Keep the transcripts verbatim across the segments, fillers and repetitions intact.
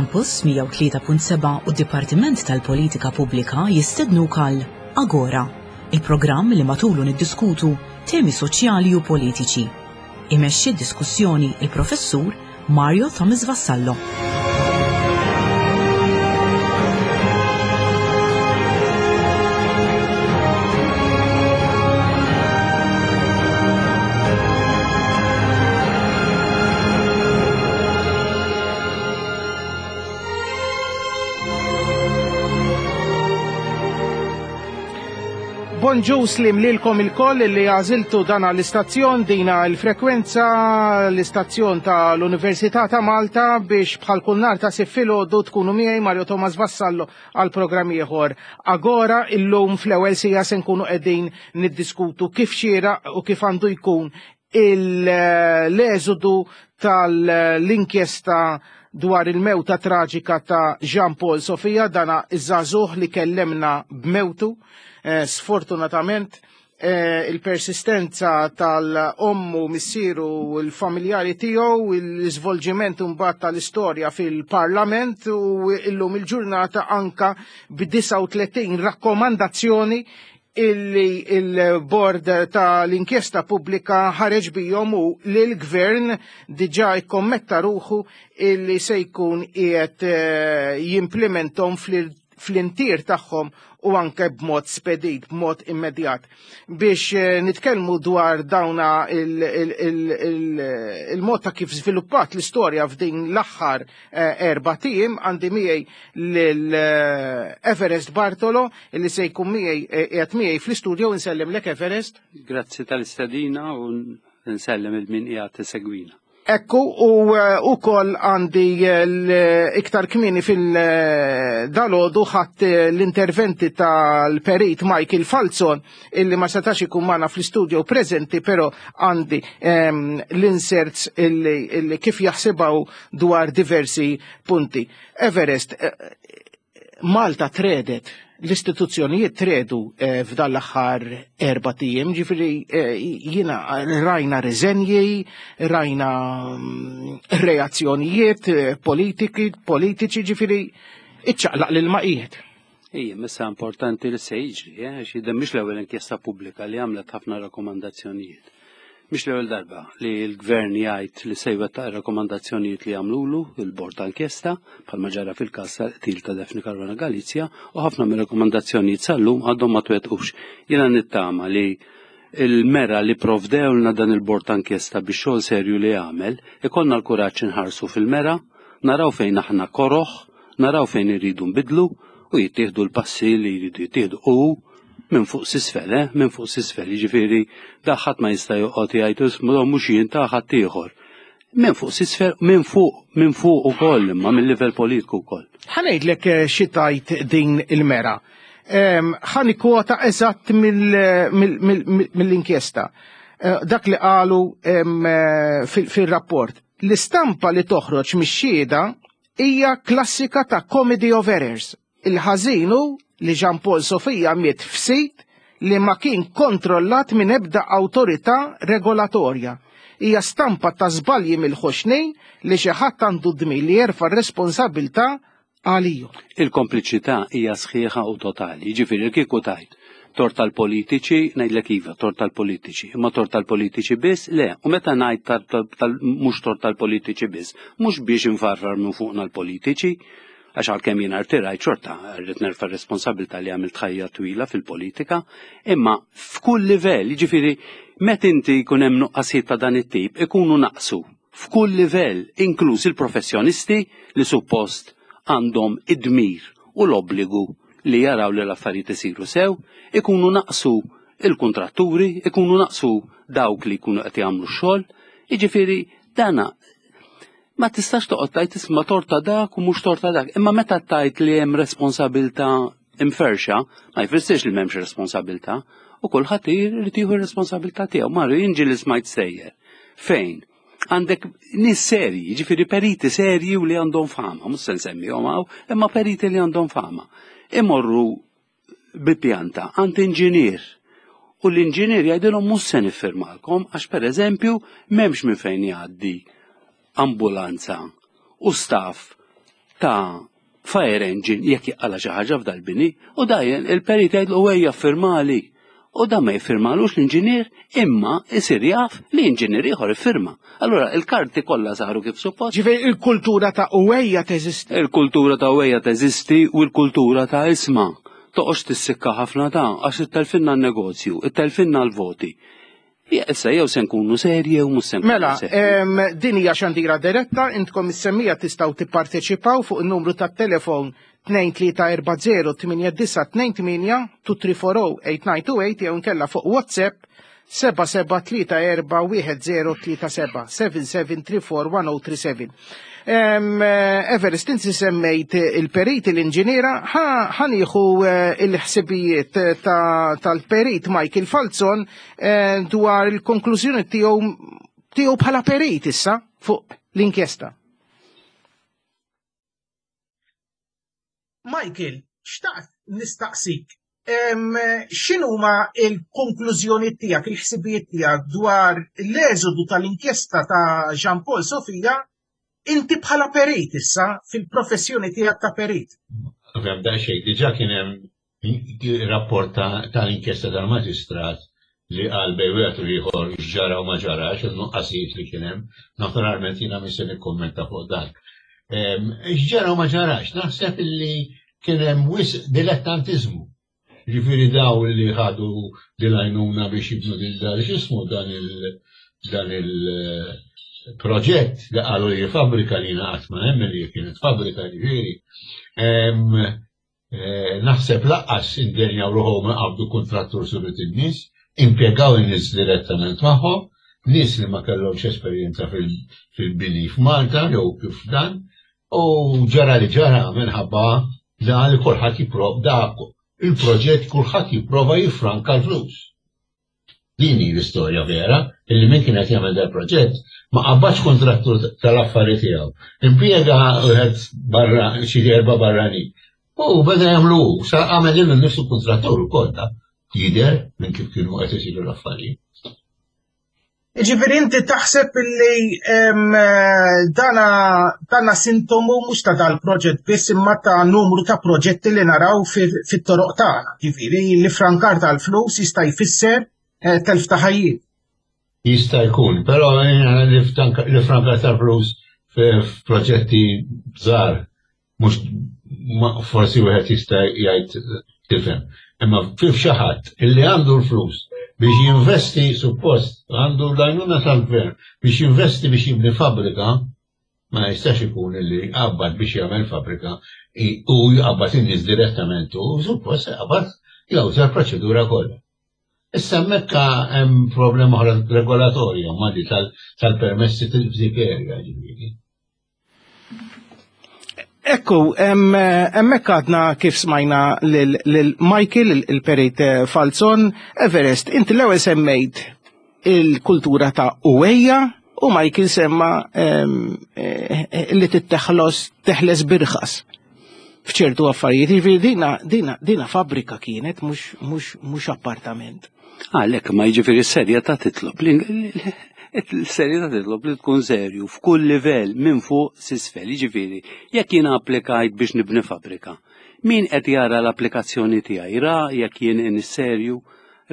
Campus mija u tlieta punt seba' u d-Dipartiment tal-Politika Pubblika jistednuk għal Agora, il-programm li matulu niddiskutu temi soċjali u politiċi. Imexxi d-diskussjoni il-Professur Mario Thomas Vassallo. Bonġu slim lilkom il-koll li għażiltu dan l-istazzjon, dina l-frekwenza, l-istazzjon tal-Università ta' Malta biex bħal kull nhar ta' Sibt filgħodu tkunu miegħi Mario Thomas Vassallo għal programm ieħor. Agora illum fl-ewwel sija se nkunu qegħdin niddiskutu kif xieraq u kif għandu jkun l-eżodu tal-inkjesta dwar il-mewta traġika ta' Jean Paul Sofia, dana iż-żagħżugħ li kellemna b'mewtu. Eh, sfortunatament, eh, il-persistenza tal-ommu, missieru u l-familjari tiegħu, l-iżvolġiment imbagħad tal-istorja fil-Parlament u illum il-ġurnata anka b'disa' u tletin rakkomandazzjoni illi il-bord tal-inkjesta pubblika ħareġ bihom u li l-gvern diġà ikkommetta ruħu illi se jkun qiegħed, eh, jimplementom fl-, fl-intir tagħhom u anke b'mod spedit, b'mod immedjat. Biex, eh, nitkellmu dwar dawna il-, il-, il-, il-, il-mod ta' kif żviluppat l-istorja f'din l-aħħar, eh, erba' tim, għandi miegħi lil, eh, Everest Bartolo li se jkun miegħi, eh, qiegħed miegħi fl-istudio. Nsellimlek Everest. Grazzi tal-istedina u nsellem il-min qiegħed isegwina. Ekku, u, eh, u koll għandi, eh, l-iktar kmini fil-dalodu ħadd, eh, l-interventi tal-perit Michael Falzon illi ma setax ikun magħna fl-istudio preżenti, però għandi, ehm, l-inserts illi, illi kif jaħsibaw dwar diversi punti. Everest, eh, Malta tredet, l-istituzzjonijiet tredu, eh, f'dan l-aħħar erba' tiem, ġifieri, eh, jiena rajna riżenji, rajna, mm, reazzjonijiet, eh, politiki, politiċi, ġifieri iċċaqlaq lil maqijiet. Ija, messa importanti li se jiġri, eh, għax jidher mhix l-ewwel inkjesta pubblika li għamlet ħafna rakkomandazzjonijiet. Mhix l-ewwel darba li l-gvern jgħid li se jwettaq ir-rakkomandazzjonijiet li għamlulu il-bord tal-inkjesta, bħalma ġara fil-każ tal-qtil ta' Daphne Caruana Galizia, u ħafna mir-rakkomandazzjonijiet sal-lum għadhom ma twettqux. Jiena nittama li il-mera li provdewlna dan il-bord tal-inkjesta biex xogħol serju li għamel, ikollna l-kuraġġ inħarsu fil-mera, naraw fejn aħna koroħ, naraw fejn irridu nbidlu u jittieħdu l-passi li jridu jittieħdu u minn fuq s'isfel, eh? Minn fuq s'isfel, jiġifieri daħħat ma jista' joqgħod jgħid ismu mhux jien ta' ħadd ieħor. Minn fuq s'isfel, minn fuq, minn fuq ukoll, imma mill-livell politiku wkoll. Ħa ngħidlek, eh, xi tajt din il-mera. Ehm, ħa nikkwota eżatt mill-, mill-, mill-, mill-inkjesta. Eh, dak li qalu, ehm, eh, fil-, fil-rapport. L-istampa li toħroġ mix-xhieda hija klassika ta' comedy of errors. Il-ħażin hu li Jean Paul Sofia miet f'sit li ma kien kontrollat minn ebda awtorità regolatorja. Hija stampa ta' żbalji mill-ħoxnejn li xi ħadd għandu dmir li jerfa' r-responsabilità għaliju. Il-kompliċità hija sħiħa u totali. Jiġifieri kieku tajt tort tal-politiċi, ngħidlek iva, tort tal-politiċi, imma tort tal-politiċi biss, le, u meta ngħid tal-, tal-, tal-, mhux tort tal-politiċi biss, mhux biex infarfar minn fuqna l-politiċi, għax għalkemm jien artirajt xorta rrid nerfa' responsabilità li għamilt ħajja twila fil-politika, imma f'kull livell, jiġifieri meta inti jkun hemm nuqqasijiet ta' dan it-tip, ikunu naqsu f'kull livell, inkluż il-professjonisti li suppost għandhom id-dmir u l-obbligu li jaraw li l-affarijiet isiru sew, ikunu naqsu il-kontratturi, ikunu naqsu dawk li jkunu qed jagħmlu x-xogħol, jiġifieri dana ma tistax toqgħod tajt isma' torta dak u mhux torta dak, imma meta tajt li hemm responsabilità imferxa, ma jfissirx li m'hemmx responsabilità, u kulħadd irid jieħu r-responsabilità tiegħu. Mario, jien ġieli smajt sejjer. Fejn? Għandek nies serji, jiġifieri periti serji u li għandhom fama, mhux se nsemmihom hawn, imma periti li għandhom fama. Imorru bi pjanta għand inġinier u l-inġinier jgħidilhom mhux se niffirmalkom għax pereżempju m'hemmx minn fejn jgħaddi ambulanza u staff ta' fire engine jekk jaqala xi ħaġa f'dal-bini u dajjen il-perit jgħidlu ejja firmali. U da ma jiffirmalux l-inġinier imma isir jaf li inġinier ieħor iffirma. Allura il-karti kollha saru kif suppost. Ġifieri il-kultura ta' uwejja teżisti. Il-kultura ta' uwejja teżisti u l-kultura ta' isma. Toqgħodx tissikka ħafna ta' għax ittelfinna n-negozju, ittelfinna l-voti. Issa jew se nkunu serji u mhux se nkunu Mela, serji. em, din hija xandira diretta, intkom is-semmija tistgħu tipparteċipaw fuq in-numru tat-telefon tnejn tlieta erba' zero tmienja disa' tnejn tmienja two three four oh eight nine two eight jew inkella fuq WhatsApp seba' seba' tlieta erba' wieħed zero tlieta seba' seven seven three four one oh three seven. Em, eh, Everest, inti semmejt il-perit, l-inġiniera, ħanieħu, eh, il-ħsibijiet ta' tal-perit Michael Falzon, eh, dwar il-konklużjoni tiegħu tiegħu bħala perit issa fuq l-inkjesta. Michael, xtaqt nistaqsik, em, x'inhuma l-konklużjoni tiegħek, il-ħsibijiet tiegħek dwar l-eżodu tal-inkjesta ta' Jean Paul Sofia, inti bħala perit issa fil-professjoni tiegħek ta' perit? Ovvjament da xejn, diġà kien hemm rapport ta', tal-inkjesta tal-maġistrat li qal bejn wieħed u ieħor x'ġara u ma ġarax, il-nuqqasijiet li kien hemm. Naturalment jiena mhux se nikkummenta fuq dak. Em, X'ġara u ma ġarax, naħseb illi kien hemm wisq dilettantiżmu. Ġifieri daw li ħadu dil-għajnuna biex jibnu dil dan x'ismu dan il dan il-proġett li qalu li fabbrika li jiena qatt ma nemmen li kienet fabbrika ġifieri. Em, eh, Naħseb laqqas indenjaw ruħhom qabdu kontrattur surit in-nies, impjegaw in-nies direttament magħhom, nies li ma kellhomx esperjenza fil- fil-bini f'Malta jew kif dan, u ġara li ġara minħabba dan li kulħadd jipprova dak il-proġett kulħadd jipprova jiffranka l-flus. Din hi l-istorja vera, illi min kien qed jagħmel dal proġett ma qabadx kontrattur tal-affari tiegħu. Impjega wieħed barra xi erba' barranin. U beda jagħmlu hu, sa għamel lilu nnifsu kontrattur ukoll da. Jidher minn kif kienu qed isiru l-affarijiet. Ġifieri inti taħseb illi, em, dana, dana sintomu mhux ta' dal-proġett biss imma ta' numru ta' proġetti li naraw fi-, fit-toroq tagħna. Ġifieri li frankar tal-flus jista' jfisser, eh, telf ta' ħajjiet. Jista' jkun, però jiena li ftanka-, li frankar tal-flus f-, f'proġetti żgħar mhux ma-, forsi wieħed jista' jgħid tifhem. Imma fif xi ħadd illi għandu l-flus biex jinvesti suppost, għandu l-għajnuna tal-gvern biex jinvesti biex jibni fabbrika, ma jistax ikun illi qabad biex jagħmel fabbrika i-, u jqabbad in-nies direttament u suppost jqabbad jawża l-proċedura kollha. Issa hemmhekk hemm problema oħra regolatorja ma di tal-, tal-permessi f'dik area ġifieri. Ekku, em, hemmhekk għadna kif smajna lil, lil Michael, il-, il-perit Falzon. Everest, inti l-ewwel semmejt il-kultura ta' uwejja u Michael semma, em, eh, eh, li titteħlos, teħles birħas f'ċertu affarijiet. Jiġifieri dina, dina, dina fabbrika kienet, mhux, mhux, mhux appartament. Għalhekk ma jiġifieri s-serjetà titlob li l-serjetà titlob li tkun serju f'kull livell minn fuq s'isfel. Jiġifieri jekk jiena applikajt biex nibni fabbrika, min qed jara l-applikazzjoni tiegħi ra jekk jien inix serju,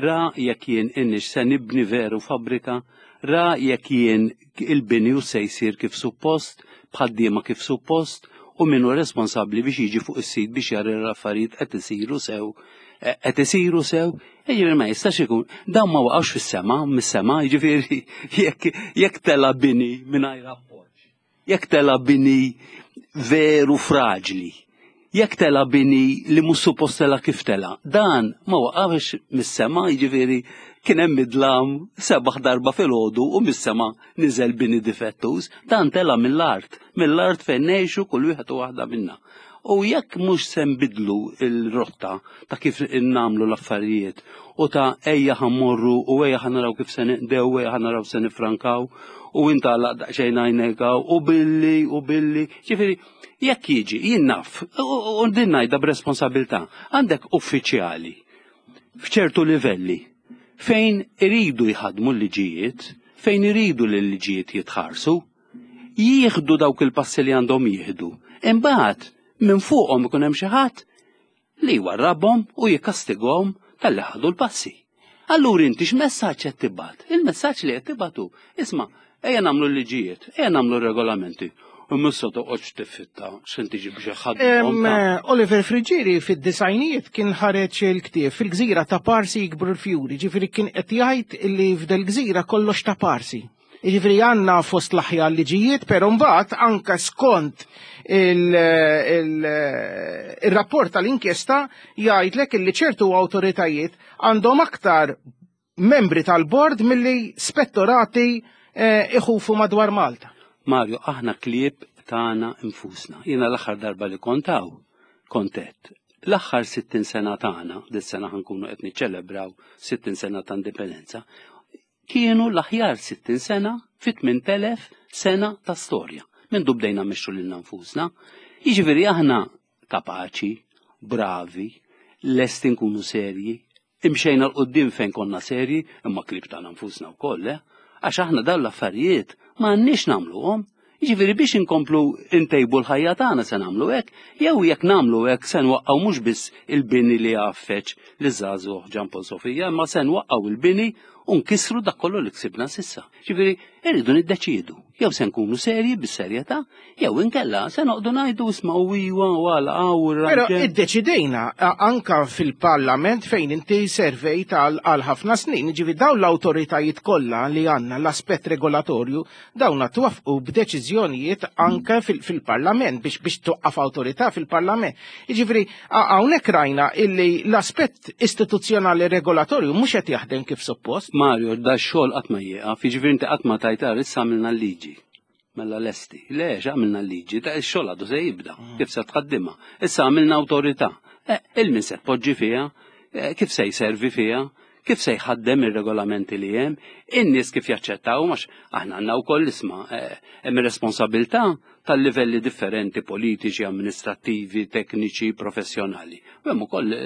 ra jekk jien inix se nibni veru fabbrika, ra jekk jien il-bini u se jsir kif suppost, b'ħaddiema kif suppost, u min hu responsabbli biex jiġi fuq is-sit biex jara l-affarijiet qed isiru sew, qed isiru sew, jiġifieri ma jistax ikun, dawn ma waqgħux fis-sema, mis-sema, jiġifieri jekk, jekk tela bini mingħajr appoġġ, jekk tela bini veru fraġli, jekk tela bini li mhux suppost tela kif tela, dan ma waqgħux mis-sema, jiġifieri kien hemm midlam sebaħ darba filgħodu u mis-sema niżel bini difettuż, dan tela mill-art, mill-art fejn ngħixu kull wieħed u waħda minna. U jekk mhux se nbidlu l-rotta ta' kif nagħmlu l-affarijiet u ta' ejja ħammorru u ejja ħanaraw kif se neqdew, ejja ħanaraw se nifrankaw u inta għalaq daqsxejn għajnejk u billi u billi, ġifieri jekk jiġi jien naf u, u, u din ngħidha b'responsabilità, għandek uffiċjali f'ċertu livelli fejn iridu jħadmu l-liġijiet, fejn iridu li l-liġijiet jitħarsu, jieħdu dawk il-passi li għandhom jieħdu. Imbagħad minn fuqhom ikun hemm xi ħadd li jwarrabhom u jikkastigahom talli ħadu l-passi. Allura inti x'messaġġ qed tibgħat? Il-messaġġ li qed tibgħatu, isma', ejja nagħmlu l-liġijiet, ejja nagħmlu regolamenti. U mhux toqgħodx tiffitta x'inti tiġi biex ħadd. Oliver Friggieri fid-disgħinijiet kien ħareġ il-ktieb "Fil-Gżira ta' Parsi Jikbru l-Fjuri", ġifieri kien qed jgħid li f'del gżira kollox ta' Parsi. Ġifieri għandna fost l-aħjar liġijiet, però mbagħad anke skont il-rapport tal-inkjesta jgħidlek li ċertu awtoritajiet għandhom aktar membri tal-bord milli spettorati eh, iħufu madwar Malta. Mario, aħna klieb tagħna infusna. Jiena l-aħħar darba li kontaw, kontet. L-aħħar sittin sena tagħna, dis-sena ħa nkunu qed niċċelebraw sittin sena ta' indipendenza, kienu l-aħjar sittin sena fit tmien elef sena ta' storja. Minn bdejna mmexxu lilna nfusna. Jiġifieri aħna kapaċi, bravi, lesti nkunu serji, imxejna 'l quddiem fejn konna serji, imma klieb tagħna nfusna wkoll, eh? Għax aħna dawn l-affarijiet ma għandniex nagħmluhom. Jiġifieri biex inkomplu intejbu l-ħajja tagħna se nagħmlu hekk, jew jekk nagħmlu hekk se nwaqqgħu mhux biss il-bini li għaffeġ li żagħżugħ Jean Paul Sofia, imma se nwaqqgħu il-bini u nkissru dak kollu li ksibna s'issa. Ġifieri irridu niddeċiedu, jew se nkunu serji bis-serjetà, jew inkella se noqogħdu ngħidu isma' u iwa u għala u Però iddeċidejna anka fil-Parlament fejn inti servejt għal ħafna snin, ġifieri dawn l-awtoritajiet kollha li għandna l-aspett regolatorju dawn twaffqu b'deċiżjonijiet anke fil-Parlament biex biex twaqqaf awtorità fil-Parlament. Ġifieri hawnhekk rajna illi l-aspett istituzzjonali regolatorju mhux qed jaħdem kif suppost. Mario, da xogħol qatt ma jieqaf, jiġifieri inti qatt ma tajtar issa għamilna l-liġi. Mela lesti. Le, għamilna l-liġi, da x-xogħol għadu se jibda, mm. kif se tħaddimha. Issa għamilna awtorità. Eh, il-min se tpoġġi fiha, eh, kif se jservi fiha, kif se jħaddem ir-regolamenti li hemm, in-nies kif jaċċettaw, għax aħna għandna wkoll isma' eh, hemm responsabilità tal-livelli differenti politiċi, amministrattivi, tekniċi, professjonali. U hemm ukoll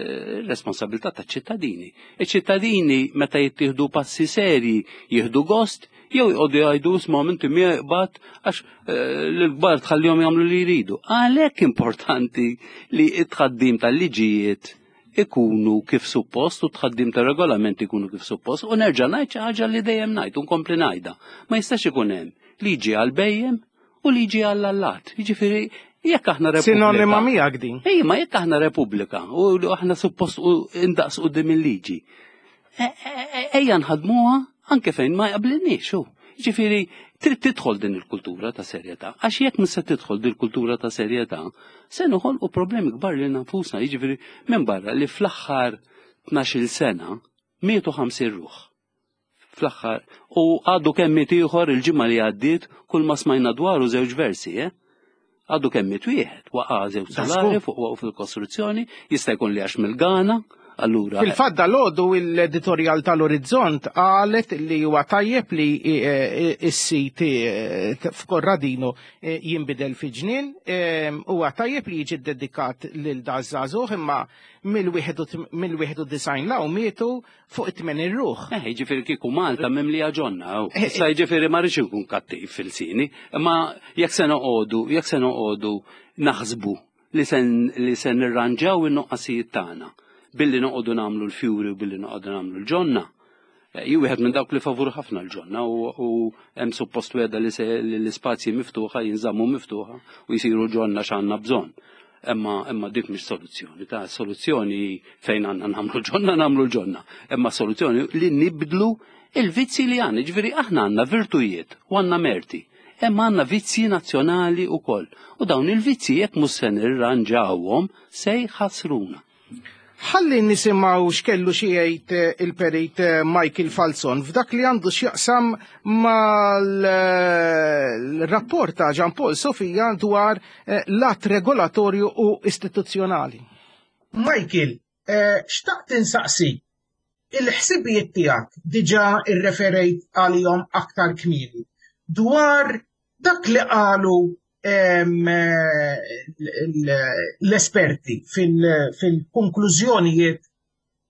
responsabilità taċ-ċittadini. Iċ-ċittadini meta jittieħdu passi serji jieħdu gost jew jqogħdu jgħidu isma' inti miegħek għax l-kbar tħallihom jagħmlu li jridu. Għalhekk importanti li t-tħaddim tal-liġijiet ikunu kif suppost u tħaddim ta' regolamenti ikunu kif suppost u nerġa' ngħid xi ħaġa li dejjem ngħid u nkompli ngħidha. Ma jistax ikun hemm liġi għal bhejjem u liġi għall allat. Jiġifieri jekk aħna repubblika. Sinonima miegħek din. Ej, ma jekk aħna repubblika u aħna suppost u indaqs quddiem il-liġi. E, e, e, ejja nħadmuha anke fejn ma jaqblinniex hu. Ġifieri trid tidħol din il-kultura ta' serjetà, għax jekk mhux se tidħol din il-kultura ta' serjetà, se noħolqu problemi kbar lil nfusna, jiġifieri minn barra li fl-aħħar tnax-il sena mietu ħamsin ruħ. Fl-aħħar u għadu kemm miet ieħor il-ġimgħa li għaddiet, kull ma smajna dwaru żewġ versi, eh? Għadu kemm miet wieħed, waqa' żewġ solari fuq waqgħu fil-kostruzzjoni, jista' jkun li għax mill-Gana. Allura. Fil-fatt dalgħodu l-editorial tal-Orizzont qalet li huwa tajjeb li s-sit f'Korradino jinbidel fi ġnien, huwa tajjeb li jiġi dedikat lil daż-żagħżugħ, imma mill-wieħed u disgħin 'l hawn mietu fuq it-tmenin ruħ. Eh, ġifieri kieku Malta mimlija ġonna. Issa ġifieri ma rridx inkun kattiv fil-sini, imma jekk se noqogħdu, jekk se noqogħdu naħsbu li sen li se nirranġaw in-nuqqasijiet tagħna billi noqogħdu nagħmlu l-fjuri u billi noqogħdu nagħmlu l-ġonna. Jien wieħed minn dawk li favur ħafna l-ġonna u hemm suppost weda li l-ispazji miftuħa jinżammu miftuħa u jsiru ġonna x'għandna bżonn. Imma imma dik mhix soluzzjoni, ta' soluzzjoni fejn għandna nagħmlu ġonna nagħmlu l-ġonna. Imma soluzzjoni li nibdlu il-vizzi li għandna, ġifieri aħna għandna virtujiet u għandna merti. Imma għandna vizzi nazzjonali wkoll. U dawn il-vizzi jekk mhux se nirranġawhom se jħassruna. Ħalli nisimgħu x'kellu xi jgħid il-perit Michael Falzon f'dak li għandu x'jaqsam mal-rapport ta' Jean Paul Sofia dwar l-att regolatorju u istituzzjonali. Michael, xtaqt insaqsi, il-ħsibijiet tiegħek diġà irreferejt għalihom aktar kmieni dwar dak li qalu l-esperti fil-konklużjonijiet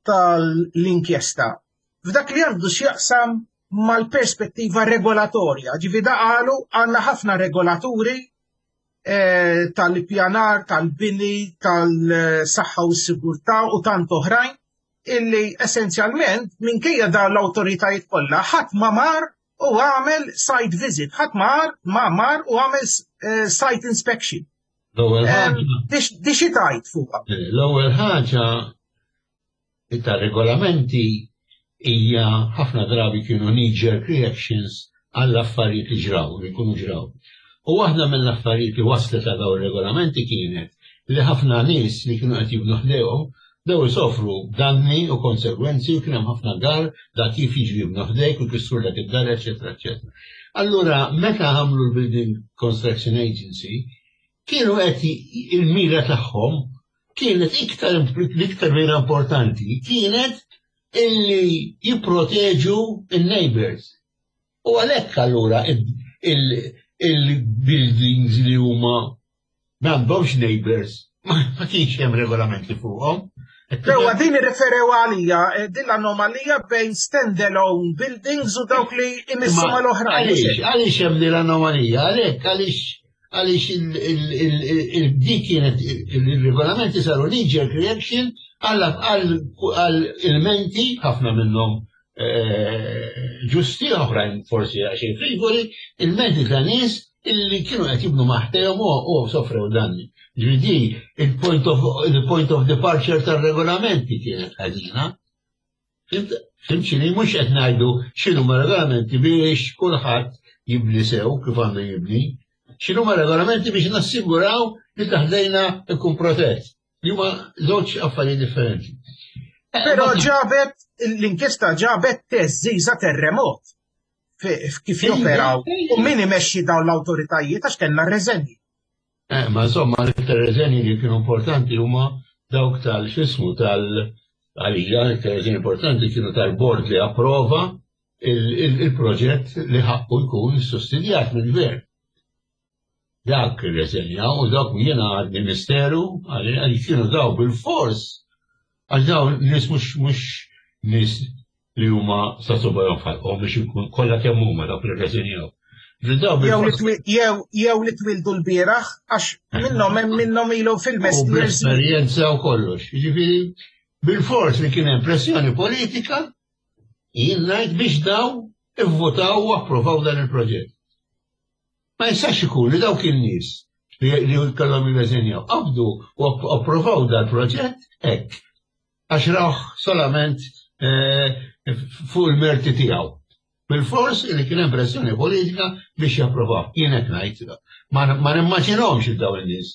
tal-inkjesta f'dak li għandu x'jaqsam mal-perspettiva regolatorja. Ġifieri da qalu għandna ħafna regolaturi eh, tal-ippjanar, tal-bini, tal-saħħa u s-sigurtà u tant oħrajn illi essenzjalment minkejja da l-awtoritajiet kollha ħadd ma mar u għamel site visit, ħadd mar ma mar u għamel eh, site inspection. L-ewwel ħaġa. Di xi tgħid fuqha? L-ewwel ħaġa ta' regolamenti hija ħafna drabi kienu knee-jerk reactions għall-affarijiet li ġraw, li jkunu ġraw. U waħda mill-affarijiet li waslet għal dawn ir-regolamenti kienet li ħafna nies li kienu qed jibnu ħdejhom daw isofru danni u konsegwenzi u kien hemm ħafna gar da kif jiġu jibnu ħdejk u jkissru dak id-dar, eċetera, eċetera. Allura, meta għamlu l-Building Construction Agency, kienu qed il-mira tagħhom kienet iktar l-iktar mira importanti kienet illi jipproteġu il-neighbors. U għalhekk allura il-buildings li huma m'għandhomx neighbors ma kienx hemm regolamenti fuqhom. Ewa, din irreferew għalija, eh, din l-anomalija bejn standalone buildings u dawk li imissu mal-oħrajn. Għaliex, għaliex hemm din l-anomalija, għalhekk għaliex għaliex il-dik kienet il-regolamenti saru knee-jerk reaction għal ilmenti ħafna minnhom eh, ġusti, oħrajn forsi għaxej frivoli, ilmenti ta' nies illi kienu qed jibnu ma' ħdejhom u sofrew danni. Ġifieri il-point of, il-point of departure tar-regolamenti kienet ħażina. Fhimt x'inhi? Mhux qed ngħidu x'inhuma regolamenti biex kulħadd jibni sew kif għandu jibni. X'inhuma regolamenti biex nassiguraw li ta' ħdejna ikun protett. Li huma żewġ affarijiet differenti. Però ġabet, l-inkjesta ġabet teżżiża terremot kif joperaw u min imexxi dawn l-awtoritajiet għax kellna reżenji. Eh, ma insomma, l-iktar reżenji li kienu importanti huma dawk tal-xismu tal- għalija, l-iktar reżenji importanti kienu tal-bord li approva il-proġett li ħaqqu jkun sussidjat mill-gvern. Dak irreżenja u dak jiena għadni misteru għalli kienu daw bil-fors għax daw nies mhux mhux nies li huma sa subgħajhom f'ħalqhom biex ikun kollha kemm huma dawk li rreżenjaw. Jew li twildu l-bieraħ, għax minnhom hemm minnhom ilu fil-mestier. Bl-esperjenza u kollox. Jiġifieri bil-fors li kien hemm pressjoni politika, jien ngħid biex daw ivvotaw u approvaw dan il-proġett. Ma jistax ikun li dawk in-nies li kellhom jirreżenjaw qabdu u approvaw dal-proġett hekk għax rawh solament eh, fuq il-merti tiegħu. Bil-fors li kien hemm pressjoni politika biex japprovaw. Jien hekk ngħid. Ma nimmaġinhomx il dawn in-nies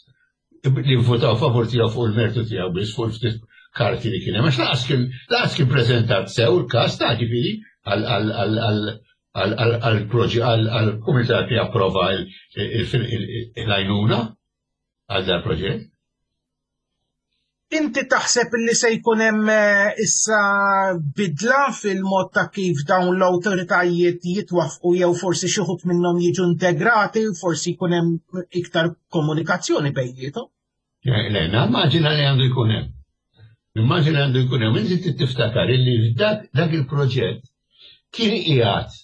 li votaw favur tiegħu fuq il-mertu tiegħu biss fuq il-ftit karti li kien hemm. Għax lanqas kien lanqas kien preżentat sew il-każ ta' ġifieri għal-proġett għal-kumitat li approva l-għajnuna għal dal-proġett. Inti taħseb li se jkun hemm eh, issa bidla fil-mod ta' kif dawn l-awtoritajiet jitwafqu jew forsi xi wħud minnhom jiġu integrati, forsi jkun hemm iktar komunikazzjoni bejniethom? Le, nimmaġina li għandu jkun hemm. Nimmaġina li għandu jkun hemm. Inti tiftakar illi dak il-proġett kien qiegħed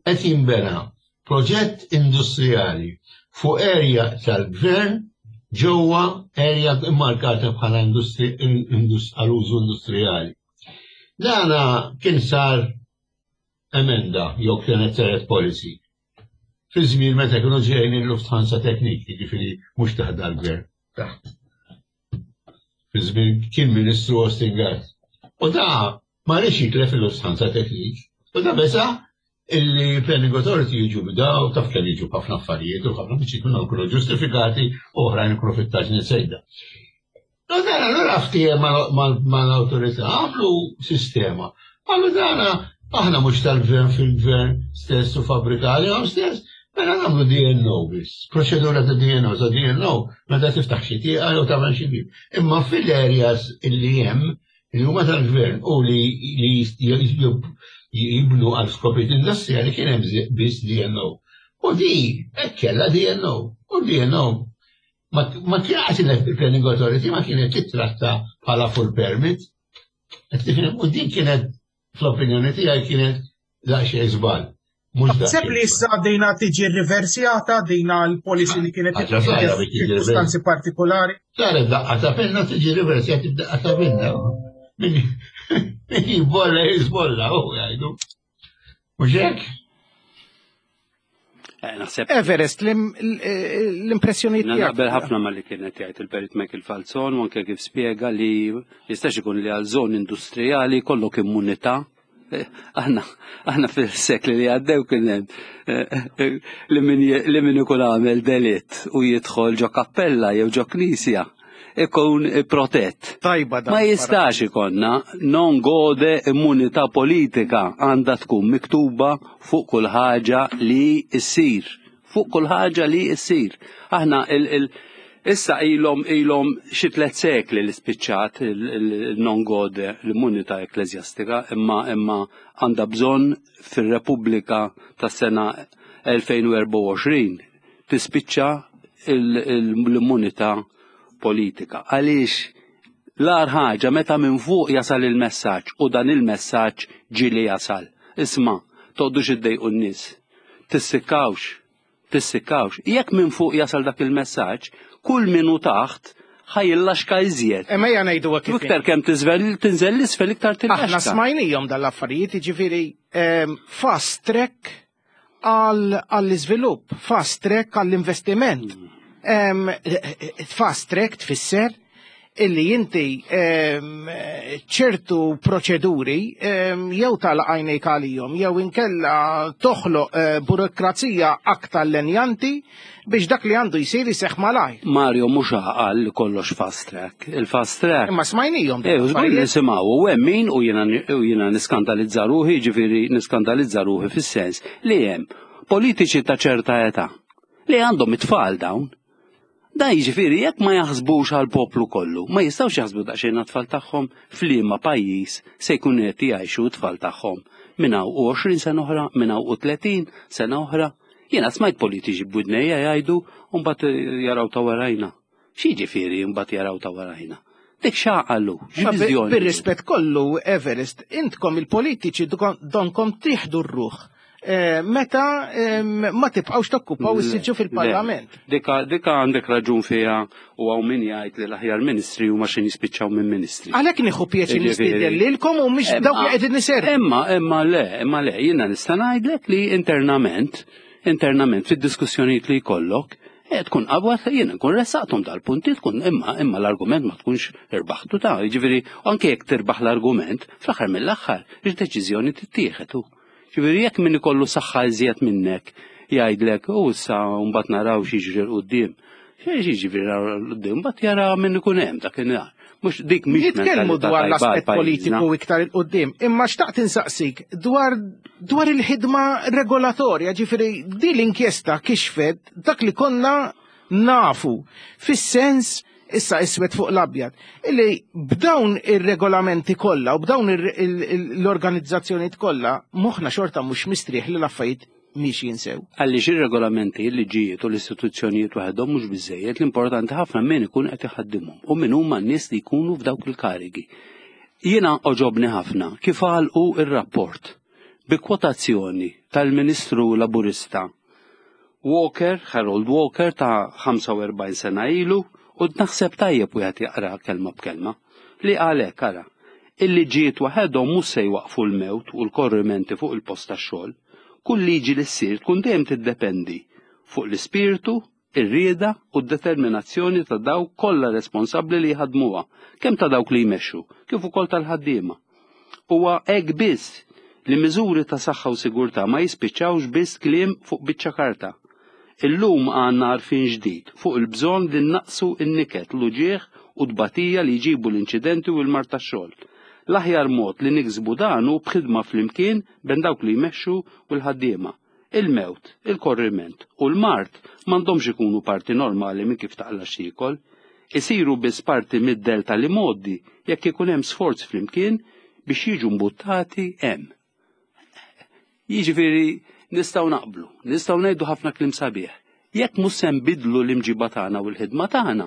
qed jinbena proġett industrijali fuq area tal-gvern ġewwa area immarkata bħala għal użu industrijali. Dana kien sar emenda jew kienet saret policy. Fi żmien meta kienu ġejjin il-Lufthansa Technik, jiġifieri mhux taħt dal-gvern, taħt. Fi żmien kien Ministru Austin Gatt. U da ma rridx jitlef il-Lufthansa Technik. U da besa illi Planning Authority jiġu b'daw, taf kemm jiġu ħafna affarijiet u ħafna biex jkunu jkunu ġustifikati u oħrajn ikunu fit-taġni sejda. U dan allura ftiehem mal-awtorità għamlu sistema. Għallu dana aħna mhux tal-gvern fil-gvern stess u fabbrikali għam stess, mela nagħmlu D and O biss, proċedura ta' D and O, ta' D and O meta tiftaħ xi tieqa jew tagħmel xi bib. Imma fil-areas illi hemm li huma tal-gvern u li jibnu għal skopijiet industrijali kien hemm biss D and O. U di hekk kellha D and O. U D and O ma kienet il-Planning Authority ma kienet titratta bħala full permit. U din kienet fl-opinjoni tiegħi kienet daqsxejn żball. Naħseb li issa dejna tiġi riversjata dejna l-policy li kienet ċirkustanzi partikolari. Saret daqqa ta' pinna tiġi riversjata b'daqqa ta' pinna. Min jibbolla jizbolla, u jgħidu. Mhux hekk? Naħseb. Everest, l-impressjoni tiegħek. Naqbel ħafna ma li kienet jgħid il-Perit Michael Falzon u anke kif spjega li jistax ikun li għal żoni industrijali kollok immunità. Aħna aħna fil-sekli li għaddew kien hemm li min ikun għamel delitt u jidħol ġo kappella jew ġo knisja ikun protett. Tajba dan. Ma jistax ikonna non gode immunità politika għandha tkun miktuba fuq kull ħaġa li ssir. Fuq kull ħaġa li ssir. Aħna il, il issa ilhom ilhom xi tliet sekli li spiċċat il-non gode l-immunità ekkleżjastika, imma imma għandha bżonn fir-Repubblika tas-sena elfejn u erbgħa u għoxrin tispiċċa l-immunità politika. Għaliex l-agħar ħaġa meta minn fuq jasal il-messaġġ u dan il-messaġġ ġieli jasal. Isma', toqgħodux iddejqu n-nies. Tissikkawx, tissikkawx. Jekk minn fuq jasal dak il-messaġġ, kull min hu taħt ħajjillaxka iżjed. Imma ejja ngħidu hekk kif Iktar kemm tiżvel tinżel l-isfel iktar Aħna tillaxka. smajnijhom dal-affarijiet, jiġifieri fast track għall-iżvilupp, fast track għall-investiment. Fast track tfisser illi inti ċertu proċeduri jew tal-għajnejk għalihom jew inkella toħloq burokrazija aktar lenjanti biex dak li għandu jsir iseħħ malajr. Mario mhux għaqal li kollox fast track. Il-fast track. Imma smajnijhom. Eh, żgur nisimgħu u hemm min u jiena u jiena niskandalizza ruħi, jiġifieri niskandalizza ruħi fis-sens li hemm politiċi ta' ċerta età li għandhom it-tfal dawn. Da jiġifieri jekk ma jaħsbux għal poplu kollu, ma jistgħux jaħsbu daqsxejn għat-tfal tagħhom f'liema pajjiż se jkunu qed jgħixu t-tfal tagħhom minn hawn u għoxrin sena oħra, minn hawn u tletin sena oħra. Jiena smajt politiċi b'widnejja jgħidu u mbagħad jaraw ta' warajna. X'jiġifieri mbagħad jaraw ta' warajna? Dik x'għaqalu, x'viżjoni. Bir-rispett kollu, Everest, intkom il-politiċi donkom tieħdu r-ruħ. Meta ma tibqgħux tokkupaw is-siġġu fil-Parlament. Dika dika għandek raġun fiha u hawn min jgħid li l-aħjar ministri huma xi jispiċċaw minn ministri. Għalhekk nieħu pjaċir nistieden lilkom u mhix dawk li qegħdin niservu. Imma imma le, imma le, jiena nista' ngħidlek li internament, internament fid-diskussjonijiet li jkollok, tkun qabwa jiena nkun ressaqthom dal-punti tkun imma imma l-argument ma tkunx irbaħtu ta' jiġifieri anke jekk tirbaħ l-argument, fl-aħħar mill-aħħar id-deċiżjoni tittieħed hu. Ġifieri jekk min ikollu saħħa iżjed minnek jgħidlek u issa mbagħad naraw x'jiġri l quddiem. X'jiġri l quddiem mbagħad jara min ikun hemm dak in-nhar. Mhux dik mhix Nitkellmu mentalità dwar tajba l-aspett għal pajjiżna. politiku iktar il quddiem, imma xtaqt insaqsik dwar dwar il-ħidma regolatorja, ġifieri di l-inkjesta kixfet dak li konna nafu fis-sens issa iswed fuq l-abjad, illi b'dawn ir-regolamenti kollha u b'dawn l-organizzazzjonijiet kollha moħħna xorta mhux mistrieħ li l-affarijiet mhix jinsew. Għaliex ir-regolamenti, il-liġijiet u l-istituzzjonijiet waħedhom mhux biżejjed, l-importanti ħafna min ikun qed iħaddimhom u min huma n-nies li jkunu f'dawk il-karigi. Jiena oġobni ħafna kif għalqu ir-rapport bi kwotazzjoni tal-Ministru Laburista Walker, Harold Walker ta' ħamsa u erbgħin sena ilu, u naħseb tajjeb wieħed jaqra kelma b'kelma, li għalhekk ara, il-liġijiet waħedhom mhux se jwaqfu l-mewt u l-korrimenti fuq il-post tax-xogħol. Kull liġi li ssir tkun dejjem tiddependi fuq l-ispirtu, ir-rieda u d-determinazzjoni ta' dawk kollha responsabbli li jħadmuha, kemm ta' dawk li jmexxu, kif ukoll tal-ħaddiema. Huwa hekk biss li miżuri ta' saħħa u sigurtà ma jispiċċawx biss kliem fuq biċċa karta. Illum għandna għarfien ġdid fuq il-bżonn li naqsu n-niket, l-uġieħ u tbatija li jġibu l-inċidenti u l-mard tax-xogħol. L-aħjar mod li niksbu dan hu b'ħidma flimkien bejn dawk li jmexxu u l-ħaddiema. Il-mewt, il-korriment u l-mard m'għandhomx ikunu parti normali minn kif taqla x'tiekol. Isiru biss parti mid-del tal-imgħoddi jekk ikun hemm sforz flimkien biex jiġu mbuttati hemm. Jiġifieri nistgħu naqblu, nistgħu ngħidu ħafna kliem sabiħ. Jekk mhux se nbidlu l-imġiba tagħna u l-ħidma tagħna,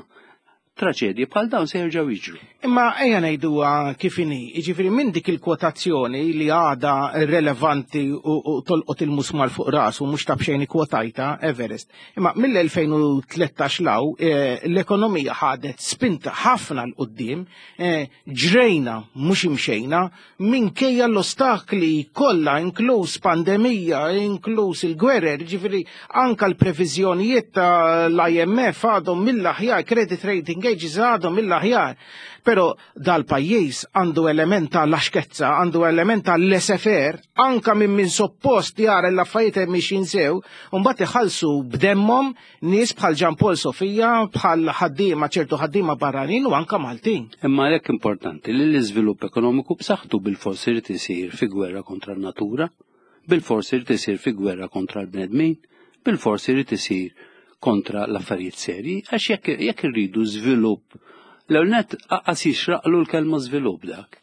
Traġedji bħal dawn se jerġgħu jiġru. Imma ejja ngħiduha kif inhi, jiġifieri minn dik il-kwotazzjoni li għadha relevanti u, u tolqot il-musmar fuq rasu, mhux ta' b'xejn ikkwotajta Everest. Imma mill-elfejn u tlettax 'l hawn eh, l-ekonomija ħadet spinta ħafna 'l quddiem, eh, ġrejna mhux imxejna, minkejja l-ostakli kollha, inkluż pandemija, inkluż il-gwerer, ġifieri anka l-previżjonijiet tal-I M F għadhom mill-aħjar, credit rating agencies għadhom mill-aħjar. Pero dal-pajjiż għandu element ta' laxkezza, għandu element ta' laissez-faire, anka minn min suppost jara l-affarijiet mixin sew, u mbagħad iħallsu b'demmhom nies bħal Jean Paul Sofia, bħal ħaddiema, ċertu ħaddiema barranin u anka Maltin. Imma għalhekk importanti li l-iżvilupp ekonomiku b'saħħtu bil-fors irid isir fi gwerra kontra n-natura, bil-fors irid isir fi gwerra kontra l-bnedmin, bil-fors irid isir kontra l-affarijiet serji, għax jekk jekk irridu żvilupp, l net qas jixraqlu l-kelma żvilupp dak.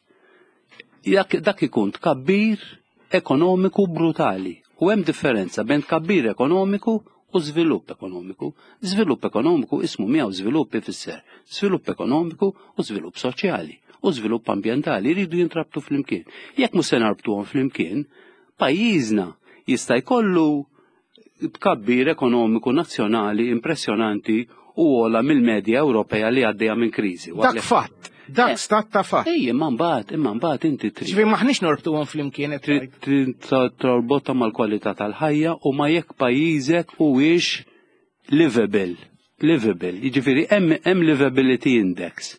Jekk dak ikun tkabbir ekonomiku brutali. U hemm differenza bejn tkabbir ekonomiku u żvilupp ekonomiku. Żvilupp ekonomiku ismu miegħu żvilupp ifisser żvilupp ekonomiku u żvilupp soċjali u żvilupp ambjentali jridu jintrabtu flimkien. Jekk mhux se narbtuhom flimkien, pajjiżna jista' jkollu tkabbir ekonomiku nazzjonali impressjonanti u ogħla mill-medja Ewropea li għaddejja minn kriżi. Dak fatt, dak Eh. stat ta' fatt. Ej, imma mbagħad, imma mbagħad inti trid Ġifieri maħniex norbtuhom flimkien qed trid tgħid. trid torbotha mal-kwalità tal-ħajja u ma jekk pajjiżek huwiex livable. Livable, jiġifieri hemm hemm livability index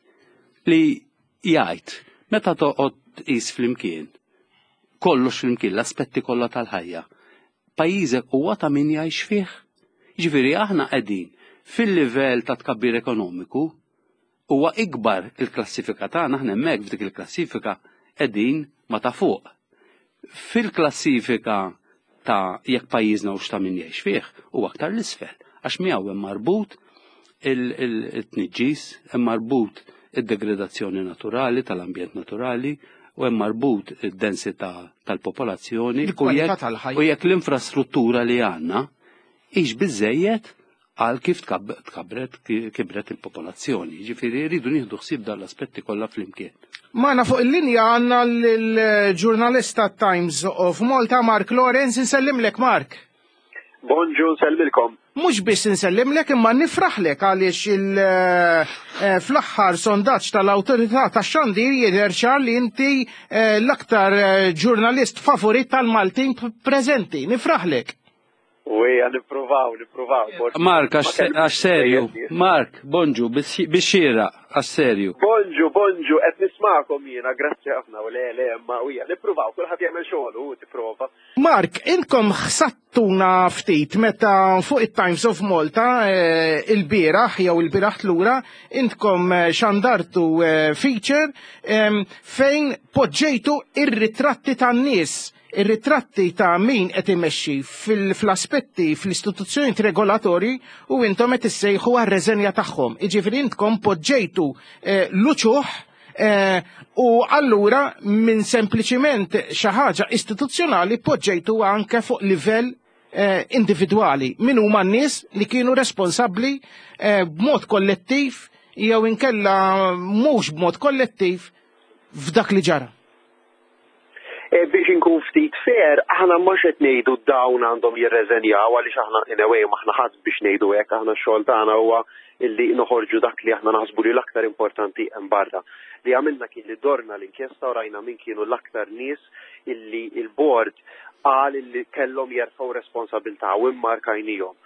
li jgħid meta toqgħod tqis flimkien kollox flimkien, l-aspetti kollha tal-ħajja. Pajjiżek huwa ta' min jgħix fih. Jiġifieri aħna qegħdin fil-livell ta' tkabbir ekonomiku huwa ikbar il-klassifika tagħna, aħna hemmhekk f'dik il-klassifika qegħdin ma ta' fuq. Fil-klassifika ta' jekk pajjiżna hux ta' min jgħix fih huwa aktar l-isfel, għax miegħu hemm marbut il-tniġġis, hemm marbut id-degradazzjoni naturali tal-ambjent naturali u hemm marbut id-densità tal-popolazzjoni u Il-kwalità jekk- tal-ħajja. u jekk l-infrastruttura li għandna hix biżejjed għal kif tkab- tkabret kibret il-popolazzjoni. Ġifieri rridu nieħdu ħsieb dan l-aspetti kollha flimkien. Magħna fuq il-linja għandna l-ġurnalista Times of Malta, Mark Lorenz, insellimlek, Mark. Bonġu, nsellmilkom. Mhux biss insellimlek imma nifraħlek għaliex il eh, fl-aħħar sondaġġ tal-awtorità tax-xandir jidher ċar li inti eh, l-aktar eh, ġurnalist favorit tal-Maltin preżenti. Nifraħlek. U ejja nippruvaw, nippruvaw. Mark, għax għax serju. Mark, bonġu, bix-xira, għax serju. Bonġu, bonġu, qed nismakom jiena, grazzi ħafna u le, le, ma u ejja, nippruvaw, kulħadd jagħmel xogħol u tipprova. Mark, intkom ħsatuna ftit meta fuq it-Times of Malta eh, il-bieraħ jew il-bieraħ tlura intkom eh, xandartu eh, feature em, fejn poġġejtu ir-ritratti tan-nies, ir-ritratti ta' min qed imexxi fil-aspetti fl-istituzzjoni regolatori u intom qed issejħu għar-reżenja tagħhom. Jiġifieri intkom poġġejtu eh, l-uċuħ eh, u allura minn sempliċiment xi ħaġa istituzzjonali poġġejtu anke fuq livell eh, individwali. Min huma n-nies li kienu responsabbli eh, b'mod kollettiv jew inkella mhux b'mod kollettiv f'dak li ġara? E, biex inkun ftit fair, aħna mhux qed ngħidu dawn għandhom jirreżenjaw, għaliex aħna in a way m'aħna ħadd biex ngħidu hekk. Aħna x-xogħol tagħna huwa illi noħorġu dak li aħna naħsbu li l-aktar importanti hemm barra. Li għamilna kien li dorna l-inkjesta u rajna min kienu l-aktar nies illi il-board qal illi kellhom jerfgħu responsabilità u immarkajnihom.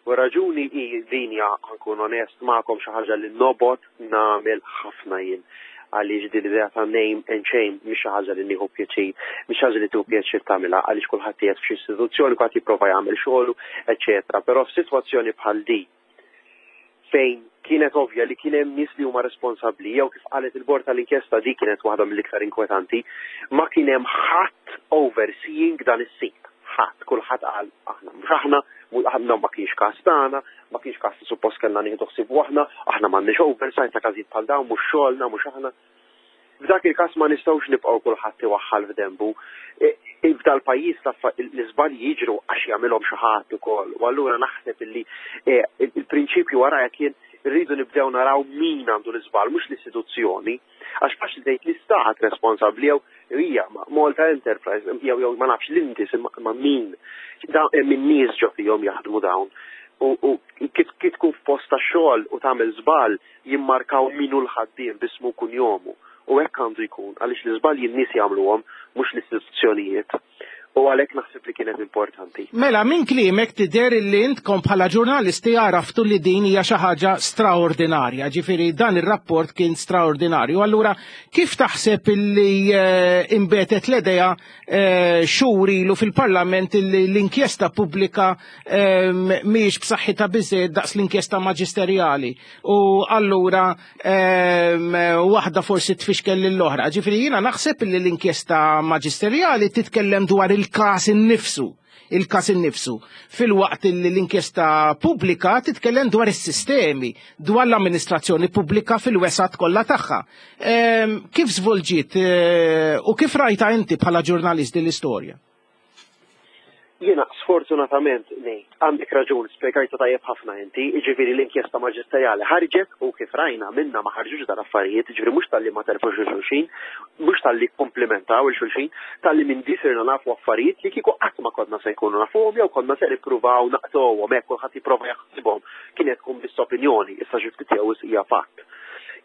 U raġuni hi din hija, nkun onest magħkom, xi ħaġa li nobgħod nagħmel ħafna jien, għaliex din l-idea ta' name and shame mhix xi ħaġa li nieħu pjaċir, mhix ħaġa li tieħu pjaċir tagħmilha, għaliex kulħadd qiegħed f'xi istituzzjoni, kulħadd jipprova jagħmel xogħlu, eċetera. Però f'sitwazzjoni bħal di fejn kienet ovvja li kien hemm nies li huma responsabbli, jew kif qalet il-bord tal-inkjesta, di kienet waħda mill-iktar inkwetanti, ma kien hemm ħadd overseeing dan is-sit. Ħadd, kulħadd qal aħna mhux aħna, aħna ma kienx każ tagħna, ma kienx każ li suppost kellna nieħdu ħsieb aħna, aħna m'għandniex oversight ta' każijiet bħal dawn, mhux xogħolna, mhux aħna. F'dak il-każ ma nistgħux nibqgħu kulħadd iwaħħal f'dembu. E, e, f'dal pajjiż l-iżbalji jiġru għax jagħmilhom xi ħadd ukoll. U allura naħseb illi e, il-prinċipju warajja kien Irridu nibdew naraw min għandu l-iżball, mhux l-istituzzjoni, għax faċli tgħid l-istat responsabbli jew hija Malta Enterprise jew jew ma nafx l-intis, ma min hemm in-nies ġo fihom jaħdmu dawn. U kif tkun f'post ta' xogħol u tagħmel żball, jimmarkaw min hu l-ħaddiem b'ismu, kunjomu. U hekk għandu jkun, għaliex l-iżbalji n-nies jagħmluhom, mhux l-istituzzjonijiet. U għalhekk naħseb li kienet importanti. Mela, minn kliemek tidher li intkom bħala ġurnalisti għaraftu li din hija xi ħaġa straordinarja, ġifieri dan ir-rapport kien straordinarju. Allura kif taħseb illi eh, inbetet l-idea eh, xhur ilu fil-Parlament illi l-inkjesta pubblika eh, mhijiex b'saħħitha biżejjed daqs l-inkjesta maġisterjali u allura waħda forsi tfixkel lill-oħra? Ġifieri jiena naħseb illi l-inkjesta maġisterjali titkellem dwar il il-kas innifsu il-kas innifsu. Filwaqt li l-inkjesta pubblika titkellem dwar is-sistemi, dwar l-amministrazzjoni pubblika fil-wesgħat kollha tagħha. Ehm, kif żvolġiet eh, u kif rajta inti bħala ġurnalist din l-istorja? Jiena sfortunatament ngħid, għandek raġun, spjegajta tajjeb ħafna inti, jiġifieri l-inkjesta maġisterjali ħarġet u kif rajna minna ma ħarġux dal-affarijiet, jiġifieri mhux talli ma telfux xulxin, mhux talli komplementaw il-xulxin, talli minn di sirna nafu affarijiet li kieku qatt ma konna se jkunu nafuhom jew konna se nippruvaw naqtgħuhom hekk, kulħadd jipprova jaħsibhom, kienet tkun biss opinjoni, issa xi ftit jew hija fatt.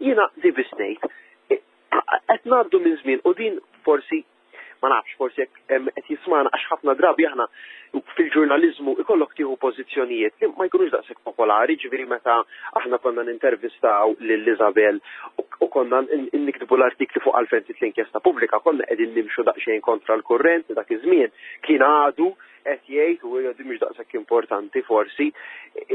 Jiena di biss ngħid, qed ngħaddu minn żmien u din forsi ma nafx, forsi jekk qed jismana, għax ħafna drabi aħna fil-ġurnaliżmu ikollok tieħu pożizzjonijiet li ma jkunux daqshekk popolari, ġifieri meta aħna konna nintervistaw lil Isabel u konna niktbu l-artikli fuq għalfejn l-inkjesta pubblika, konna qegħdin nimxu daqsxejn kontra l-kurrent. Dak iż-żmien kien għadu qed jgħid u di mhux daqshekk importanti forsi.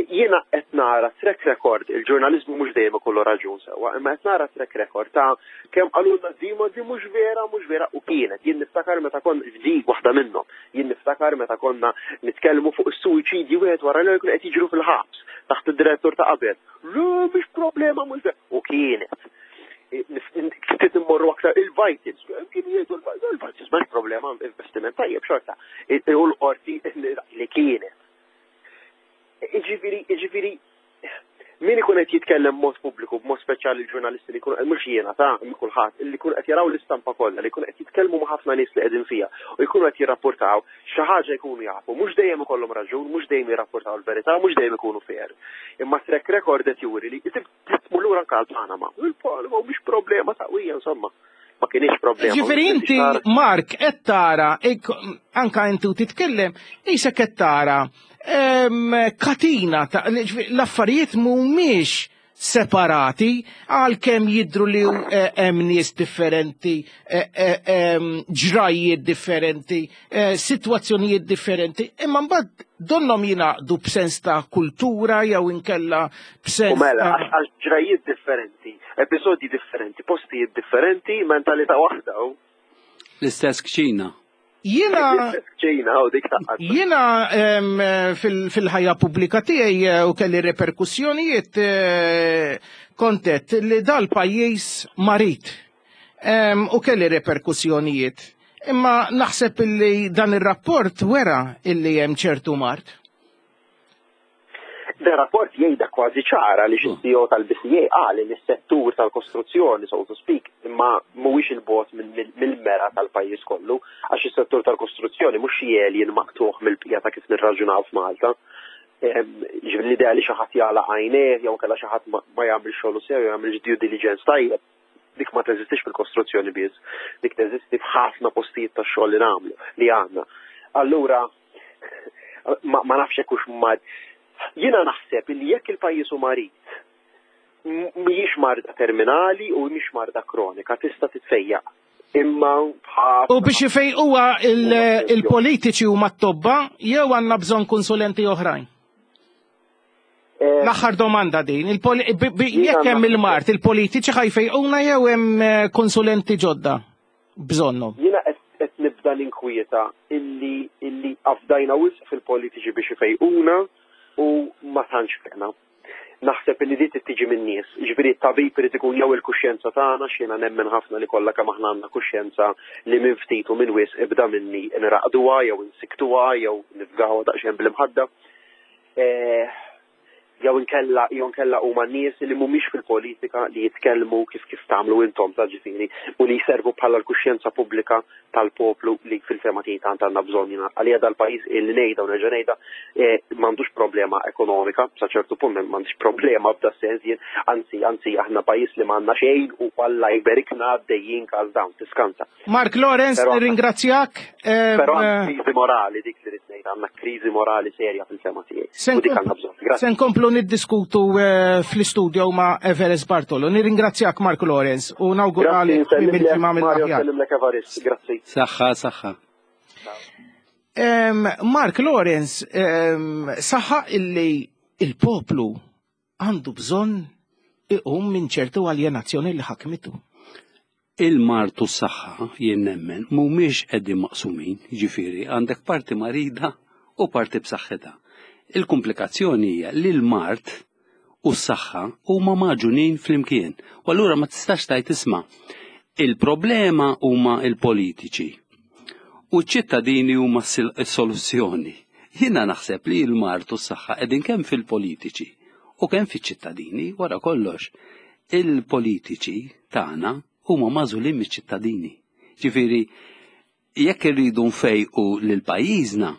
Jiena qed nara track record, il-ġurnaliżmu mhux dejjem ikollu raġun sewwa, imma qed nara track record ta' kemm qalulna di ma di mhux vera, mhux vera u kienet. Jien niftakar meta kon di waħda minnhom. Jien niftakar meta konna nitkellmu fuq is-suwiċidji wieħed wara l qed jiġru fil-ħabs taħt id-direttur ta' qabel. Le, mhix problema, mhux vera. U kienet. Ftit immorru aktar il-Vitals, kien jgħidu il-Vitals m'hemmx problema, investiment tajjeb xorta. U l-qorti li kienet. Iġifieri, iġifieri, min ikun qed jitkellem mod pubbliku, b'mod speċjali l-ġurnalisti li jkunu, mhux jiena ta' kulħadd, li jkunu qed jaraw l-istampa kollha, li jkunu qed jitkellmu ma' ħafna nies li qegħdin fiha u jkunu qed jirrapportaw, xi ħaġa jkunu jafu, mhux dejjem ikollhom raġun, mhux dejjem jirrapportaw il-verità, mhux dejjem ikunu fair. Imma track record qed juri li tmur lura anke għal-Panama. Il-Panama mhix problema ta' insomma. Ma kienx problema. Ġifieri inti, Mark, qed tara, anka inti u titkellem, qisek qed tara katina ta' l-affarijiet mhumiex separati għalkemm jidru li eh, hemm nies differenti, eh, eh, ġrajiet differenti, sitwazzjonijiet differenti, imma mbagħad donnom jingħaqdu b'sens ta' kultura jew inkella b'sens. U mela, għax ġrajiet differenti, episodji differenti, postijiet differenti, mentalità waħda. L-istess kċina. Jiena Jiena fil-ħajja pubblika tiegħi eh, u kelli reperkussjonijiet, eh, kontet li dal-pajjiż marid u kelli reperkussjonijiet. Imma naħseb illi dan ir-rapport wera illi hemm ċertu mard. Dan rapport jgħidha kważi ċara li x-C E O tal-B C A qal li s-settur tal-kostruzzjoni, so to speak, imma mhuwiex il-bogħod mill-mera tal-pajjiż kollu, għax is-settur tal-kostruzzjoni mhux xi alien maqtuħ mill-bqija ta' kif nirraġunaw f'Malta. Ġifieri l-idea li xi ħadd jagħlaq għajnejh jew kellha xi ħadd ma jagħmel xogħol sew jew jagħmel due diligence tajjeb, dik ma teżistix fil-kostruzzjoni biss, dik teżisti f'ħafna postijiet ta' xogħol li nagħmlu li għandna. Allura ma, ma nafx hekk hux mad. Jiena naħseb li jekk il-pajjiż hu marid, mhijiex marda terminali u mhix marda kronika, tista' titfejjaq. Imma U biex ifejquha il-politiċi huma t-tobba jew għandna bżonn konsulenti oħrajn? Eh, L-aħħar domanda din, jekk hemm il-mard, il-politiċi ħa jfejquna jew hemm eh, konsulenti ġodda bżonnhom? Jiena qed nibda ninkwieta illi illi afdajna wisq fil-politiċi biex ifejquna u ma tantx feqna. Naħseb li di tiġi minn nies. Ġifieri t-tabib irid ikun jew il-kuxjenza tagħna, x'jiena nemmen ħafna li kollha kemm aħna għandna kuxjenza li minn ftit u minn wisq ibda minni nraqduha jew nsiktuha jew nifgawha daqsxejn bl-imħadda. Eh, Jew inkella jew inkella huma nies li mhumiex fil-politika li jitkellmu kif kif tagħmlu intom ta' ġifieri u li jservu bħala l-kuxjenza pubblika tal-poplu li fil-fehma tiegħi tant għandna bżonn jiena. Għalija dal-pajjiż illi ngħidha u nerġa' ngħidha eh, m'għandux problema ekonomika, sa ċertu punt m'għandux problema f'da sens jien, anzi anzi aħna pajjiż li m'għandna xejn u Alla jberikna għaddejjin każ dawn tiskanta. Mark Lawrence, Però- nirringrazzjak. Eh, Però għandna eh, kriżi morali dik li rrid ngħid, għandna kriżi morali serja fil-fehma tiegħi. Se U dik għandna bżonn. Grazzi. Se nkomplu niddiskutu eh, fl-istudio ma' Everest Bartolo. Nirringrazzjak Mark Lawrence u Grazzi, nawguralek nsellimlek, mill-ġimgħa Mario, mill-aħjar. nsellimlek Evarist, grazzi. Saħħa, saħħa. Em, Mark Lawrence em, saħaq illi il-poplu għandu bżonn iqum minn ċertu aljenazzjoni li ħakmitu. Il-mard u s-saħħa jien nemmen mhumiex qegħdin maqsumin, ġifieri għandek parti marida u parti b'saħħitha. Il-komplikazzjoni hija li l-mard u s-saħħa huma magħġunin flimkien. U allura ma tistax tgħid isma' il-problema huma il-politiċi u ċ-ċittadini huma s-soluzzjoni. Jiena naħseb li l-mard u s-saħħa qegħdin kemm fil-politiċi u kemm fiċ-ċittadini wara kollox. Il-politiċi tagħna huma magħżulin miċ-ċittadini. Ġifieri, jekk irridu nfejqu lil pajjiżna,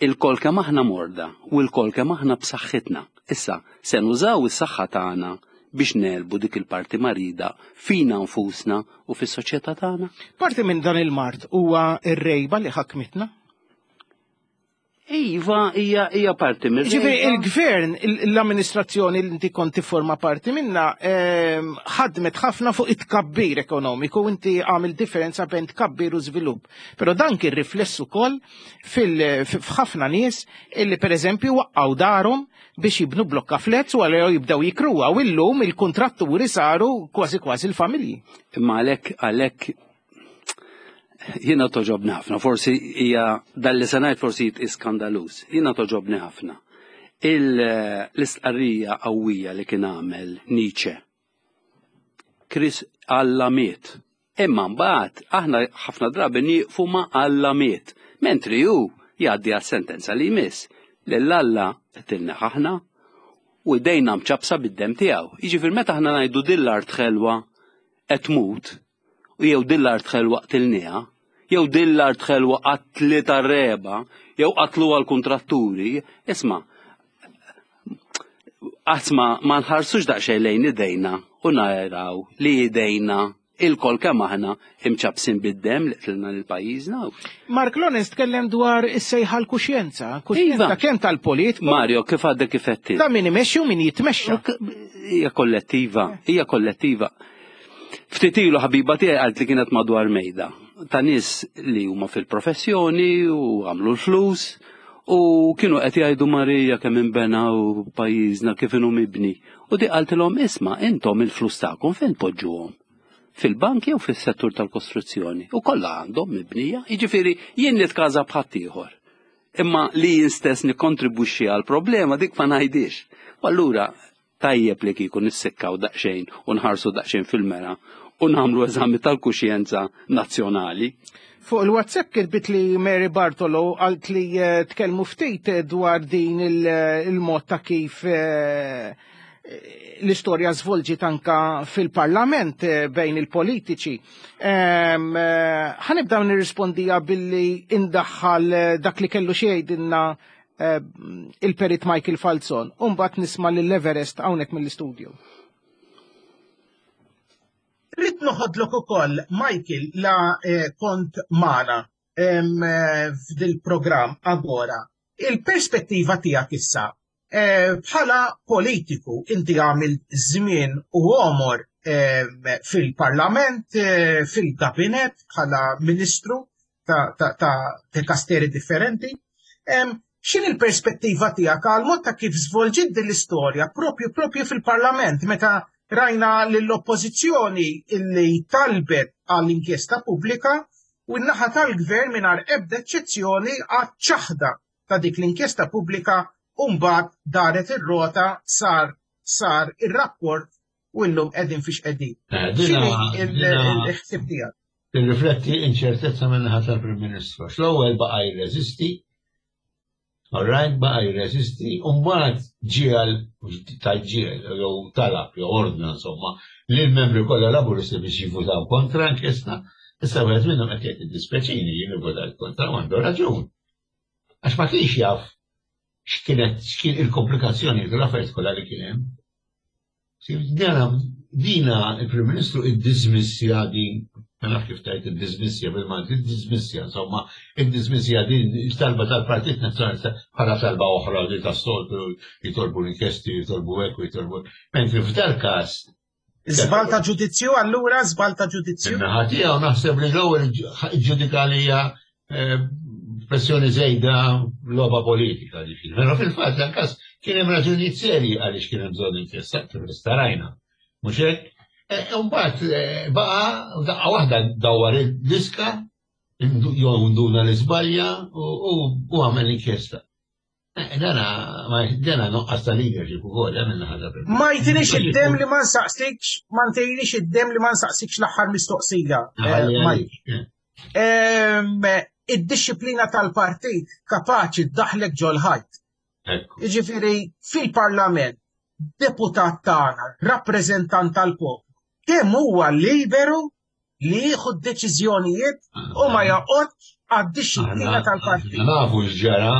ilkoll kemm aħna morda u lkoll kemm aħna b'saħħitna. Issa, se nużaw is-saħħa tagħna biex negħlbu dik il-parti marida fina nfusna u fis-soċjetà tagħna. Parti minn dan il-mard huwa ir-rejba li ħakmitna. Iva, hija hija parti mir Ġifieri il-gvern, l-amministrazzjoni li inti kont tifforma parti minna, ehm, ħadmet ħafna fuq it-tkabbir ekonomiku, inti għamil differenza bejn tkabbir u żvilupp. Però dan kien rifless ukoll fil- f'ħafna nies illi pereżempju waqqgħu darhom biex jibnu blokka flats u għalhekk jibdew jikruha u illum il-kontratturi saru kważi kważi l-familji. Imma għalhekk għalhekk jiena togħġobni ħafna, forsi hija dan li se ngħid forsi jitqies skandaluż. Jiena togħġobni ħafna. L-istqarrija qawwija li kien għamel Nietzsche. Chris Alla miet. Imma mbagħad aħna ħafna drabi nieqfu ma' Alla miet. Mentri hu jgħaddi għas-sentenza li jmiss. Lil Alla qtilna aħna u idejna mċappsa bid-dem tiegħu. Jiġifieri meta aħna ngħidu din l-art ħelwa qed tmut, u jew din l-art ħelwa qtilniha, jew din l-art ħelwa qatlitha r-regħba, jew qatluha l-kontratturi, isma' qatt ma ma nħarsux daqsxejn lejn idejna u naraw li idejna ilkoll kemm aħna imċappsin bid-dem li qtilna lil pajjiżna. Mark Lawrence tkellem dwar is-sejħa l-kuxjenza, kuxjenza Iva. kemm tal-politiku, Mario, kif għadek kif għedt? ta' min imexxi u min jitmexxa. Hija kollettiva, hija kollettiva. Ftit ilu ħabiba tiegħi qalt li kienet madwar mejda ta' nies li huma fil-professjoni u għamlu l-flus u kienu qed jgħidu Marija kemm inbena u pajjiżna kif inhu mibni. U di qaltilhom isma' intom il-flus tagħkom fejn poġġuhom? Fil-bank jew fis-settur tal-kostruzzjoni. U kollha għandhom mibnija, jiġifieri jien nitkaża b'ħaddieħor. Imma li jien stess nikkontribwixxi għal problema dik ma ngħidix. U allura tajjeb li kieku nissikkaw daqsxejn u nħarsu daqsxejn fil-mera u nagħmlu eżami tal-kuxjenza nazzjonali. Fuq il-WhatsApp kitbit li Mary Bartolo qalt li eh, tkellmu ftit dwar din il- il-mod ta' kif eh, l-istorja żvolġiet anka fil-parlament eh, bejn il-politiċi. Em, eh, Ħa nibda nirrispondija billi indaħħal eh, dak li kellu xi jgħidilna eh, il-perit Michael Falzon. U mbagħad nisma' lill-Everest hawnhekk mill-istudio. Rrid noħodlok ukoll, Michael, la eh, kont magħna em, eh, f'dil-programm Agora. Il-perspettiva tiegħek issa eh, bħala politiku inti għamil żmien u għomor em, fil-parlament, eh, fil-gabinet bħala ministru ta', ta, ta, dikasteri differenti. Em, X'inhi l-perspettiva tiegħek għal mod ta' kif żvolġiet din l-istorja propju propju fil-parlament meta rajna lill-oppożizzjoni illi talbet għall-inkjesta pubblika u n-naħa tal-gvern mingħajr ebda eċċezzjoni għaċ-ċaħda ta' dik l-inkjesta pubblika u mbagħad daret ir-rota sar sar ir-rapport u llum qegħdin fiex qegħdin. Eh, X'inhi Dina dina il-ħsieb tiegħek? tirrifletti inċertezza min-naħa tal-Prim Ministru. L-ewwel baqa' jirreżisti All right, baqa' jirreżisti, u mbagħad ġiegħel, tajġiel, jew talab, jew ordna, insomma, li l-membri kollha Laburisti biex jivvutaw kontra inkjesta. Issa wieħed minnhom qed jgħid, "Dispjaċini, jien ivvutajt kontra," u għandu raġun. Għax ma kienx jaf x'kienet, x'kien il-komplikazzjoni tal-affarijiet kollha li kien hemm. Dina, dina il-Prim Ministru id-dismissja din, ma naf kif tajt id-dismissja bil-Malti, id-dismissja, insomma, id-dismissja din talba tal-Partit Nazzjonalista bħala talba oħra li tas-soltu jitolbu l-inkjesti, jitolbu hekk u jitolbu. Mentri f'dal każ Żball ta' ġudizzju allura, żball ta' ġudizzju? Naħa tiegħu naħseb li l-ewwel ġudika li hija eh, pressjoni żejda, logħba politika, ġifieri. Però fil-fatt dan każ kien hemm raġunijiet serji għaliex kien hemm bżonn inkjesta, kif starajna. Mhux hekk? Eh, Mbagħad eh, baqa' daqqa waħda dawwar il-diska jew nduna l-iżbalja u għamel inkjesta. Eh, dana, dana nuqqas ta' leadership ukoll hemm ħaġa. Ma jtinix id-dem li ma nsaqsikx, ma ntejnix id-dem li ma nsaqsikx l-aħħar mistoqsija. Id-disciplina tal-partit kapaċi ddaħħlek ġol-ħajt. Jiġifieri fil-parlament, deputat tagħna, rappreżentant tal-poplu, kemm huwa liberu li jieħu deċiżjonijiet u ma joqgħodx għad-disciplina tal-partit? Nafu x'ġara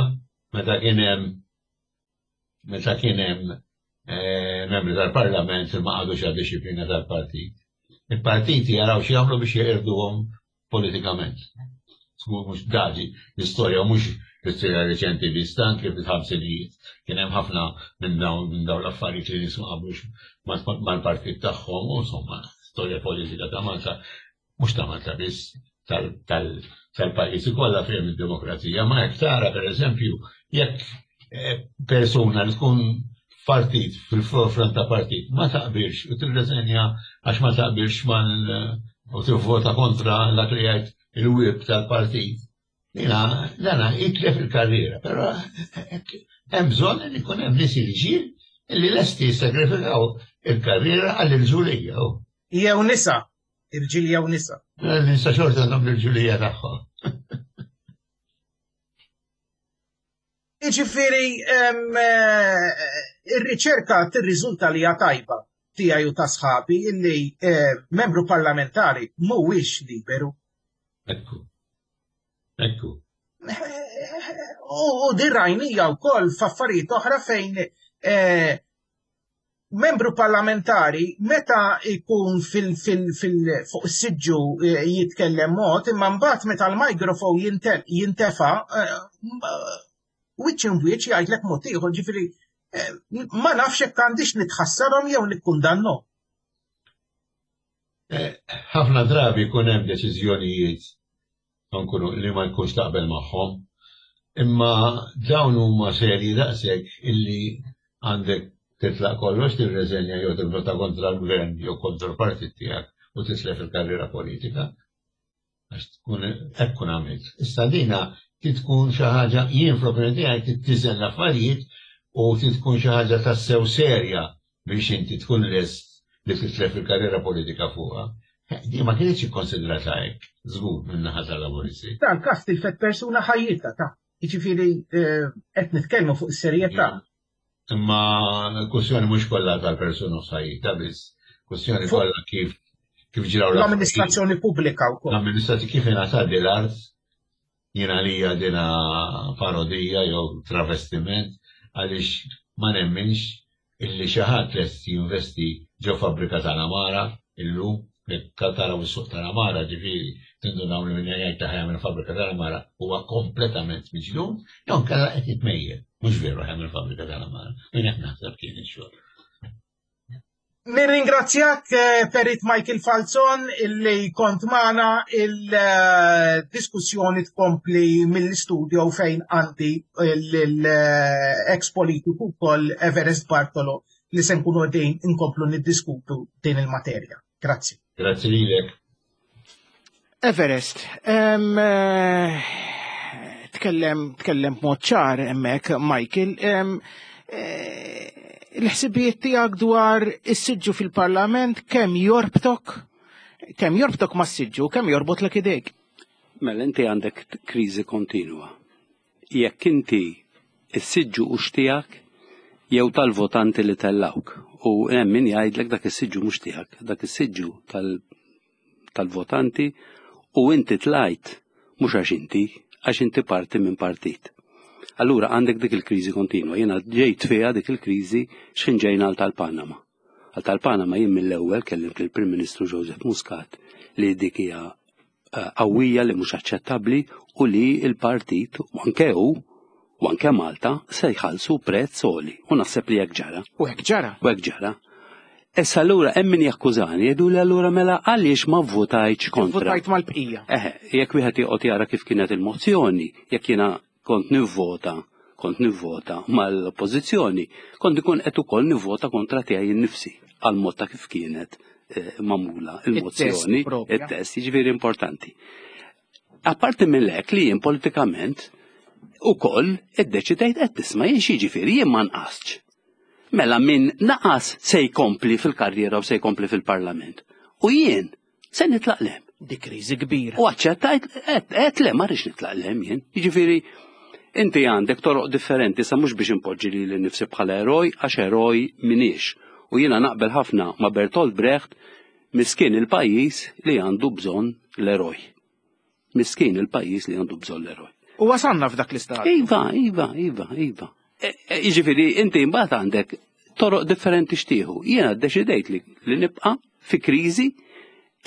meta kien hemm meta kien hemm eh, membri tal-parlament li ma qagħdux għad-disciplina tal-partit. Il-partiti jaraw xi jagħmlu biex jeqirduhom politikament. Mhux daġi l-istorja, mhux l-istorja reċenti biss, anke fil-ħamsinijiet kien hemm ħafna minn dawn minn dawn l-affarijiet li nies ma qablux mal-partit tagħhom u insomma, storja politika ta' Malta, mhux ta' Malta biss, tal-pajjiżi kollha fejn id-demokrazija, ma jekk tara, pereżempju, jekk eh, persuna li tkun partit, fil-forefront ta' partit, ma taqbilx u tirreżenja għax ma taqbilx mal u tivvota kontra dak li jgħid il-whip tal-partit, Dina, dana jitlef il-karriera, però hemm bżonn li jkun hemm nies irġiel li lesti jissagrifikaw il-karriera għall-irġulija. Jew nisa, irġiel jew nisa. Nisa xorta għandhom l-irġulija tagħhom. Jiġifieri ir-riċerka tirriżulta li hija tajba tiegħi u ta' sħabi illi membru parlamentari mhuwiex liberu. Ekku. Ekku. U din rajnija wkoll f'affarijiet oħra fejn membru parlamentari meta jkun fuq is-siġġu jitkellem mod, imma mbagħad meta l-mikrofon jintefa' wiċċ in wiċċ jgħidlek mod ieħor, ġifieri ma nafx hekk għandix nitħassarhom jew nikkundannhom. Ħafna drabi jkun hemm deċiżjonijiet nkunu li ma jkunx taqbel magħhom, imma dawn huma serji daqshekk illi għandek titlaq kollox, tirreżenja jew tivvota kontra l-gvern jew kontra l-partit tiegħek u titlef il-karriera politika. Għax tkun hekk kun għamilt. Issa dina tkun xi ħaġa, jien fl-opinjoni tiegħi tittiżen l-affarijiet u tkun xi ħaġa tassew serja biex inti tkun lest li titlef il-karriera politika fuqha. Di ma kienx ikkonsidrata hekk, żgur, minn naħa tal-Laburisti. Dan każ tilfet persuna ħajjitha ta'. Jiġifieri qed nitkellmu fuq is-serjetà. Imma l-kwestjoni mhux kollha tal-persuna ħajjitha biss, kwestjoni kollha kif kif ġraw l-amministrazzjoni pubblika wkoll. L-amministrazzjoni kif ingħatat l-art, jiena lija dina parodija jew travestiment, għaliex ma nemminx illi xi ħadd lest jinvesti ġo fabbrika tal-amara illum, jekk taraw is-suq tal-amara, ġifieri tindunaw li min jgħid ta' ħajamel fabbrika tal-amara huwa kompletament miġnun, jew kellha qed jitmejjel, mhux veru ħajamel fabbrika tal-amara, min qed naħseb kien ix-xogħol. Nirringrazzjak, Perit Michael Falzon, illi kont magħna. Il-diskussjoni tkompli mill-istudio fejn għandi l-ex politiku wkoll Everest Bartolo li se nkunu qegħdin inkomplu niddiskutu din il-materja. Grazzi. Grazzi lilek. Everest, tkellem tkellem b'mod ċar hemmhekk Michael. Il-ħsibijiet tiegħek dwar is-siġġu fil-Parlament, kemm jorbtok, kemm jorbtok mas-siġġu, kemm jorbotlek idejk? Mela inti għandek kriżi kontinwa. Jekk inti Is-siġġu hux tiegħek jew tal-votanti li tellawk. U hemm min jgħidlek dak is-siġġu mhux tiegħek, dak is-siġġu tal-votanti u inti tlajt mhux għax inti, għax inti parti minn partit. Allura għandek dik il-kriżi kontinwa. Jiena ġejt fiha dik il-kriżi x'ħin ġejna għal tal-Panama. Għal tal-Panama jien mill-ewwel kellimt lill-Prim Ministru Joseph Muscat li dik hija eh, qawwija li mhux aċċettabbli u li l-partit u anke hu u anke Malta se jħallsu prezz għoli. U naħseb li hekk ġara. U hekk ġara. U hekk ġara. Issa allura hemm min jakkużani jgħidu li allura mela għaliex ma vvotajtx kontra. Votajt mal-bqija. Eħe, jekk wieħed joqgħod jara kif kienet il-mozzjoni, jekk jiena kont nivvota, kont nivvota mal-oppożizzjoni, kont ikun qed ukoll nivvota kontra tiegħi nnifsi għal mod ta' kif kienet eh, magħmula il-mozzjoni, propja. it-test, jiġifieri importanti. Apparti minn hekk li jien politikament ukoll iddeċidejt qed tisma' jien xi jien ma nqasx. Mela min naqas se jkompli fil-karriera u se jkompli fil-parlament. U jien se nitlaq lem. Di kriżi kbira. U aċċettajt, qed le ma rridx nitlaq lem jien. Jiġifieri inti għandek toroq differenti sa mhux biex impoġġi lili nnifsi bħala eroj għax eroj minix. U jiena naqbel ħafna ma' Bertolt Brecht miskin il-pajjiż li għandu bżonn l-eroj. Miskin il-pajjiż li għandu bżonn l-eroj. U wasalna f'dak l-istat. Iva, iva, iva, iva. E- e, Jiġifieri inti mbagħad għandek toroq differenti xtieħu. Jiena ddeċidejt li, li nibqa' fi kriżi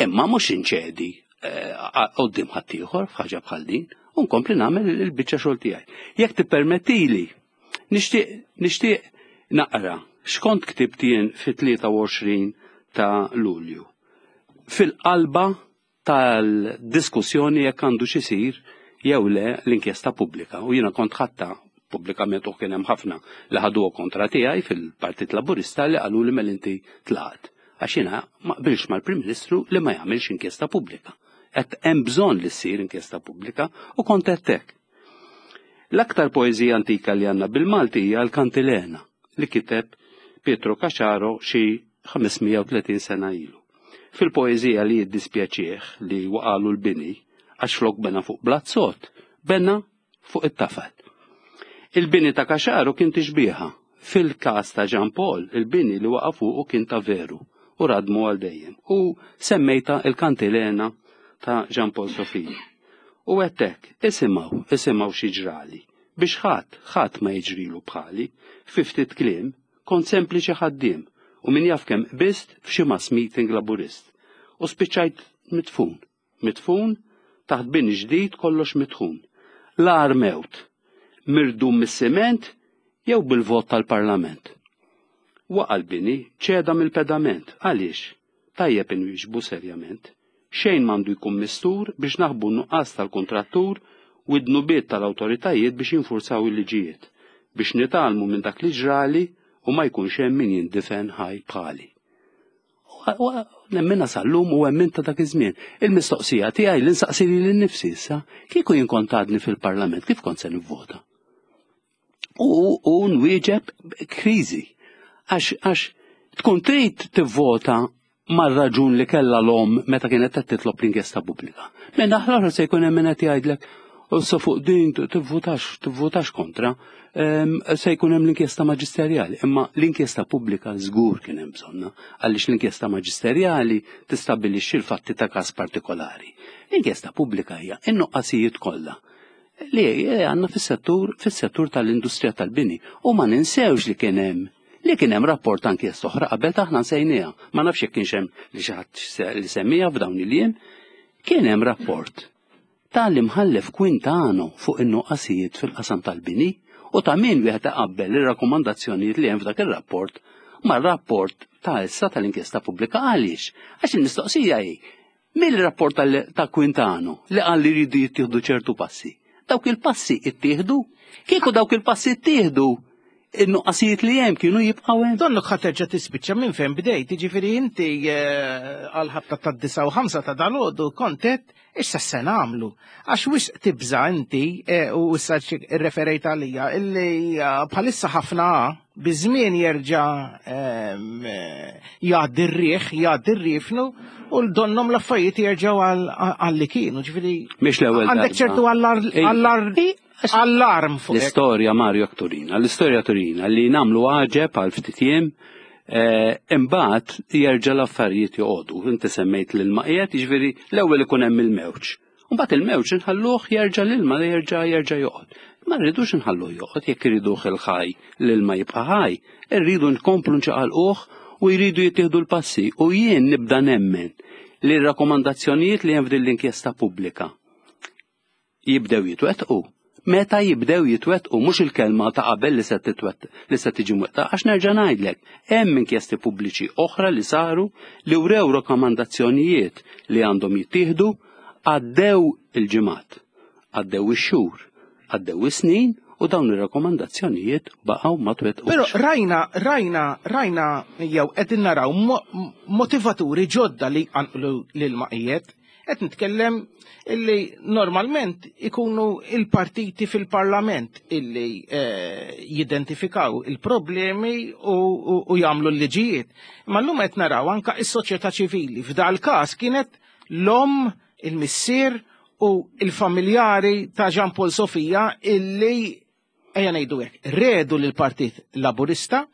imma mhux inċedi eh, quddiem ħaddieħor f'ħaġa bħal din u nkompli nagħmel il-biċċa xogħol tiegħi. Jekk tippermettili, nixtieq nixtieq naqra x'kont ktibt jien fit-tlieta u għoxrin ta' Lulju. Fil-qalba tal-diskussjoni jekk għandu xisir jew le l-inkjesta pubblika. U jiena kont ħatta pubblikament u kien hemm ħafna li ħaduha kontra tiegħi fil-Partit Laburista li qalu li mela inti tlaqt. Għax jiena ma qbilx mal-Prim Ministru li ma jagħmilx inkjesta pubblika. Qed hemm bżonn li ssir inkjesta pubblika u kont qed hekk. L-aktar poeżija antika li għandna bil-Malti hija l-Kantilena li kiteb Pietro Caxaro xi ħames mija u tletin sena ilu. Fil-poeżija li jiddispjaċih li waqalu l-bini għax flok bena fuq blazzot, bena fuq it-tafal. Il-bini ta' Caxaro kien tixbieha. Fil-każ ta' Jean Paul, il-bini li waqa' fuqu kien ta' veru u radmu għal dejjem. U semmejta il-Kantilena ta' Jean Paul Sofia. U għettek, isimgħu, isimgħu xi ġrali. Biex ħadd, ħadd ma jiġrilu bħali, fi ftit kliem, kont sempliċi ħaddiem u min jaf kemm qbist f'xi mass meeting laburist. U spiċċajt mitfun, mitfun taħt bini ġdid kollox mitħun. L-agħar mewt, mirdum mis-siment jew bil-vot tal-parlament. Waqa' l-bini ċeda mill-pedament, għaliex? Tajjeb inwieġbu serjament. Xejn m'għandu jkun mistur biex naħbu n-nuqqas tal-kontrattur u d-dnubiet tal-awtoritajiet biex jinfurzaw il-liġijiet, biex nitgħallmu minn dak li ġrali u ma jkunx hemm min jindifen ħaj bħali. U nemmina sal-lum u emmin ta' dak iż-żmien. Il-mistoqsija tiegħi li nsaqsi lili nnifsi issa, kieku jien kont għadni fil-Parlament, kif kont se nivvota? U, u nwieġeb kriżi. Għax, għax tkun trid tivvota mar-raġun li kellha l-om meta kienet qed titlob l-inkjesta pubblika. Minn aħlar se jkun hemm min qed jgħidlek, issa fuq din tivvutax, tivvutax kontra, em, se jkun hemm l-inkjesta maġisterjali. Imma l-inkjesta pubblika żgur kien hemm bżonna, għaliex l-inkjesta maġisterjali tistabbilixxi l-fatti ta' każ partikolari. L-inkjesta pubblika hija in-nuqqasijiet kollha li għandna fis-settur, fis-settur tal-industrija tal-bini. U ma ninsewx li kien hemm li kien hemm rapport ta' inkjesta oħra qabel taħna nsejniha. Ma nafx jekk kienx hemm li xi ħadd li semmija f'dawn il-jiem. Kien hemm rapport tal-imħallef Quintano fuq in-nuqqasijiet fil-qasam tal-bini u ta' min wieħed iqabbel ir-rakkomandazzjonijiet li hemm f'dak ir-rapport mar-rapport ta' issa tal-inkjesta pubblika. Għaliex? Għax il-mistoqsija hi mill-rapport tal-, ta' Quintano li qal li jridu jittieħdu ċertu passi. Dawk il-passi ittieħdu? Kieku dawk il-passi ittieħdu, in-nuqqasijiet li hemm kienu jibqgħu hemm. Donnok ħa terġa' tispiċċa minn fejn bdejt, jiġifieri inti, eh, għal ħabta tad-disa u ħamsa ta' dalgħodu kontet issa se nagħmlu. Għax wisq tibża' inti, eh, u issa irreferejt għalija, illi, eh, bħalissa ħafna biżmien jerġa', ehm, eh, jgħaddi r-riħ, jgħaddi r-rifnu, u l-donnom l-affarijiet jerġgħu għal, għal li kienu, ġifieri Mhix l-ewwel għandek darba. ċertu allar, Ej. allar Ej, Allarm fuq. L-istorja, Mario, turina, l-istorja turina li nagħmlu għaġeb għal ftit jiem, eh, imbagħad jerġa' l-affarijiet joqogħdu. Inti semmejt l-ilma qiegħed, jiġifieri l-ewwel ikun hemm il-mewġ. Mbagħad il-mewġ inħalluh jerġa' l-ilma jerġa' jerġa' joqgħod. Ma rridux inħalluh joqgħod jekk iriduh il-ħaj, l-ilma jibqa' ħaj, irridu nkomplu nċaqalquh u jridu jittieħdu l-passi. U jien nibda nemmen li r-rakkomandazzjonijiet li hemm f'din l-inkjesta pubblika jibdew jitwettqu. Meta jibdew jitwettqu, mhux il-kelma ta' qabel li se titwett li se tiġi mwettqa, għax nerġa' ngħidlek, hemm inkjesti pubbliċi oħra li saru li wrew rakkomandazzjonijiet li għandhom jittieħdu, għaddew il-ġimgħat, għaddew ix-xhur, għaddew is-snin u dawn ir-rakkomandazzjonijiet baqgħu ma twettqux. Però rajna, rajna, rajna jew qegħdin naraw motivaturi ġodda li qanqlu l-ilmaqijiet. Qed nitkellem illi normalment ikunu il-partiti fil-parlament illi eh, jidentifikaw il-problemi u, u, u jagħmlu l-liġijiet. Ma llum qed naraw anka is-soċjetà ċivili. F'dal każ kienet l-om, il-missier u il-familjari ta' Jean Paul Sofia illi, ejja ngħidu hekk, redu lill-Partit Laburista.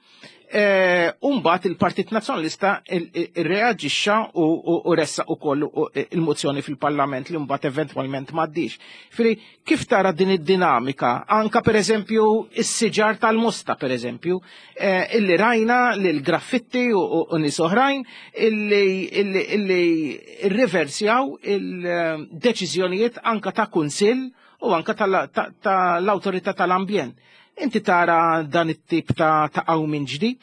Eh, Umbat il-Partit Nazzjonalista reaġixxa u ressaq ukoll il-mozzjoni fil-Parlament li mbagħad eventwalment m'għaddix. Fri, kif tara din id-dinamika? Anka per eżempju is-siġar tal-Mosta, per eżempju, eh, illi rajna li l-graffitti u nies oħrajn illi riversjaw il-deċiżjonijiet anka ta' kunsill u anka tal-awtorità tal-ambjent. Inti tara dan it-tip ta' ta' minn ġdid?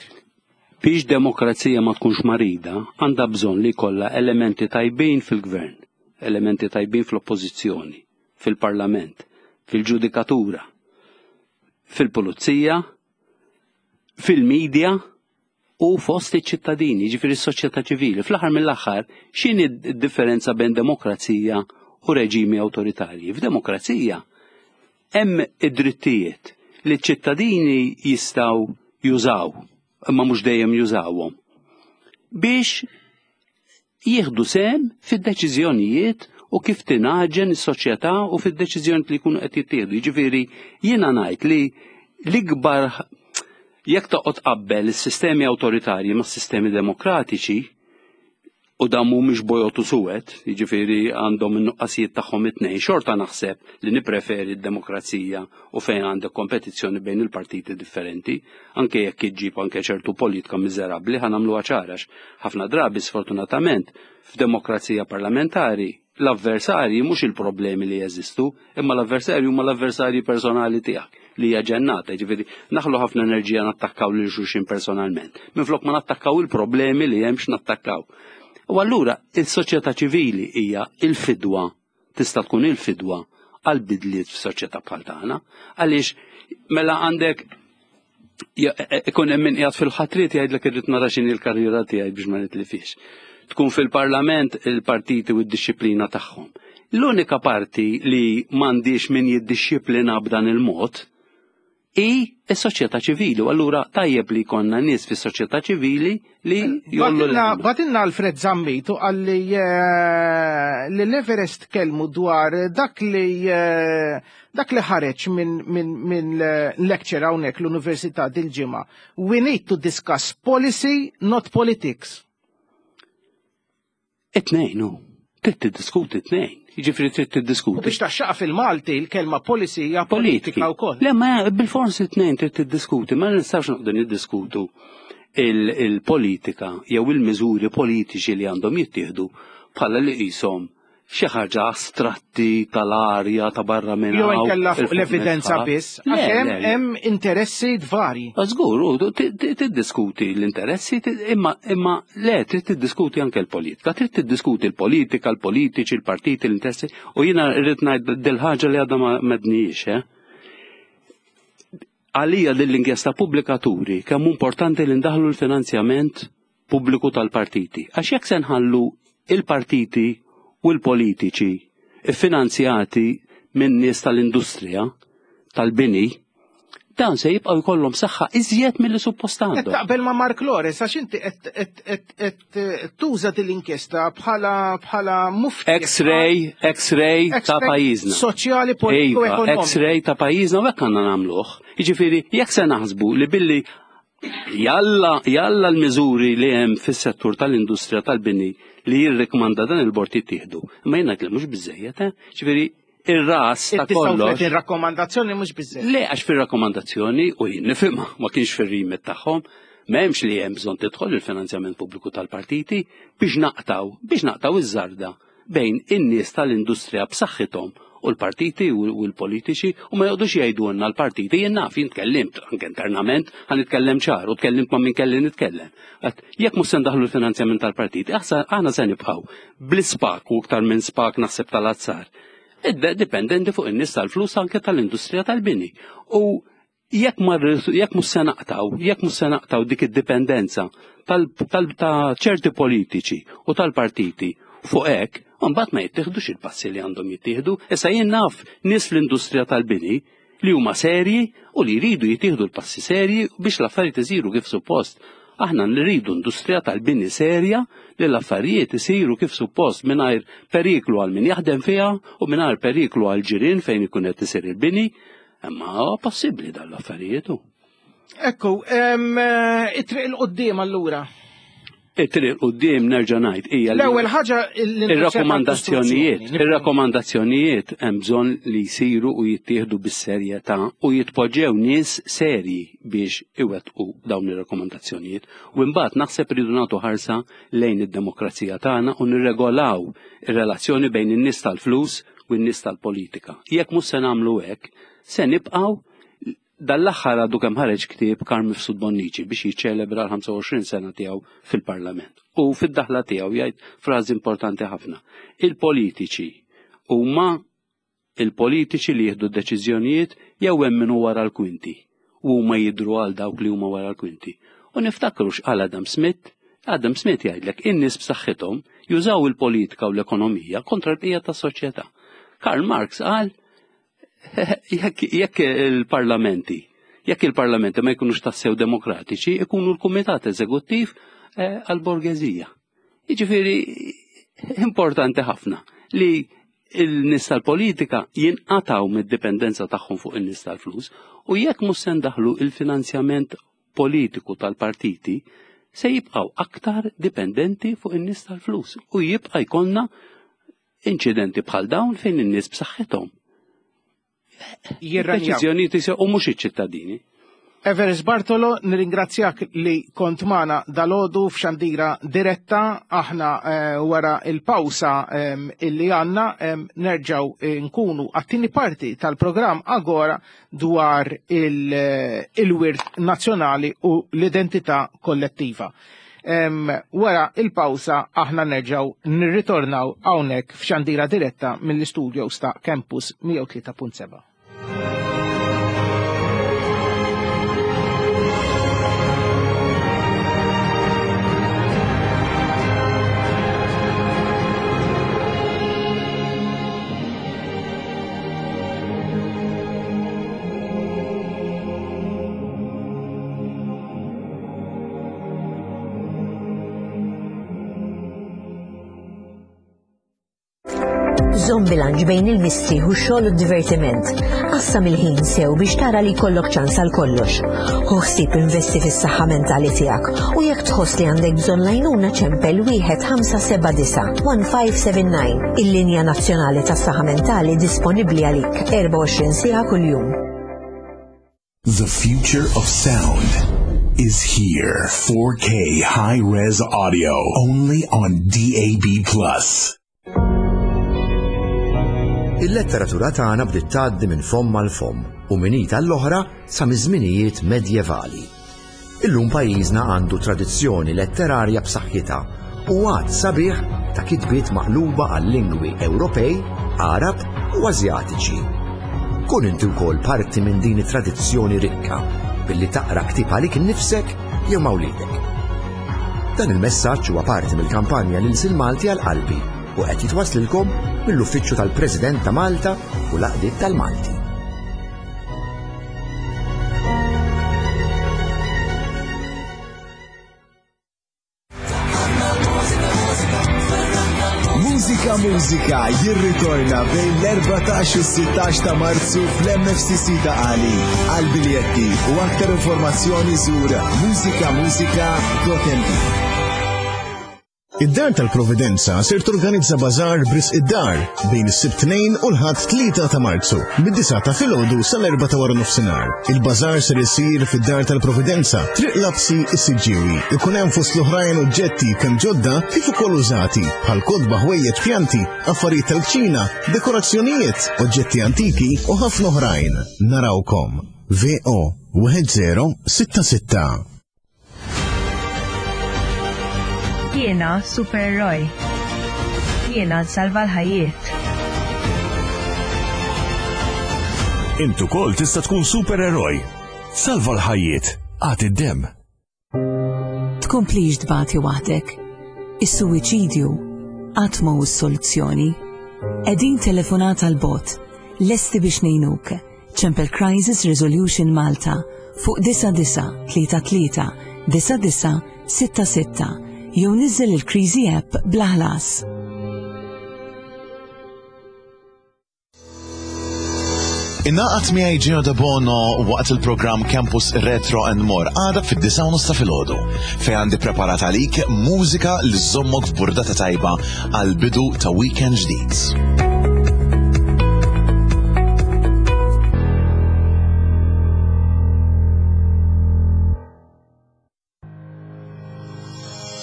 Biex demokrazija ma tkunx marida, għandha bżonn li jkollha elementi tajbin fil-gvern, elementi tajbin fl-oppożizzjoni, fil-parlament, fil-ġudikatura, fil-pulizija, fil-medja u fost iċ-ċittadini, ġifieri s-soċjetà ċivili. Fl-aħħar mill-aħħar, x'inhi d-differenza bejn demokrazija u reġimi awtoritarji? F'demokrazija hemm id-drittijiet li ċ-ċittadini jistgħu jużaw, imma mhux dejjem jużawhom, biex jieħdu sehem fid-deċiżjonijiet u kif tingħaġen is-soċjetà u fid-deċiżjonijiet li jkunu qed jittieħdu. Jiġifieri jiena ngħid li l-ikbar, jekk toqgħod qabbel is-sistemi awtoritarji mas-sistemi demokratiċi, u dan mhumiex bojod u suwed, jiġifieri għandhom in-nuqqasijiet tagħhom it-tnejn, xorta naħseb li nippreferi d-demokrazija u fejn għandek kompetizzjoni bejn il-partiti differenti, anke jekk iġġib anke ċertu politika miżerabbli, ħa nagħmluha ċara, ħafna drabi sfortunatament f'demokrazija parlamentari l-avversarji mhux il-problemi li jeżistu, imma l-avversarji huma l-avversarji personali tiegħek li hija ġennata, ġifieri naħlu ħafna enerġija nattakkaw lil xulxin personalment. Minflok ma nattakkaw il-problemi li hemm x'nattakkaw. U allura il-soċjetà ċivili hija il-fidwa, tista' tkun il-fidwa għal bidliet f'soċjetà bħal tagħna, għaliex mela għandek ikun hemm min qiegħed fil-ħatriet jgħidlek irrid nara x'inhi l-karriera tiegħi biex ma nitlifix. Tkun fil-parlament il-partiti u d-disciplina tagħhom. L-unika parti li m'għandix min jiddixxiplina b'dan il-mod hi s-soċjetà ċivili. U allura tajjeb li jkollna nies fis-soċjetà ċivili li jollu l Bagħtilna Alfred Zammit u qalli eh, li l-Everest kelmu dwar dak li eh, dak li ħareġ minn min, min lecture hawnhekk l-Università dil-ġimgħa. "We need to discuss policy, not politics." It-tnejn, hu. Trid tiddiskuti t-tnejn. Jiġifieri trid tiddiskuti. U biex taxxaqa fil-Malti, il-kelma policy hija politika wkoll. Le, ma bil-fors it-tnejn trid tiddiskuti, ma nistgħux noqogħdu niddiskutu il-politika jew il-miżuri politiċi li għandhom jittieħdu bħala li qishom xi ħaġa astratti tal-arja ta' barra minn Jew inkella fuq l-evidenza biss, għax hemm hemm interessi varji. Żgur, tiddiskuti l-interessi, imma imma le, trid tiddiskuti anke l-politika, trid tiddiskuti l-politika, l-politiċi, l-partiti, l-interessi, u jiena rrid ngħid dil-ħaġa li għadha ma mednijiex, eh? Għalija din l-inkjesta pubblika turi kemm importanti li ndaħlu l-finanzjament pubbliku tal-partiti. Għax jekk se nħallu il-partiti u l-politiċi finanzjati minn nies tal-industrija, tal-bini, Dan se jibqgħu jkollhom saħħa iżjed milli suppost għandhom. Taqbel ma' Mark Lores, għax inti qed tuża din l-inkjesta bħala bħala mufti. X-ray, X-ray ta' pajjiżna. Soċjali, politiku, iva, ekonomiku. X-ray ta' pajjiżna u hekk għandna nagħmluh. Jiġifieri jekk se naħsbu li billi jalla jalla l-miżuri li hemm fis-settur tal-industrija tal-bini li jirrikmanda dan il-bord jittieħdu. Imma jien ngħid li mhux biżejjed, eh? Ġifieri ir-ras ta' kollox. Il-rakkomandazzjoni mhux biżejjed. Le, għax fir-rakkomandazzjoni u jien nifhimha ma kienx fir-remit tagħhom, m'hemmx li hemm bżonn tidħol il-finanzjament pubbliku tal-partiti biex naqtaw, biex naqtaw iż-żarda bejn in-nies tal-industrija b'saħħithom u l-partiti u l-politiċi u ma joqgħodux jgħidulna l-partiti jien naf jien tkellimt anke internament ħa nitkellem ċar u tkellimt ma' min kelli nitkellem. Jekk mhux se ndaħlu l-finanzjament tal-partiti, aħna se nibqgħu bl-ispak u iktar minn spak naħseb tal-azzar. Dipendenti fuq in-nies tal-flus anke tal-industrija tal-bini. U jekk jekk mhux se naqtaw, jekk mhux se naqtaw dik id-dipendenza ta' ċerti politiċi u tal-partiti fuq hekk, mbagħad ma jittieħdux il-passi li għandhom jittieħdu. Issa jien naf nies fl-industrija tal-bini li huma serji u li jridu jittieħdu l-passi serji biex l-affarijiet isiru kif suppost. Aħna nridu industrija tal-bini serja li l-affarijiet isiru kif suppost mingħajr periklu għal min jaħdem fiha u mingħajr periklu għal ġirien fejn ikun qed isir il-bini, imma possibbli dan l-affarijiet. Ekku, it-triq 'il quddiem allura. It-triq quddiem nerġa' ngħid hija l-ewwel ħaġa ir-rakkomandazzjonijiet, ir-rakkomandazzjonijiet hemm bżonn li jsiru u jittieħdu bis-serjetà u jitpoġġew nies serji biex iwettqu dawn ir-rakkomandazzjonijiet. U mbagħad naħseb ridu nagħtu ħarsa lejn id-demokrazija tagħna u nirregolaw ir-relazzjoni bejn in-nies tal-flus u n-nies tal-politika. Jekk mhux se nagħmlu hekk, se nibqgħu. Dal-aħħar għadu kemm ħareġ ktieb Carm Mifsud Bonnici biex jiċċelebra l-ħamsa u għoxrin sena tiegħu fil-Parlament. U fid-daħla tiegħu jgħid frażi importanti ħafna. Il-politiċi huma il-politiċi li jieħdu d-deċiżjonijiet jew hemm min hu wara l-kwinti u huma jidhru għal dawk li huma wara l-kwinti. U niftakru x'qal Adam Smith. Adam Smith jgħidlek in-nies b'saħħithom jużaw il-politika u l-ekonomija kontra l-bqija tas-soċjetà. Karl Marx qal jekk il-parlamenti, jekk il-parlamenti ma jkunux tassew demokratiċi, ikunu l-kumitat eżekuttiv għal-borgeżija. Jiġifieri importanti ħafna li il-nies tal-politika jinqataw mid-dipendenza tagħhom fuq in-nies tal-flus u jekk mhux se ndaħlu il-finanzjament politiku tal-partiti se jibqgħu aktar dipendenti fuq in-nies tal-flus u jibqa' jkollna inċidenti bħal dawn fejn in-nies b'saħħithom. Deċiżjonijiet u mhux iċ-ċittadini. Evarist Bartolo, nirringrazzjak li kont magħna dalodu f'xandira diretta. Aħna wara il-pawsa illi għandna nerġgħu nkunu għat-tieni parti tal-programm Agora dwar il-wirt nazzjonali u l-identità kollettiva. Wara il-pawsa aħna nerġgħu nirritornaw hawnhekk f'xandira diretta mill-istudios ta' Campus mija u tlieta punt seba'. Żomm bilanċ bejn il-mistrieħ u x-xogħol u d-divertiment. Qassam il-ħin sew biex tara li jkollok ċans għal kollox. Ħu ħsieb investi fis-saħħa mentali tiegħek u jekk tħoss li għandek bżonn lajnuna ċempel wieħed ħamsa seba' disa' one five seven nine. Il-linja nazzjonali tas-saħħa mentali disponibbli għalik erbgħa u għoxrin siegħa kuljum. The future of sound is here. four K high-res audio only on D A B plus. Il-letteratura tagħna bdiet tgħaddi minn fomm għal fomm u minn id għall-oħra sa miż-żminijiet medjevali. Illum pajjiżna għandu tradizzjoni letterarja b'saħħitha u għad sabiħ ta' kitbiet maqluba għal lingwi Ewropej, Arab u Asjatiċi. Kun inti wkoll parti minn din it-tradizzjoni rikka billi taqra ktieb għalik innifsek jew ma' wliedek. Dan il-messaġġ huwa parti mill-kampanja lil Malti għal qalbi u qed jitwaslilkom mill-Uffiċċju tal-President ta' Malta u l-Għaqdiet tal-Malti. Mużika jirritorna bejn l-erbatax u s-sittax ta' Marzu fl-M F C C Ta' Qali. Għal biljetti u aktar informazzjoni żur mużikamużika punt M T. Id-Dar tal-Providenza ser torganizza bazar b'risq id-dar bejn is-Sibt tnejn u l-Ħadd tlieta ta' Marzu, mid-disgħa ta' filgħodu sal-erbgħa ta' wara nofsinhar. Il-bazar ser isir fid-Dar tal-Providenza, Triq Lapsi, is-Siġġiewi. Ikun hemm fost l-oħrajn oġġetti kemm ġodda kif ukoll użati, bħal kotba, ħwejjeġ, pjanti, affarijiet tal-kċina, dekorazzjonijiet, oġġetti antiki u ħafna oħrajn. Narawkom. V O wieħed żero sitta sitta. Jiena supereroj. Jiena nsalva l-ħajjiet. Int ukoll tista' tkun supereroj. Salva l-ħajjiet. Agħti d-dem. Tkomplix tbati waħdek. Is-suwiċidju qatt ma hu s-soluzzjoni. Qegħdin telefonata 'l bogħod, lesti biex ngħinuk. Ċempel Crisis Resolution Malta fuq disgħa disgħa tlieta tlieta disgħa disgħa sitta sitta jew niżel il-Kriżi app bla ħlas. Ingħaqad miegħi Gino De Bono waqt il-programm Campus Retro and More għada fid-disgħa u nofs ta' filgħodu, fejn għandi preparat għalik mużika li żommok f'burdata tajba għal bidu ta' weekend ġdid.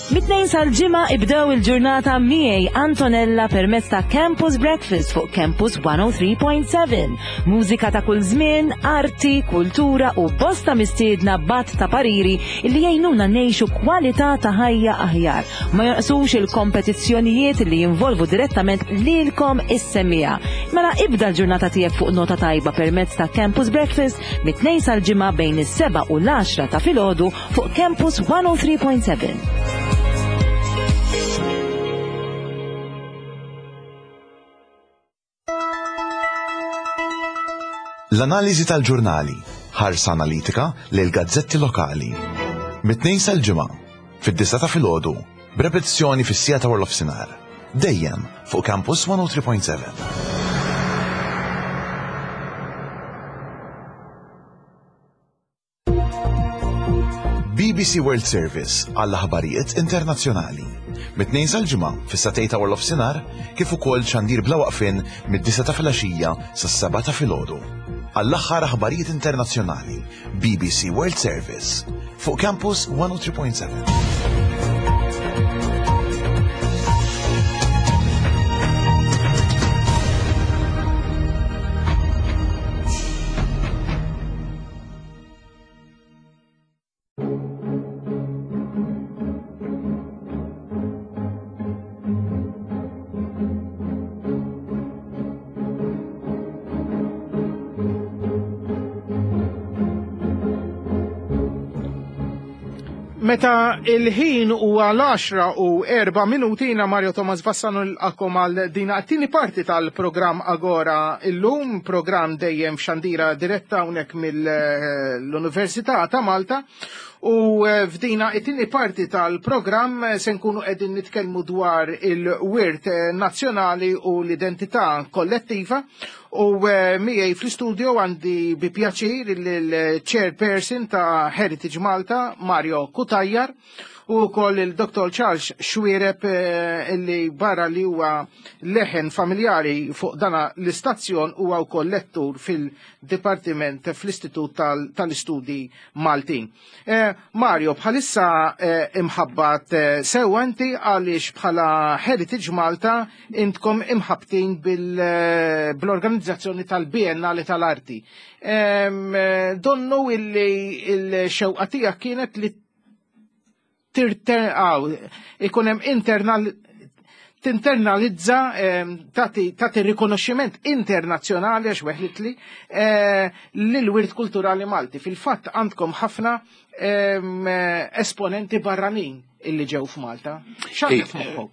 Mit-Tnejn sal-Ġimgħa ibdew il-ġurnata miegħi Antonella permezz ta' Campus Breakfast fuq Campus mija u tlieta punt seba'. Mużika ta' kull żmien, arti, kultura u bosta mistiedna b'għadd ta' pariri li jgħinuna ngħixu kwalità ta' ħajja aħjar. Ma jonqsux il-kompetizzjonijiet li jinvolvu direttament lilkom is-semmiegħa. Mela ibda l-ġurnata tiegħek fuq nota tajba permezz ta' Campus Breakfast mit-Tnejn sal-Ġimgħa bejn is-seba' u l-għaxra ta' filgħodu fuq Campus mija u tlieta punt seba'. L-analiżi tal-ġurnali, ħarsa analitika lil gazzetti lokali. Mit-Tnejn sal-Ġimgħa, fid-disgħa ta' filgħodu, b'repetizzjoni fis-siegħa ta' nofsinhar. Dejjem fuq Campus mija u tlieta punt seba'. B B C World Service għall-aħbarijiet internazzjonali. Mit-Tnejn sal-Ġimgħa fis-sagħtejn ta' nofsinhar kif ukoll xandir bla waqfien mid-disgħa ta' filgħaxija sas-sebgħa ta' filgħodu. Għall-aħħar aħbarijiet internazzjonali, B B C World Service fuq Campus mija u tlieta punt seba'. Meta il-ħin huwa l-għaxra u erba' minuti, jiena Mario Thomas Vassano nilqagħkom għal dina t-tieni parti tal-programm Agora illum, programm dejjem f'xandira diretta hawnhekk mill-Università ta' Malta. U eh, f'dina it-tieni parti tal-programm eh, se nkunu qegħdin nitkellmu dwar il-wirt eh, nazzjonali u l-identità kollettiva u miegħi fl-istudio għandi bi pjaċir il-chairperson ta' Heritage Malta, Mario Cutajar, u wkoll il-Dottor Charles Xuereb, illi barra li huwa leħen familjari fuq dana l-istazzjon huwa wkoll lettur fil-Dipartiment fl-Istitut tal-Istudji Maltin. Mario, bħalissa imħabbat sewa inti għaliex bħala Heritage Malta intkom imħabtin bil-organizzazzjoni tal-Biennale tal-Arti. Donnu illi il-xewqa tiegħek kienet li ikun hemm internal tinternalizza, tagħti rikonoxximent internazzjonali, għax weħlitli, lil-wirt kulturali Malti. Fil-fatt għandkom ħafna esponenti barranin illi ġew f'Malta. X'għandek f'moħħok?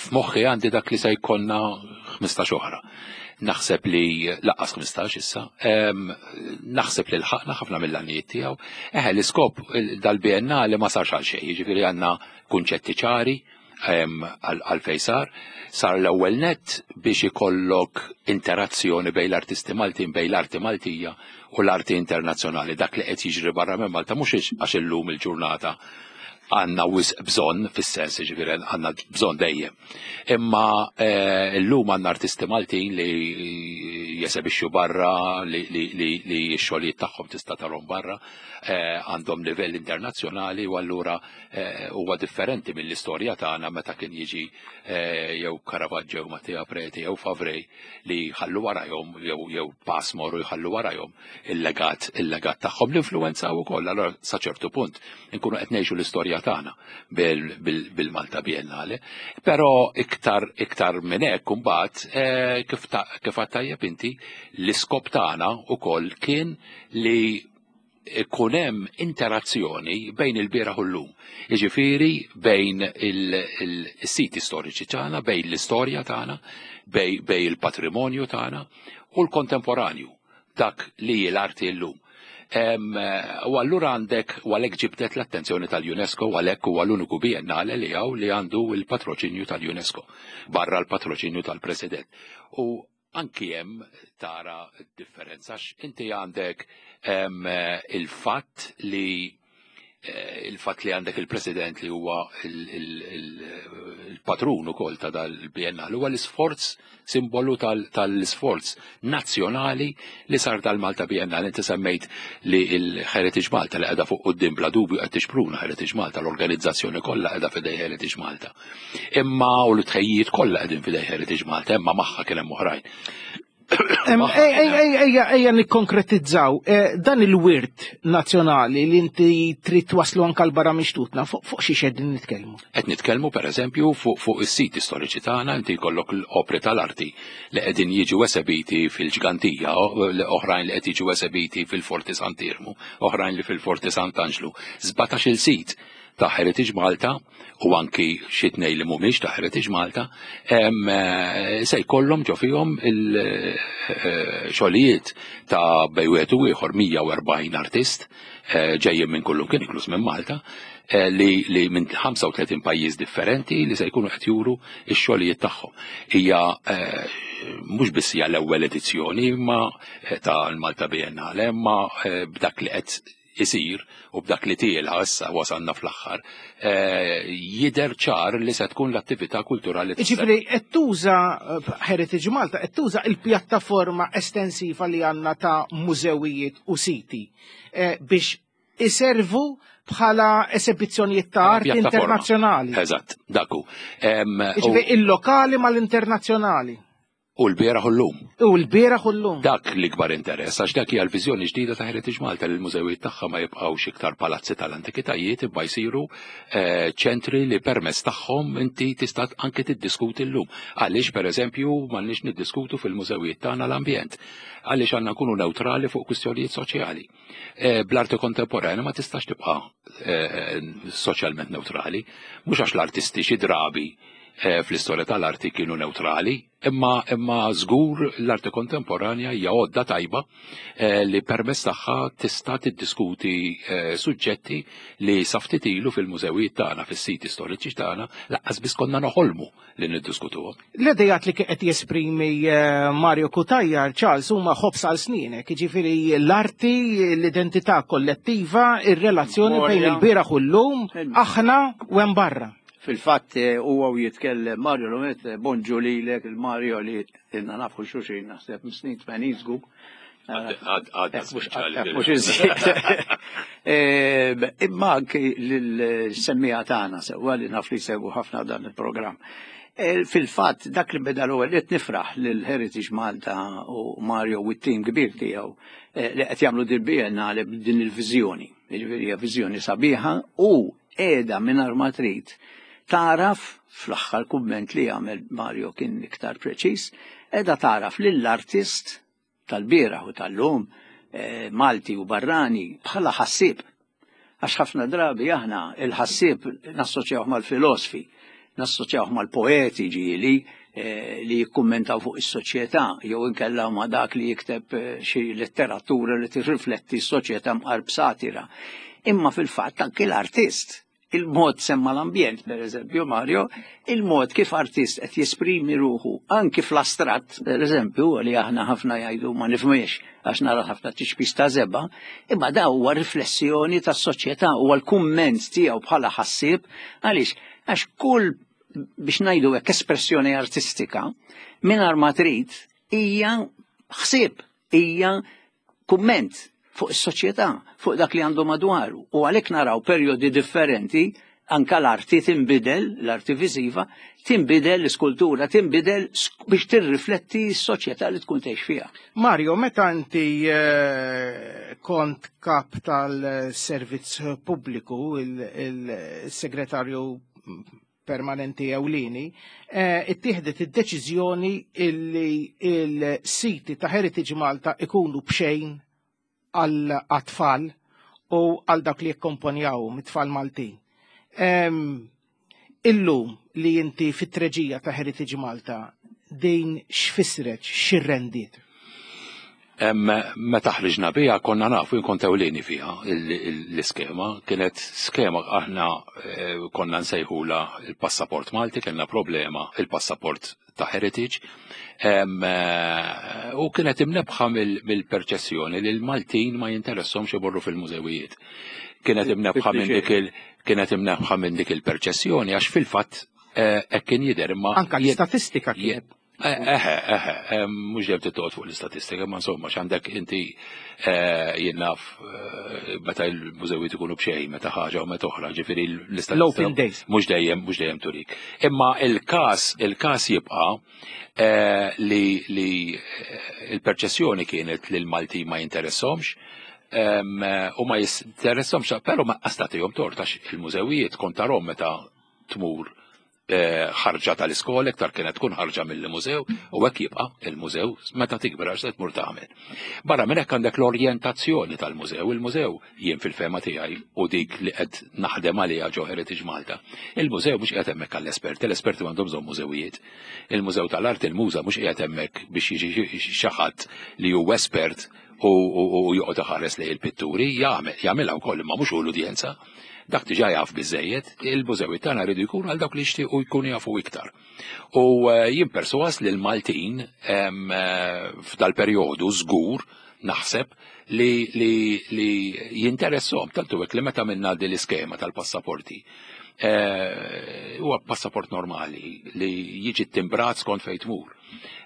F'moħħi għandi dak li se jkollna ħmistax oħra. Naħseb li lanqas ħmistax issa, naħseb li lħaqna ħafna mill-għanijiet tiegħu. Eħe, l-iskop dal-Biennale ma sarx għal xejn, jiġifieri għandna kunċetti ċari, Għalfejn sar? Sar l-ewwel net biex ikollok interazzjoni bejn l-artisti Maltin, bejn l-arti Maltija u l-arti internazzjonali. Dak li qed jiġri barra minn Malta mhux għax illum il-ġurnata għandna wisq bżonn, fis-sens ġifieri għandna bżonn dejjem. Imma llum għandna artisti Maltin li jesebixxu barra, li x-xogħlijiet tagħhom tista' tarhom barra, għandhom livell internazzjonali u allura huwa differenti mill-istorja tagħna meta kien jiġi jew Caravaggio jew Mattia Preti jew Favrej li jħallu warajhom jew Passmore u jħallu warajhom il-legat il-legat tagħhom l-influenza wkoll. Allura sa ċertu punt inkunu qed ngħixu l-istorja tagħna bil-Malta Biennale. Però iktar iktar minn hekk imbagħad kif kif għedt tajjeb inti, l-iskop tagħna wkoll kien li ikun hemm interazzjoni bejn il-bieraħ u llum. Jiġifieri bejn il-siti storiċi tagħna, bejn l-istorja tagħna, bejn il-patrimonju tagħna u l-kontemporanju, dak li l-arti llum. U allura għandek, u għalhekk ġibdet l-attenzjoni tal-UNESCO, u għalhekk huwa l-uniku biennale li hawn li għandu il-patroċinju tal-UNESCO, barra l-patroċinju tal-President. U anki hemm tara differenza, għax inti għandek il-fatt li il-fatt li għandek il-President li huwa il-patrun ukoll ta' dal-Biennale, huwa l-isforz, simbolu tal-isforz nazzjonali li sar tal-Malta Biennale. Inti semmejt li l-Heritage Malta li qiegħda fuq quddiem, bla dubju qed tixpruna Heritage Malta, l-organizzazzjoni kollha qiegħda f'idej Heritage Malta. Imma u l-tħejjiet kollha qegħdin f'idej Heritage Malta, imma magħha kien hemm oħrajn. Ejja, ejja nikkonkretizzaw dan il-wirt nazzjonali li inti trid twaslu anke l-barra mixtutna, fuq xi qegħdin nitkellmu? Qed nitkellmu pereżempju fuq is-siti storiċi tagħna, inti jkollok l-opri tal-arti li qegħdin jiġu esebiti fil-Ġgantija, oħrajn li qed jiġu esebiti fil-Forti Sant'Iermu, oħrajn li fil-Forti Sant'Anġlu. sbatax-il sit ta' Heritage Malta u anki xi tnejn li mhumiex ta' Heritage Malta se jkollhom ġo fihom il-xogħlijiet ta' bejn wieħed u ieħor mija u erbgħin artist ġejjin minn kullum kien inkluż minn Malta, li, li minn ħamsa u tletin pajjiż differenti li se jkunu qed juru x-xogħlijiet tagħhom. Hija mhux biss hija l-ewwel edizzjoni imma tal-Malta Biennale, imma b'dak li qed isir u b'dak li tiela issa wasalna fl-aħħar, jidher ċar li se tkun l-attività kulturali. Ġifieri qed tuża Heritage Malta, qed tuża il-pjattaforma estensiva li għandna ta' mużewijiet u siti biex iservu bħala esebizzjonijiet ta' arti internazzjonali. Eżatt, daku. Ġifieri il-lokali mal-internazzjonali. U l-bieraħ u llum. U l-bieraħ u llum. Dak l-ikbar interess, għax dak hija l-viżjoni ġdida ta' Heritage Malta li l-mużewijiet tagħha ma jibqgħux iktar palazzi tal-antikitajiet, imma jsiru ċentri li permezz tagħhom inti tista' anke tiddiskuti llum. Għaliex pereżempju m'għandniex niddiskutu fil-mużewijiet tagħna l-ambjent. Għaliex għandna nkunu neutrali fuq kwistjonijiet soċjali. Bl-arti kontemporanja ma tistax tibqa' soċjalment neutrali, mhux għax l-artisti xi drabi fl-istorja tal-arti kienu neutrali, imma imma żgur l-arti kontemporanja hija għodda tajba li permezz tagħha tista' tiddiskuti suġġetti li sa ftit ilu fil-mużewijiet tagħna, fis-siti storiċi tagħna, lanqas biss konna noħolmu li niddiskutuhom. L-idejat li qed jesprimi Mario Cutajar, Charles, huma ħobż għal snienek, jiġifieri l-arti, l-identità kollettiva, ir-relazzjoni bejn il-bieraħ u llum, aħna u hemm barra. Fil-fatt huwa u jitkellem Mario l-għonet, bonġu lilek, il-Mario li ilna nafu xulxin naħseb snin tmenin żgur. Mhux iżjed. Imma anki lill-semmija tagħna sewwa li naf li jsegwu ħafna dan il-programm. Fil-fatt dak li beda l-ewwel qed nifraħ lil Heritage Malta u Mario u t-tim kbir tiegħu li qed jagħmlu din biennale b'din il-viżjoni. Jiġifieri hija viżjoni sabiħa u qiegħda mingħajr ma trid taraf, fl-aħħar kumment li għamel Mario kien iktar preċiż, qiegħda taraf lill-artist tal-bieraħ u tal-lum, Malti u barrani, bħala ħassieb. Għax ħafna drabi aħna il-ħassieb nassoċjawh mal-filosfi, nassoċjawh mal-poeti ġieli li jikkummentaw fuq is-soċjetà, jew inkella ma' dak li jikteb xi letteratura li tirrifletti s-soċjetà mqarb satira. Imma fil-fatt anke l-artist Il-mod semma l-ambjent, per eżempju, Mario, il-mod kif artist qed jesprimi ruħu anki fl-astratt, per eżempju, li aħna ħafna jgħidu ma nifhmiex għax nara ħafna tiċpis ta' żebgħa, imma da huwa riflessjoni tas-soċjetà, huwa l-kumment tiegħu bħala ħassieb, għaliex għax kull, biex ngħidu hekk, espressjoni artistika mingħajr ma trid hija ħsieb, hija kumment fuq is-soċjetà, fuq dak li għandu madwaru. U għalhekk naraw perjodi differenti, anka l-arti tinbidel, l-arti viżiva, tinbidel, l-iskultura tinbidel biex tirrifletti s-soċjetà li tkun tgħix fiha. Mario, meta inti eh, kont kap tal-servizz pubbliku, il-segretarju permanenti ewlieni, eh, ittieħdet id-deċiżjoni illi il-siti ta' Heritage Malta ikunu bxejn għall-atfal u għal dak li jikkomponjaw mit-tfal Maltin. Illum li inti fit-treġija ta' Heritage Malta, din x'fissret, x'irrendiet? Meta ħriġna biha konna nafu, jien kont ewlieni fiha l-iskema, kienet skema aħna eh, konna nsejħula il-passaport Malti, kellna problema il-passaport ta' Heritage, eh, u kienet imnebħa mill-perċessjoni li l-Maltin ma jinteressahomx imorru fil-mużewijiet. Kienet imnebħa minn dik il kienet imnebħa minn dik il-perċessjoni għax fil-fatt eh, hekk kien jidher, imma anka l-istatistika kienet. Eħe, eħe, mhux dejjem titqgħod fuq l-istatistika, ma insomma, x'għandek inti, eh, jien naf eh, meta l-mużewijiet ikunu b'xejn, meta ħaġa u meta oħra, ġifieri l-istatistika. L-open days. Mhux dejjem, mhux dejjem turik. Imma il-każ, il-każ jibqa' eh, li li il-perċessjoni kienet li l-Malti ma jinteressahomx, u ma jinteressahomx, però ma għastatihom tort għax il-mużewijiet kont tarahom meta tmur ħarġa tal-iskola, iktar kienet tkun ħarġa mill-mużew, u hekk jibqa' il-mużew meta tikber għax se tmur tagħmel. Barra minn hekk għandek l-orjentazzjoni tal-mużew. Il-mużew jien fil-fehma tiegħi u dik li qed naħdem għaliha ġo Heritage Malta. Il-mużew mhux qiegħed hemmhekk għall-esperti, l-esperti m'għandhom bżonn mużewijiet. Il-mużew tal-art, il-muża mhux qiegħed hemmhekk biex jiġi xi ħadd li hu espert u joqgħod iħares lejn il-pitturi, jagħmilha wkoll imma mhux hu l-udjenza. Dak diġà jaf biżejjed, il-mużewi tagħna rridu jkunu għal dawk li jixtiequ jkunu jafu iktar. U eh, jien perswas li l-Maltin eh, f'dal-perjodu żgur naħseb li, li, li jinteressahom, tantu hekk li meta minna din l-iskema tal-passaporti. Eh, huwa passaport normali li jiġi timbrat skont fejn tmur.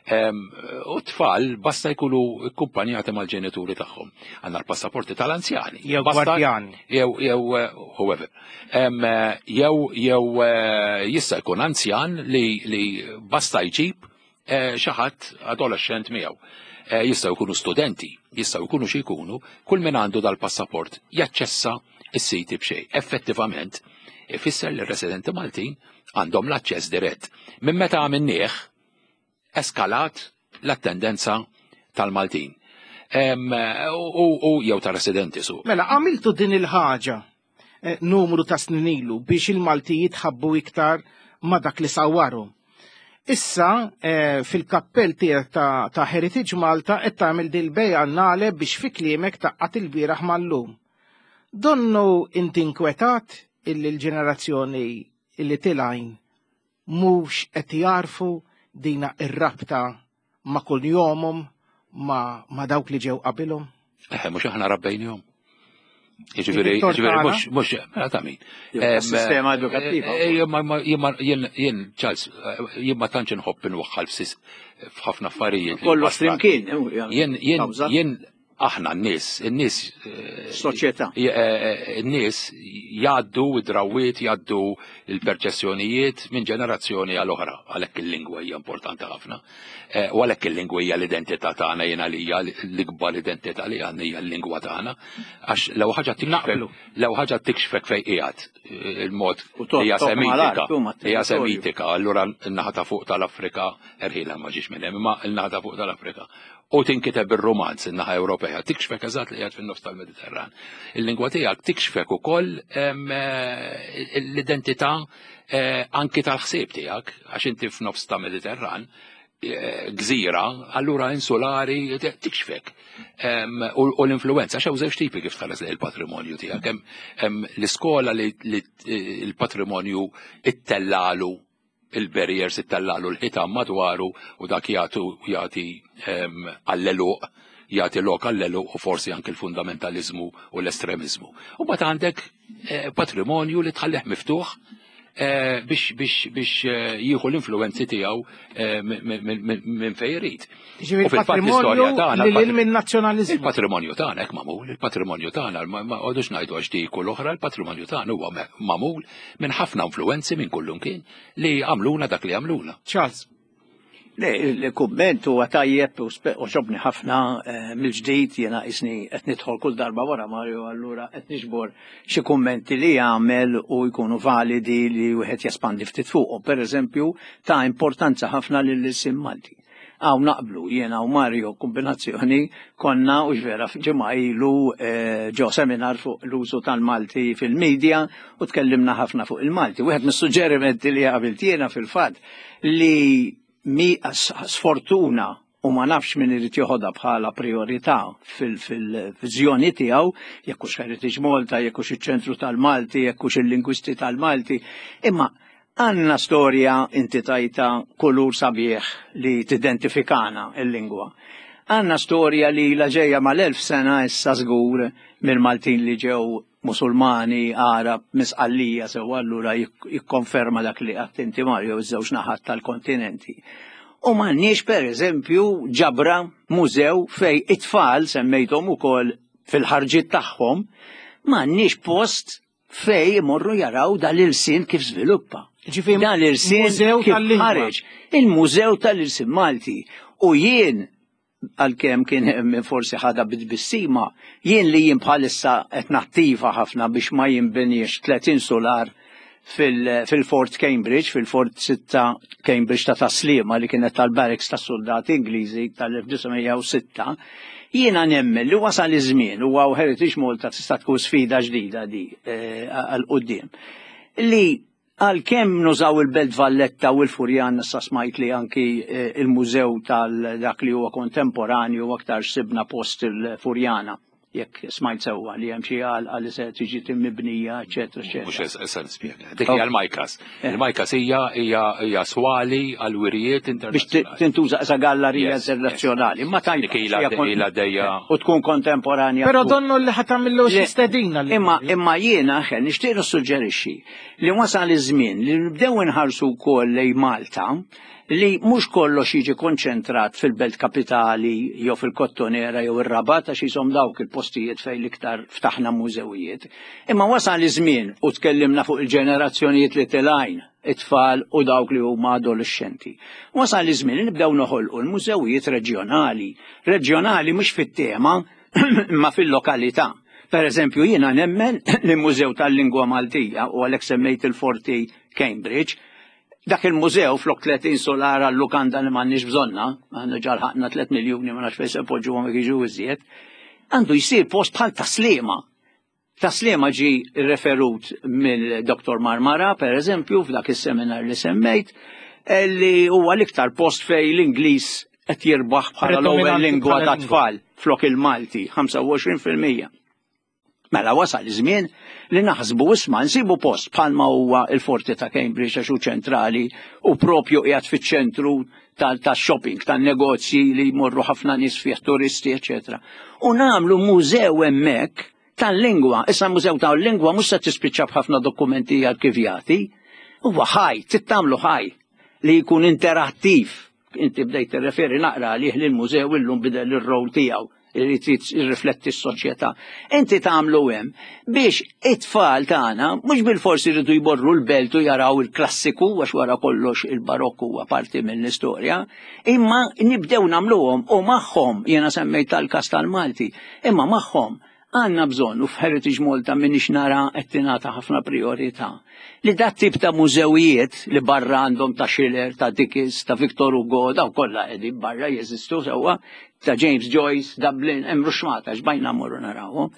U tfal basta jkunu akkumpanjati mal-ġenituri tagħhom. Għandna l-passaporti tal-anzjani. Jew gwardjani. Jew jew eh, whoever. Jew jew eh, jista' jkun anzjan li li basta jġib eh, xi ħadd adolescent miegħu. Jistgħu jkunu studenti, jistgħu jkunu xi jkunu, kull min għandu dal-passaport jaċċessa is-siti b'xejn. Effettivament, ifisser li r-residenti Maltin għandhom l-aċċess dirett. Minn meta għamilnieh, eskalat l-attendenza tal-Maltin. U jew ta' residenti su. Mela, għamiltu din il-ħaġa eh, numru ta' snin ilu biex il-Malti jitħabbu iktar ma' dak li sawwaru. Issa, eh, fil-kappell tiegħek ta', ta Heritage Malta qed tagħmel dil-biennale biex fi kliemek tgħaqqad il-bieraħ mal-lum. Donnu inti inkwetat illi l-ġenerazzjoni illi tilgħin mhux qed jarfu dina ir-rabta ma' kull jomhom ma, ma dawk li ġew qabilhom? Eħe, mhux aħna rabbejnihom. Jiġifieri, jiġifieri mhux mhux mela ta' min. Sistema edukattiva. Jien jien Charles, jien ma tantx inħobb inwaħħal f'ħafna affarijiet. Kollox flimkien. Jien jien jien aħna n-nies, n-nies soċjetà. N-nies jgħaddu id-drawiet, jgħaddu il-perċessjonijiet minn ġenerazzjoni għal oħra, għalhekk il-lingwa hija importanti ħafna. U għalhekk il-lingwa hija l-identità tagħna, jiena li hija l-ikbar identità li għandna hija l-lingwa tagħna. Għax l ħaġa tikxfek, l ħaġa tikxfek fejn qiegħed il-mod hija semitika, hija semitika, allura n-naħa ta' fuq tal-Afrika erħilha ma ġiex minn hemm, imma n-naħa ta' fuq tal-Afrika. U tinkiteb ir-romanz in-naħa Ewropea, tikxfek eżatt li qiegħed fin-nofs tal-Mediterran. Il-lingwa tiegħek tikxfek ukoll l-identità anki tal-ħsieb tiegħek, għax inti f'nofs ta' Mediterran, eh, gżira, allura insulari tikxfek. U l-influenza, xew żewġ tipi kif tħares il-patrimonju tiegħek. Hemm l-iskola li l-patrimonju ittellalu il-barriers, ittellalu l-ħitan madwaru u dak jagħtu jagħti għall-eluq, jagħti lok għall-eluq u forsi anke l-fundamentalizmu u l-estremizmu. U mbagħad għandek eh, patrimonju li tħallih miftuħ eh, biex biex biex eh, jieħu l-influenzi tiegħu minn fejn irid. U fil-patrimonju li minn nazzjonaliżmu. Il-patrimonju tagħna hekk magħmul, il-patrimonju tagħna ma qogħdux ngħidu għax dik u l-oħra, il-patrimonju tagħna huwa magħmul minn ħafna influenzi minn kullumkien li għamluna dak li għamluna. Charles. Le, il-kumment huwa tajjeb u għoġobni ħafna eh, mill-ġdid jiena isni qed nidħol kull darba wara Mario, allura qed niġbor xi kummenti li jagħmel u jkunu validi li wieħed jespandi ftit fuqhom. Pereżempju, ta' importanza ħafna lill-ilsien Malti. Hawn naqblu jiena u Mario kombinazzjoni konna u ġvera ġimgħa ilu eh, ġo seminar fuq l-użu tal-Malti fil-medja u tkellimna ħafna fuq il-Malti. Wieħed mis-suġġerimenti li għamilt jiena fil-fatt li mi sfortuna u ma nafx min irid joħodha bħala priorità fil-viżjoni tiegħu, jekk hux Heritage Malta, jekk hux iċ-ċentru tal-Malti, jekk hux il-lingwisti tal-Malti, imma għandna storja inti tajta kulur sabiħ li tidentifikana il-lingwa. Għandna storja li la ġejja mal-elf sena issa żgur mill-Maltin li ġew Musulmani, Arab, Misqallija, sew allura jikkonferma dak li għedt inti Mario, iż-żewġ naħat tal-kontinenti. U m'għandniex per eżempju ġabra mużew fej it-tfal semmejthom ukoll fil-ħarġiet tagħhom, m'għandniex post fej imorru jaraw dal-ilsien kif żviluppa. Ġifieri dal-ilsien kif ħareġ. Il-Mużew tal-Ilsien Malti. U jien għalkemm kien hemm forsi ħada bit-tbissima, jien li jien bħalissa qed nattiva ħafna biex ma jinbinix tletin solar fil-Fort Cambridge, fil-Fort sitta Cambridge ta' Taslima li kienet tal-barracks tas soldati Ingliżi tal-elf disa' mija u sitta, jiena nemmen li wasal iż-żmien u għaw Heritage Malta tista' tkun sfida ġdida di għal quddiem. Li għalkemm nużaw il-Belt Valletta u l-Furjan, issa smajt li anki il-mużew tal-dak li huwa kontemporanju aktar sibna post il-Furjana, jekk smajt sewwa li hemm xi għalqa li se tiġi timmibnija, eċetera, eċetera. Mhux issa nispjega. Dik hija l-Majkas. Il-Majkas hija hija swali għal wirijiet internazzjonali. Biex tintuża sa gallerija internazzjonali. Ma tajba. Dik ilha u tkun kontemporanja. Però donnu li ħadd tagħmillu xi stedina. Imma imma jiena ħen nixtieq nissuġġerixxi li wasal iż-żmien li nibdew inħarsu wkoll lejn Malta li mhux kollox jiġi konċentrat fil-belt kapitali jew fil-Kottonera jew ir-Rabat għax jisom dawk il-postijiet fejn l-iktar ftaħna mużewijiet. Imma wasal iż-żmien u tkellimna fuq il-ġenerazzjonijiet li tilgħin, it-tfal u dawk li huma adolescenti. Wasal iż-żmien li nibdew noħolqu l-mużewijiet reġjonali. Reġjonali mhux fit-tema imma fil-lokalità. Per eżempju, jiena nemmen li mużew tal-lingwa Maltija u għalhekk semmejt il-Forti Cambridge, dak il-mużew flok tletin solar għal-lukanda li m'għandniex bżonna, għandna ġarħaqna tliet miljuni ma nafx fejn se npoġġuhom jekk jiġu iżjed, għandu jsir post bħal Taslima. Taslima ġi referut mill-Doktor Marmara, per eżempju, f'dak is-seminar li semmejt, li huwa l-iktar post fej l-Ingliż qed jirbaħ bħala l-ewwel lingwa ta' tfal flok il-Malti, ħamsa u għoxrin fil-mija. Mela wasal iż-żmien li naħsbu isma' nsibu post bħalma huwa il-Forti ta' Cambridge għax hu ċentrali u propju qiegħed fiċ-ċentru tax-shopping, tan-negozji li jmorru ħafna nies fih turisti, eċetera. U nagħmlu mużew hemmhekk tal-lingwa. Issa mużew tal-lingwa mhux se tispiċċa b'ħafna dokumenti arkivjati, huwa ħaj, trid tagħmlu ħaj li jkun interattiv. Inti bdejt tirreferi naqra għalih li l-mużew illum bidel ir-rol tiegħu irid jirrifletti s-soċjetà. Inti tagħmlu hemm biex it-tfal tagħna mhux bil-forsi jridu jmorru l-belt u jaraw il-klassiku għax wara kollox il-barokku huwa parti mill-istorja, imma nibdew nagħmluhom u magħhom, jiena semmejt tal-każ tal-Malti, imma magħhom għandna bżonn u f'Heritage Malta minix nara qed tingħata ħafna priorità. Li dat tip ta' mużewijiet li barra għandhom ta' Schiller, ta' Dickens, ta' Victor Hugo, daw kollha qegħdin barra jeżistu sewwa, ta' James Joyce, Dublin, hemm ruxmata x'bajna mmorru narawhom.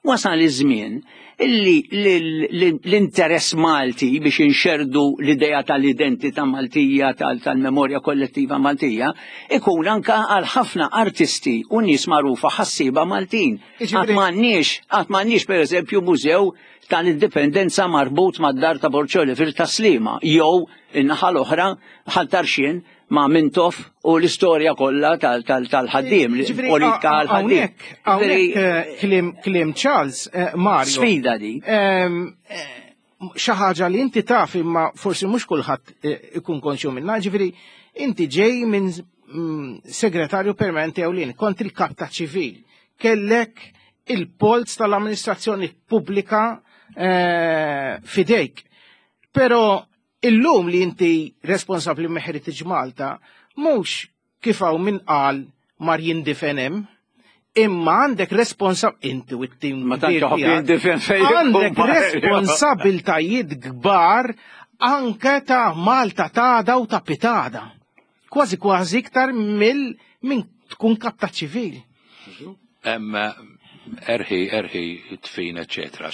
Wasal iż-żmien illi l-interess Malti biex inxerdu l-idea tal-identità Maltija, tal-memorja kollettiva Maltija, ikun anka għal ħafna artisti u nies magħrufa ħassiba Maltin. Għad m'għandniex, għad m'għandniex pereżempju mużew tal-indipendenza marbut mad-dar ta' Borg Olivier Tas-Sliema, jew in-naħa l-oħra Ħal Tarxien ma' Mintoff u l-istorja kollha tal-ħaddiem, politika għal-ħaddiem. Hawnhekk kliem kliem Charles, Mario. Sfida di. Xi ħaġa li inti taf imma forsi mhux kulħadd ikun konxju minnha, ġifieri inti ġej minn segretarju permanenti ewlieni, kont il-kap ta' ċivil, kellek il-polz tal-amministrazzjoni pubblika fidejk. Però illum li inti responsabli minn Heritage Malta, mhux kif hawn min qal mar jindifen hemm, imma għandek responsab inti u t-tim Ma tantx iħobb jindifen fejn għandek responsabiltajiet kbar anke ta' Malta tada u ta' pitada. Kważi kważi iktar mill minn tkun kap ta' ċivil. Erħi, erħi, tfin, eccetera.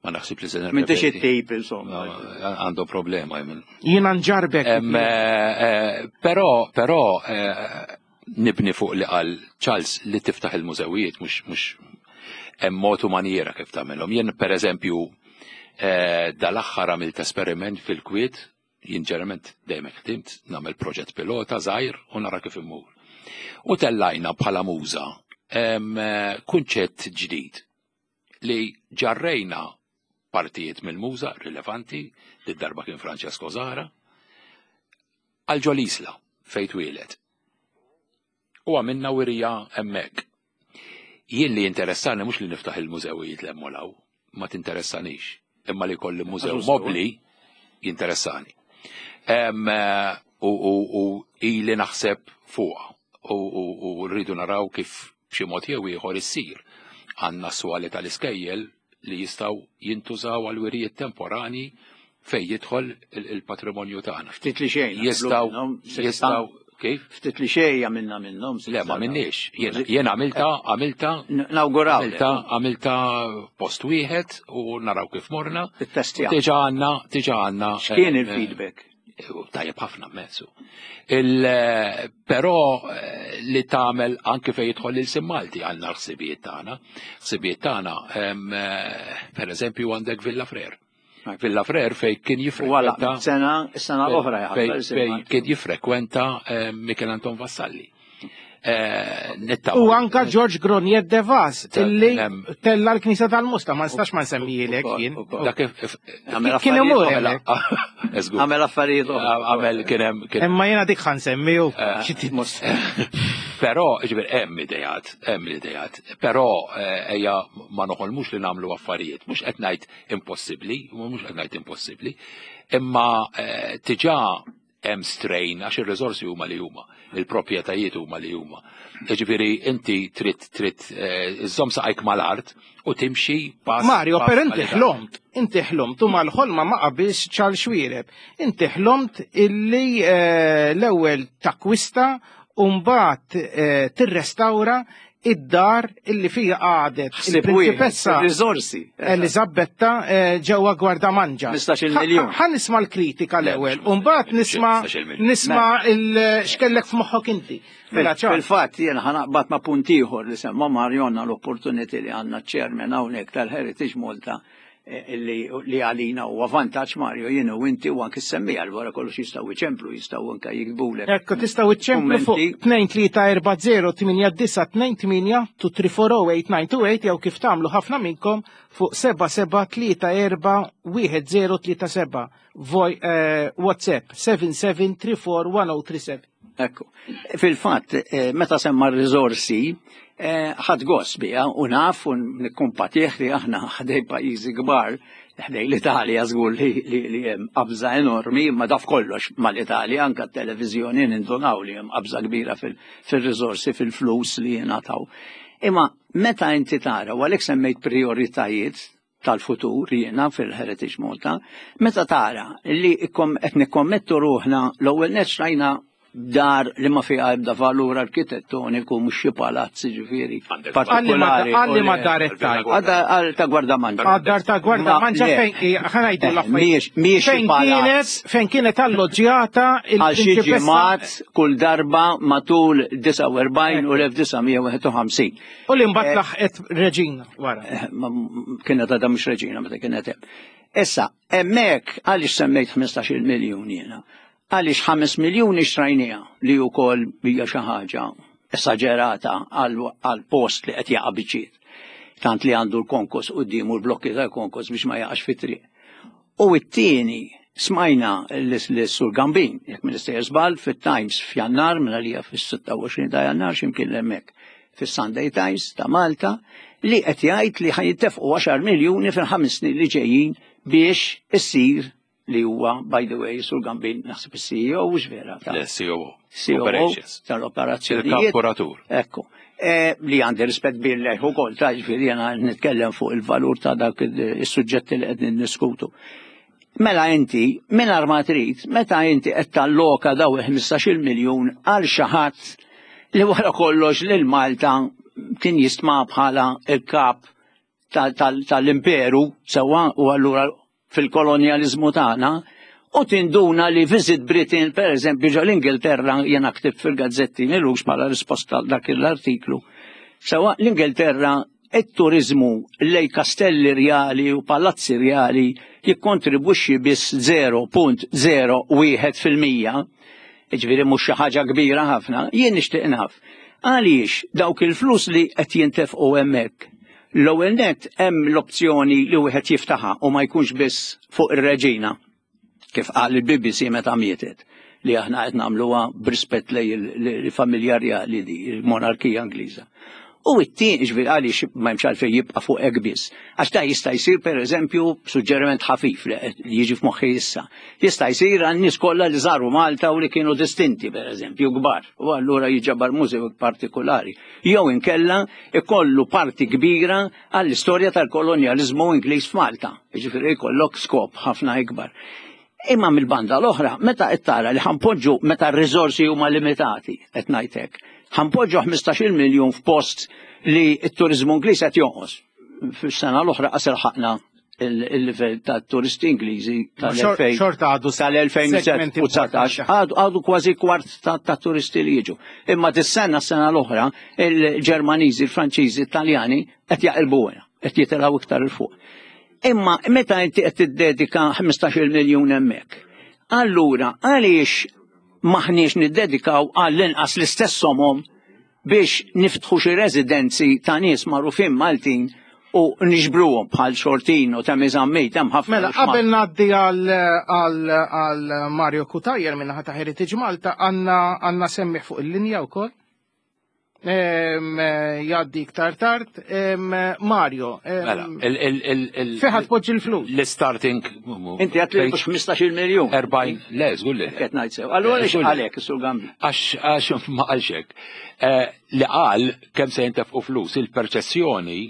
Ma naħsib li se Minn tix it-tip, insomma. Għandu problema. Jiena nġarbek. Però, però, nibni fuq li qal Charles li tiftaħ il-mużewijiet mhux mhux hemm mod u maniera kif tagħmelhom. Jien pereżempju dal-aħħar għamilt esperiment fil-Kwiet, jien ġeneralment dejjem ħdimt, nagħmel proġett pilota żgħir u nara kif immur. U tellajna bħala muża kunċett ġdid li ġarrejna partijiet mill-muża rilevanti, li darba kien Francesco Zahra, għal ġol-Isla fejn twieled. U għamilna wirja hemmhekk. Jien li interessani mhux li niftaħ il-mużewijiet l law, ma tinteressanix, imma li kolli mużew mobli jinteressani. U ili naħseb fuqha u rridu naraw kif b'xi mod jew ieħor issir. Għandna swali tal-iskejjel li jistgħu jintużaw għal wirijiet temporani fej jidħol il-patrimonju tagħna. Ftit li xejn. Jistgħu jistgħu kif? Ftit li xejn għamilna minnhom. Le, ma minniex. Jien għamilta, għamilta. Nawguraw. Għamilta, għamilta post wieħed u naraw kif morna. Ittestja. Diġà għandna, diġà għandna. X'kien il-feedback? Tajjeb ħafna mezzu. Però li tagħmel anke fejn jidħol il-sim Malti għandna l-ħsibijiet tagħna. Ħsibijiet tagħna, pereżempju għandek Villa Frere. Villa Frere fej kien jifrekwenta. Sena, sena oħra fej kien jifrekwenta Michel Anton Vassalli. U anka George Gronier de Vaz, illi tella l-Knisa tal-Musta, ma nistax ma nsemmijilek jien. Kien imur hemmhekk. Għamel affarijiet oħra. Għamel kien hemm. Imma jiena dik ħa nsemmiju. Però, ġifier hemm idejat, hemm idejat. Però ejja ma noħolmux li nagħmlu affarijiet, mhux qed ngħid impossibbli, mhux qed ngħid impossibbli, imma diġà hemm strain għax ir-riżorsi huma li huma, il-proprjetajiet huma li huma. Jiġifieri inti trid trid iżżomm saqajk mal-art u timxi pass. Mario, per inti ħlomt, inti ħlomt u mal-ħolma ma qabilx Charles Xuereb. Inti ħlomt illi l-ewwel takwista u mbagħad tirrestawra id-dar illi fija għadet il-prinċipessa Elizabetta ġewwa Gwardamanġa. Mistax-il miljun. Ħa nisma' l-kritika l-ewwel u mbagħad nisma' nisma' x'kellek f'moħħok inti. Fil-fatt jien ħa naqbad ma' punt ieħor li semma Mario, għandna l-opportunity li għandna ċ-chairman hawnhekk tal-Heritage Malta li għalina huwa vantaġġ Mario, jien u inti u anke semmija l wara kollox jistgħu iċemplu, jistgħu anke jiktbulek. Ekku tistgħu iċemplu fuq tnejn tlieta erba' zero tmienja disa' tnejn tmienja two three four oh eight nine two eight jew kif tagħmlu ħafna minnkom fuq seba' seba' tlieta erba' wieħed zero tlieta seba' Voj WhatsApp seven seven three four one oh three seven. Ekku. Fil-fatt, meta semma r-riżorsi, ħadd gost biha u naf u nikkumpatih li aħna ħdej pajjiżi kbar, ħdej l-Italja żgur li hemm qabża enormi, ma daf kollox mal-Italja, anke t-televiżjoni nindunaw li hemm qabża kbira fil-riżorsi, fil-flus li jingħataw. Imma meta inti tara, u għalhekk semmejt prioritajiet tal-futur jiena fil-Heritage Malta, meta tara li qed nikkommettu ruħna l-ewwel nett xtrajna Dar li ma fiha ebda valur arkitettoniku, mhux xi palazzi ġifieri partikolari. Għalli ma dar tajt. Għal ta' Gwardamanġa. Għad-dar ta' Gwardamanġa fejn ħa ngħidu l-affarijiet. Mhijiex Fejn kienet fejn kienet alloġġjata għal xi ġimgħat kull darba matul disgħa u erbgħin u l-elf disa' mija u wieħed u ħamsin. U li mbagħad laħqet reġina wara. Eh, kienet għadha mhux reġina meta kienet hemm. Issa, hemmhekk għaliex semmejt ħmistax-il miljun jiena? Għaliex ħames miljuni xtrajnija li wkoll hija xi ħaġa esaġerata għal post li qed jaqa' biċċiet. Tant li għandu l-konkos qudiem u l-blokki tal-konkos biex ma jaqax fit-triq. U t-tieni smajna l-Sur Gambin, jekk m'iniex żball, fit-Times f'Jannar, minn għalija fis-sitta u għoxrin ta' Jannar x'imkien hemmhekk fis-Sunday Times ta' Malta, li qed jgħid li ħa jintefqu għaxar miljuni fil-ħames snin li ġejjin biex issir, li huwa, by the way, Sur Gambin naħseb il-C E O, mhux vera? C O O. C O O tal-operazzjonijiet. Il-kap-kuratur. Ekku. E, li għandi rispett billi u kol, ta' ġifieri jena nitkellem fuq il-valur ta' dak il-suġġetti li qed niddiskutu. Mela inti, minn ma trid, meta inti qed talloka daw il-ħmistax-il miljun għal xi ħadd li wara kollox lil Malta kien jistma bħala il-kap tal-imperu, sewwa, u allura fil-kolonjalizmu tagħna, u tinduna li Visit Britain, per eżempju, ġo l-Ingilterra, jena ktibt fil-gazzetti m'ilux bħala risposta għal dak l-artiklu. Sewwa, l-Ingilterra, it-turizmu lej kastelli rjali u palazzi rjali jikkontribwixxi biss żero punt żero wieħed fil-mija, ġifieri mhux xi ħaġa kbira ħafna. Jien nixtieq naf għaliex dawk il-flus li qed jintefqu hemmhekk. L-ewwel net, hemm l-opzjoni li wieħed jiftaħa u ma jkunx biss fuq ir-reġina, kif qal il-B B C meta mietet, li aħna qed nagħmluha b'rispett lej il-familja rjali di, il-monarkija Ingliża. U it-tieni, ġifieri għaliex ma hemmx għalfejn jibqa' fuq hekk biss? Għax da jista' jsir, pereżempju, suġġeriment ħafif li jiġi f'moħħi issa. Jista' jsir għan-nies kollha li żaru Malta u li kienu distinti, pereżempju, kbar. U allura jiġabar mużew partikolari. Jew inkella ikollu parti kbira għall-istorja tal-kolonjaliżmu Ingliż f'Malta. Jiġifieri jkollok skop ħafna ikbar. Imma mill-banda l-oħra, meta qed tara li ħa npoġġu, meta r-riżorsi huma limitati, qed ngħidlek, ħa npoġġu ħmistax-il miljun f'post li t-turizmu Ingliż qed jonqos. Fis-sena l-oħra qas ilħaqna il-livell ta' turisti Ingliżi tal-elfejn Xorta għadu tal-elfejn u dsatax, għadu għadu kważi kwart ta', ta turisti li jiġu. Imma dis-sena, s-sena l-oħra, il-Ġermaniżi, il-Franċiżi, il-Taljani qed jaqilbuha, qed jitilgħu iktar 'il fuq. Imma meta inti qed tiddedika ħmistax-il miljun hemmhekk, allura għaliex maħniex niddedikaw għall-inqas l-istess somom biex niftħu xi residenzi ta' nies magħrufin Maltin u niġbruhom bħal Xortin u ta' Zammit, hemm ħafna. Mela, qabel ngħaddi għal Mario Cutajar minna ta' Heritage Malta, għandna għandna semmiegħ fuq il-linja wkoll. Jgħaddi iktar tard. Mario, Mela, fejn ħa tpoġġi l-flus? L-starting. Inti għedt li mhux ħmistax-il miljun. erbgħin, le, żgur li. Qed ngħid sew. Allura għaliex għalek is-Sur Gambi? Għax għax ma qalx hekk. Eh, li qal kemm se jintefqu flus, il-perċezzjoni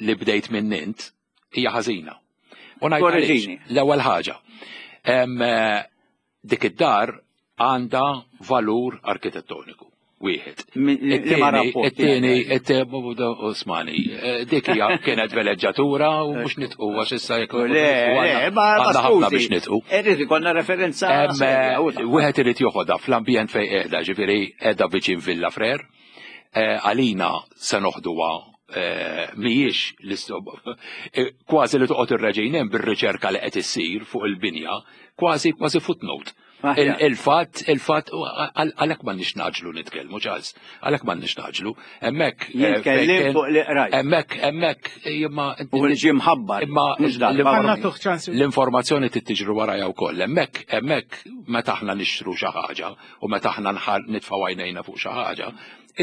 li bdejt minn int hija ħażina. U ngħid għaliex. L-ewwel ħaġa. Eh, dik id-dar għandha valur arkitettoniku. Wieħed. It-tieni, it-tieni, Osmani, eh, dik hija kienet veleġġatura u mhux nitqu għax issa jekk Le, le, ma għandna ħafna biex nitqu. Irrid ikollna referenza. Wieħed irid joħodha fl-ambjent fejn qiegħda, ġifieri qiegħda viċin Villa Frere. Eh, għalina se noħduha eh, mhijiex kważi li toqgħod ir-reġina bir-riċerka li qed issir fuq il-binja, kważi kważi footnote. Il-fatt, il-fatt, għalhekk m'għandniex ngħaġġlu nitkellmu, Charles, għalhekk m'għandniex ngħaġġlu. Hemmhekk. Eh, Jitkellem fuq li qrajt. Hemmhekk, hemmhekk, imma. U li ġie mħabbar. Imma l-informazzjoni trid warajha wkoll. Hemmhekk, hemmhekk meta aħna nixtru xi ħaġa u meta aħna nitfgħu għajnejna fuq xi ħaġa,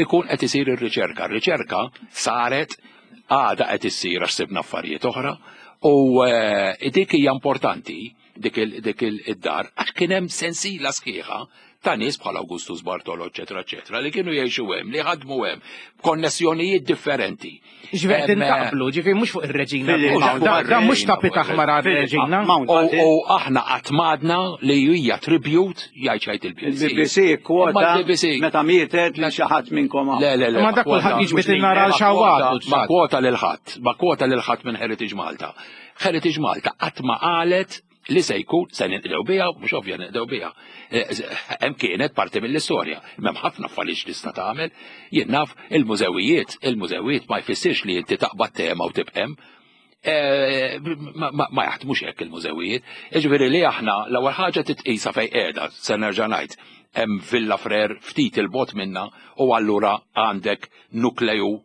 ikun qed isir ir-riċerka. Ir-riċerka saret, għada qed issir għax sibna affarijiet oħra u eh, dik hija importanti, dik id-dar, għax kien hemm sensila sħiħa Ta' nies bħal Augustus Bartolo, eċetera, eċetera, li kienu jgħixu hemm, li ħadmu hemm, b'konnessjonijiet differenti. Ġifieri Em, naqblu, ġifieri mhux fuq ir-reġina. Mhux fuq Da da mhux ir-reġina, tapit aħmar għar-reġina. U u aħna qatt m'għadna li hija tribute jgħid xejn il-B B C. Il-B B C kwota Imma l-B B C meta mietet li xi ħadd minnkom hawn. Le, le, le. Ma dak kwota- kulħadd jiġbed in-nar għal xawat. Ma kwota lil ħadd, ma kwota lil ħadd minn Heritage Malta. Heritage Malta qatt ma qalet li se jkun se ninqdew biha, mhux ovvja ninqdew biha. Eh, Hemm kienet parti mill-istorja. M'hemm ħafna affarijiet tista' tagħmel. Jien naf il-mużewijiet, il-mużewijiet ma jfissirx li inti taqbad tema u tibqem. Eh, ma, ma, ma jaħdmux hekk il-mużewijiet. Jiġifieri li aħna l-ewwel ħaġa titqisa fejn qiegħda, se nerġa' ngħid. Hemm Villa Frere ftit il-bogħod minna u allura għandek nukleju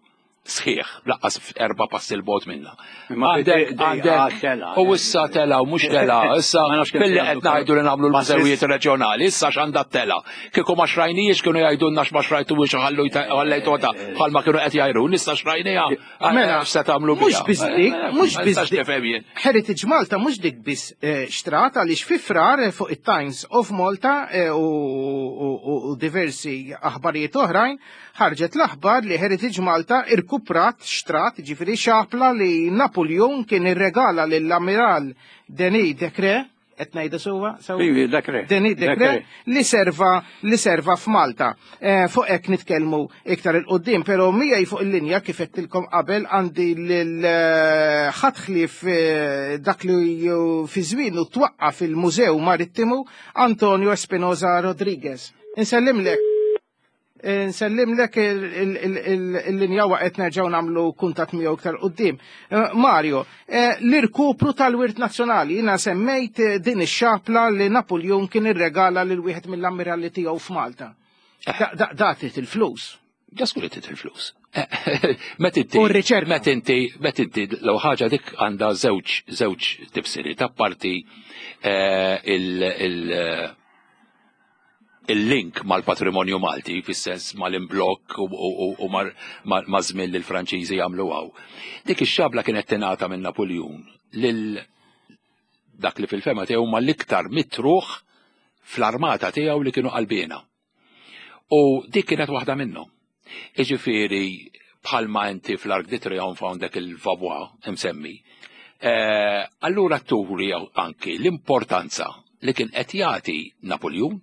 sħiħ, lanqas erba' passi 'l bogħod minna. Imma Għandek, dejqa għandek, tela. U issa tela u mhux tela, issa Ma nafx kemm billi se qed ngħidu li nagħmlu l-mużewijiet reġjonali, issa x'għandha tela. Kieku ma xrajnijiex kienu jgħidulna x'ma xrajtu biex ħallu ħallejtu bħalma kienu qed jgħidu, issa xrajnija. Mela, x'se tagħmlu mhux biha? biss dik, mhux Ma biss nistax dik. nifhem jien. Heritage Malta mhux dik biss eh, xtrat għaliex fi Frar eh, fuq it-Times of Malta eh, u, u, u, u diversi aħbarijiet oħrajn ħarġet l-aħbar li Heritage Malta irkuprat xtrat, ġifieri xapla li Napoleon kien irregala lill-Amiral Denis Decré, qed ngħidha sewwa? Sewwa? Ivi, Decré. Denis Decré Decré. li serva li serva f'Malta. Eh, fuq hekk nitkellmu iktar 'il quddiem, però miegħi fuq il-linja, kif għedtilkom qabel, għandi lil eh, ħadd ħlief eh, dak li ju- fi żmienu twaqqaf il-Mużew Marittimu, Antonio Espinosa Rodriguez. Insellimlek. Nsellimlek, il-linja waqgħet, nerġgħu nagħmlu kuntatt miegħu iktar quddiem. Eh, Mario, eh, l-irkupru tal-wirt nazzjonali, jiena semmejt eh, din ix-xapla li Napoleon kien irregala lil wieħed mill-ammiralli tiegħu f'Malta. Da- da- Da trid il-flus. Ġaskur trid il-flus. Met inti. U r-riċerka. Met inti, met inti, l ħaġa dik għandha żewġ żewġ tifsiri. Ta' parti eh, il- il- il-link mal-patrimonju Malti, fis-sens mal-imblokk u, u, u, u mar- ma' ma' żmien li l-Franċiżi jagħmlu hawn. Dik ix-xabla kienet tingħata minn Napoleon lil dak li fil-fehma tiegħu ma l-iktar mitruħ fl-armata tiegħu li kienu qalbina. U dik kienet waħda minnhom. Iġifieri bħalma inti fl-Arc de Triomphe għandek il-Vauban imsemmi. Eh, allura turi anki l-importanza li kien qed jagħti Napoleon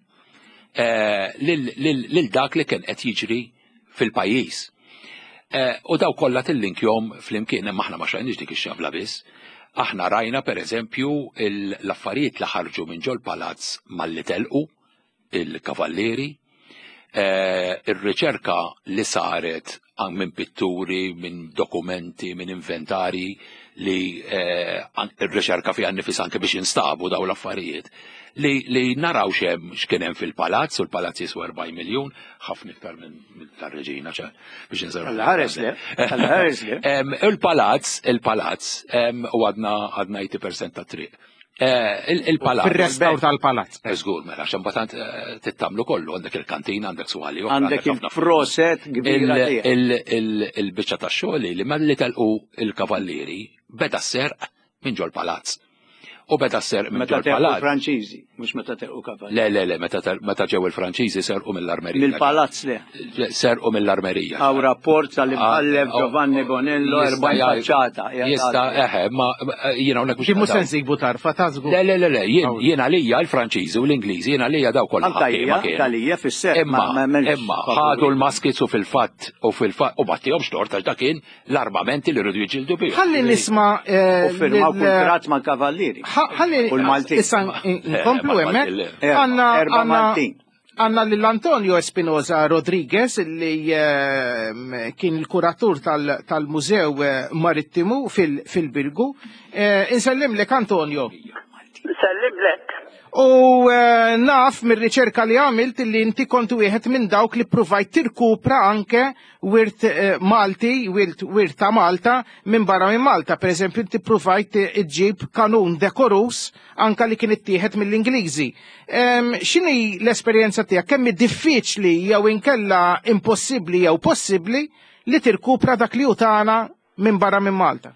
eh, lil lil- lil dak li kien qed jiġri fil-pajjiż. Eh, U daw kollha tillinkjom flimkien, imma aħna ma xrajniex dik ix-xabla biss. Aħna rajna per eżempju il- l-affarijiet li ħarġu minn ġol palazz malli telqu il-kavallieri, eh, ir-riċerka li saret an- minn pitturi, minn dokumenti, minn inventari li eh, an- ir-riċerka fiha nnifisha anke biex instabu daw l-affarijiet li, li naraw xem x'kien hemm fil-palazz, u l-palazz jiswa erbgħin miljun, ħafna iktar minn minn tar-reġina ċar biex nżerru. Alla ħares le, alla ħares le. Em, Il-palazz, il-palazz, em, u għadna għadna tmenin fil-mija ta' triq. Eh, il- Il-palazz. Fil-restawr tal-palazz. Żgur, mela, għax imbagħad eh, tittamlu kollu, għandek il-kantina, għandek swali, oħra, Għandek ħafna il-proset kbira Il- tiegħek. il- il- Il-biċċa ta' xogħol li malli telqu il-kavallieri beda serq minn ġol palazz. U beda serq minn Meta ġol telqu palazz. Franċiżi, mhux meta telqu kavallieri. Le, le, le, meta tel- meta ġew il-Franċiżi serqu mill-armerija. Mill-palazz le. Serqu mill-armerija. Hawn rapport tal-imħallef Ah, oh, Giovanni Bonello, Jista' erbgħin jgħid- faċċata. Jista' eħe, ma jiena hawnhekk mhux Ġi mhux se qed- nsibu tarfa ta' żgur. Le, le, le, le, jien jien għalija l-Franċiżi u l-Ingliżi, jien għalija daw kollha Anka ħakkiema hija, kienu. talija fis-serq, Imma, ma- ma m'hemmx imma, favuri. ħadu l-muskets u fil-fatt, u fil-fatt, u battihom xtort, għax dak kien l-armamenti li rridu jiġġieldu bihom. Ħalli nisma' eh, U firmaw lil- kuntratt mal kavallieri. Ħa- Ħalli U l-Maltin. issa nkomplu Eh, hemmhekk. mal-Maltin, le. Għandna Erba' għandna Maltin. għandna lil Antonio Espinosa Rodriguez li eh, kien il-kuratur tal- tal-Mużew eh, Marittimu fil- fil-Birgu. Eh, Insellimlek, Antonio. Sellimlek. U eh, naf mir-riċerka li għamilt li inti kont wieħed minn dawk li provajt tirkupra anke wirt eh, Malti, wirt, wirt ta' Malta minn barra minn Malta. Per eżempju, inti provajt iġġib kanun dekorus anka li kien ittieħed mill-Ingliżi. Em, X'inhi l-esperjenza tiegħek? Kemm hi diffiċli jew inkella impossibbli jew possibbli li tirkupra dak li hu tagħna minn barra minn Malta?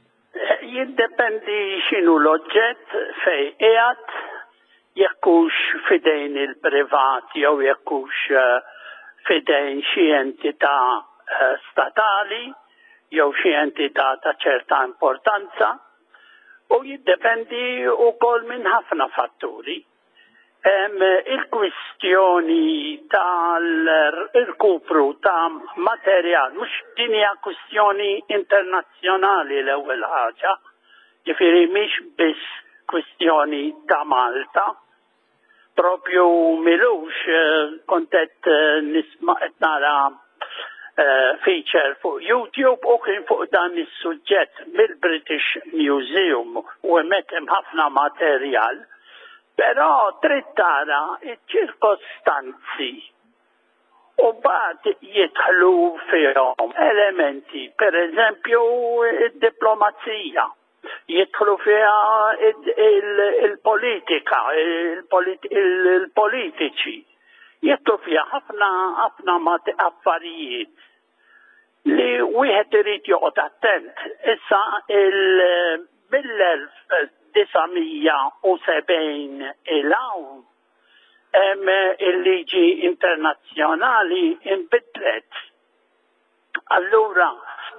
Jiddependi x'inhu l-oġġett, fej qiegħed, Jekk hux f'idejn il-privat jew jekk hux eh, f'idejn xi entità eh, statali jew xi entità ta' ċerta importanza u jiddependi wkoll minn ħafna fatturi. Il-kwistjoni tal-irkupru ta' materjal, mhux din hija kwistjoni internazzjonali l-ewwel ħaġa, ġifieri mhix biss kwistjoni ta' Malta. Propju m'ilux eh, kont qed eh, nisma' qed nara eh, feature fuq YouTube u kien fuq dan is-suġġett mill-British Museum u hemmhekk hemm ħafna materjal. Però trid tara iċ-ċirkostanzi u mbagħad jidħlu fihom elementi, per eżempju id-diplomazija, jidħlu fiha il-politika, il-politiċi, jidħlu fiha ħafna ħafna affarijiet li wieħed irid joqgħod attent. Issa il mill-elf disa' mija u sebgħin 'l hawn hemm il-liġi internazzjonali inbidlet. Allura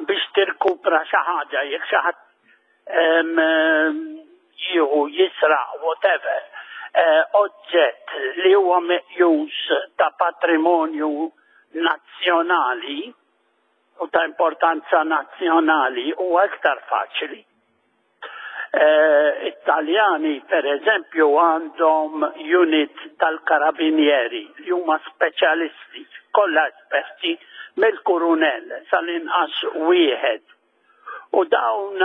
biex tirkupra xi ħaġa, jekk xi ħadd jieħu, jisraq, whatever, eh, oġġett li huwa meqjus ta' patrimonju nazzjonali u ta' importanza nazzjonali, huwa iktar faċli. Eh, Italjani, per eżempju, għandhom unit tal-karabinieri li huma speċjalisti, kollha esperti, mill-kurunell sal-inqas wieħed. U dawn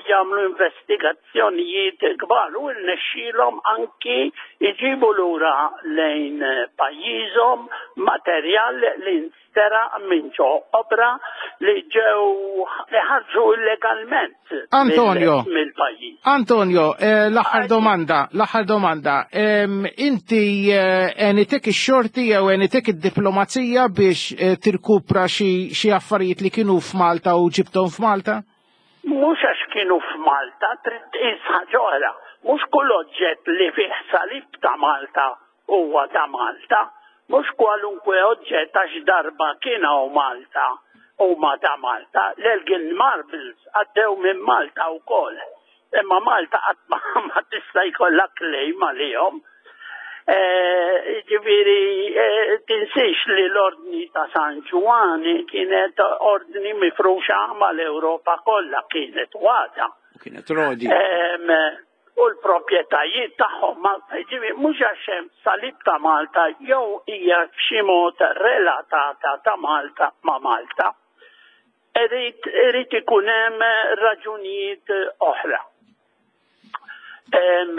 jagħmlu investigazzjonijiet kbar u rnexxielhom anki jġibu lura lejn pajjiżhom materjal li nsteraq minn ġo opra li ġew li ħarġu illegalment Antonio. mill-pajjiż. Antonio, eh, l-aħħar domanda, l-aħħar domanda. Em, inti eh, għenitek ix-xorti jew għenitek id-diplomazija biex eh, tirkupra xi xi affarijiet li kienu f'Malta u ġibthom f'Malta? Mhux għax kienu f'Malta, trid tqis ħaġa oħra. Mhux kull oġġett li fih salib ta' Malta huwa ta' Malta. Mhux kwalunkwe oġġett għax darba kien hawn Malta huma ta' Malta. L-Elgin Marbles għaddew minn Malta wkoll. Imma Malta qatt ma, ma tista' jkollha claim għalihom. Eh, Ġifieri, eh, tinsiex li l-ordni ta' San Ġwann kienet ordni mifruxa mal-Ewropa kollha, kienet għadha. Kienet rodi. Em, U l-proprjetajiet tagħhom, ma ġifieri mhux għax hemm salib ta' Malta jew hija b'xi mod relatata ta' Malta ma' Malta. Irid irid ikun hemm raġunijiet oħra. Em,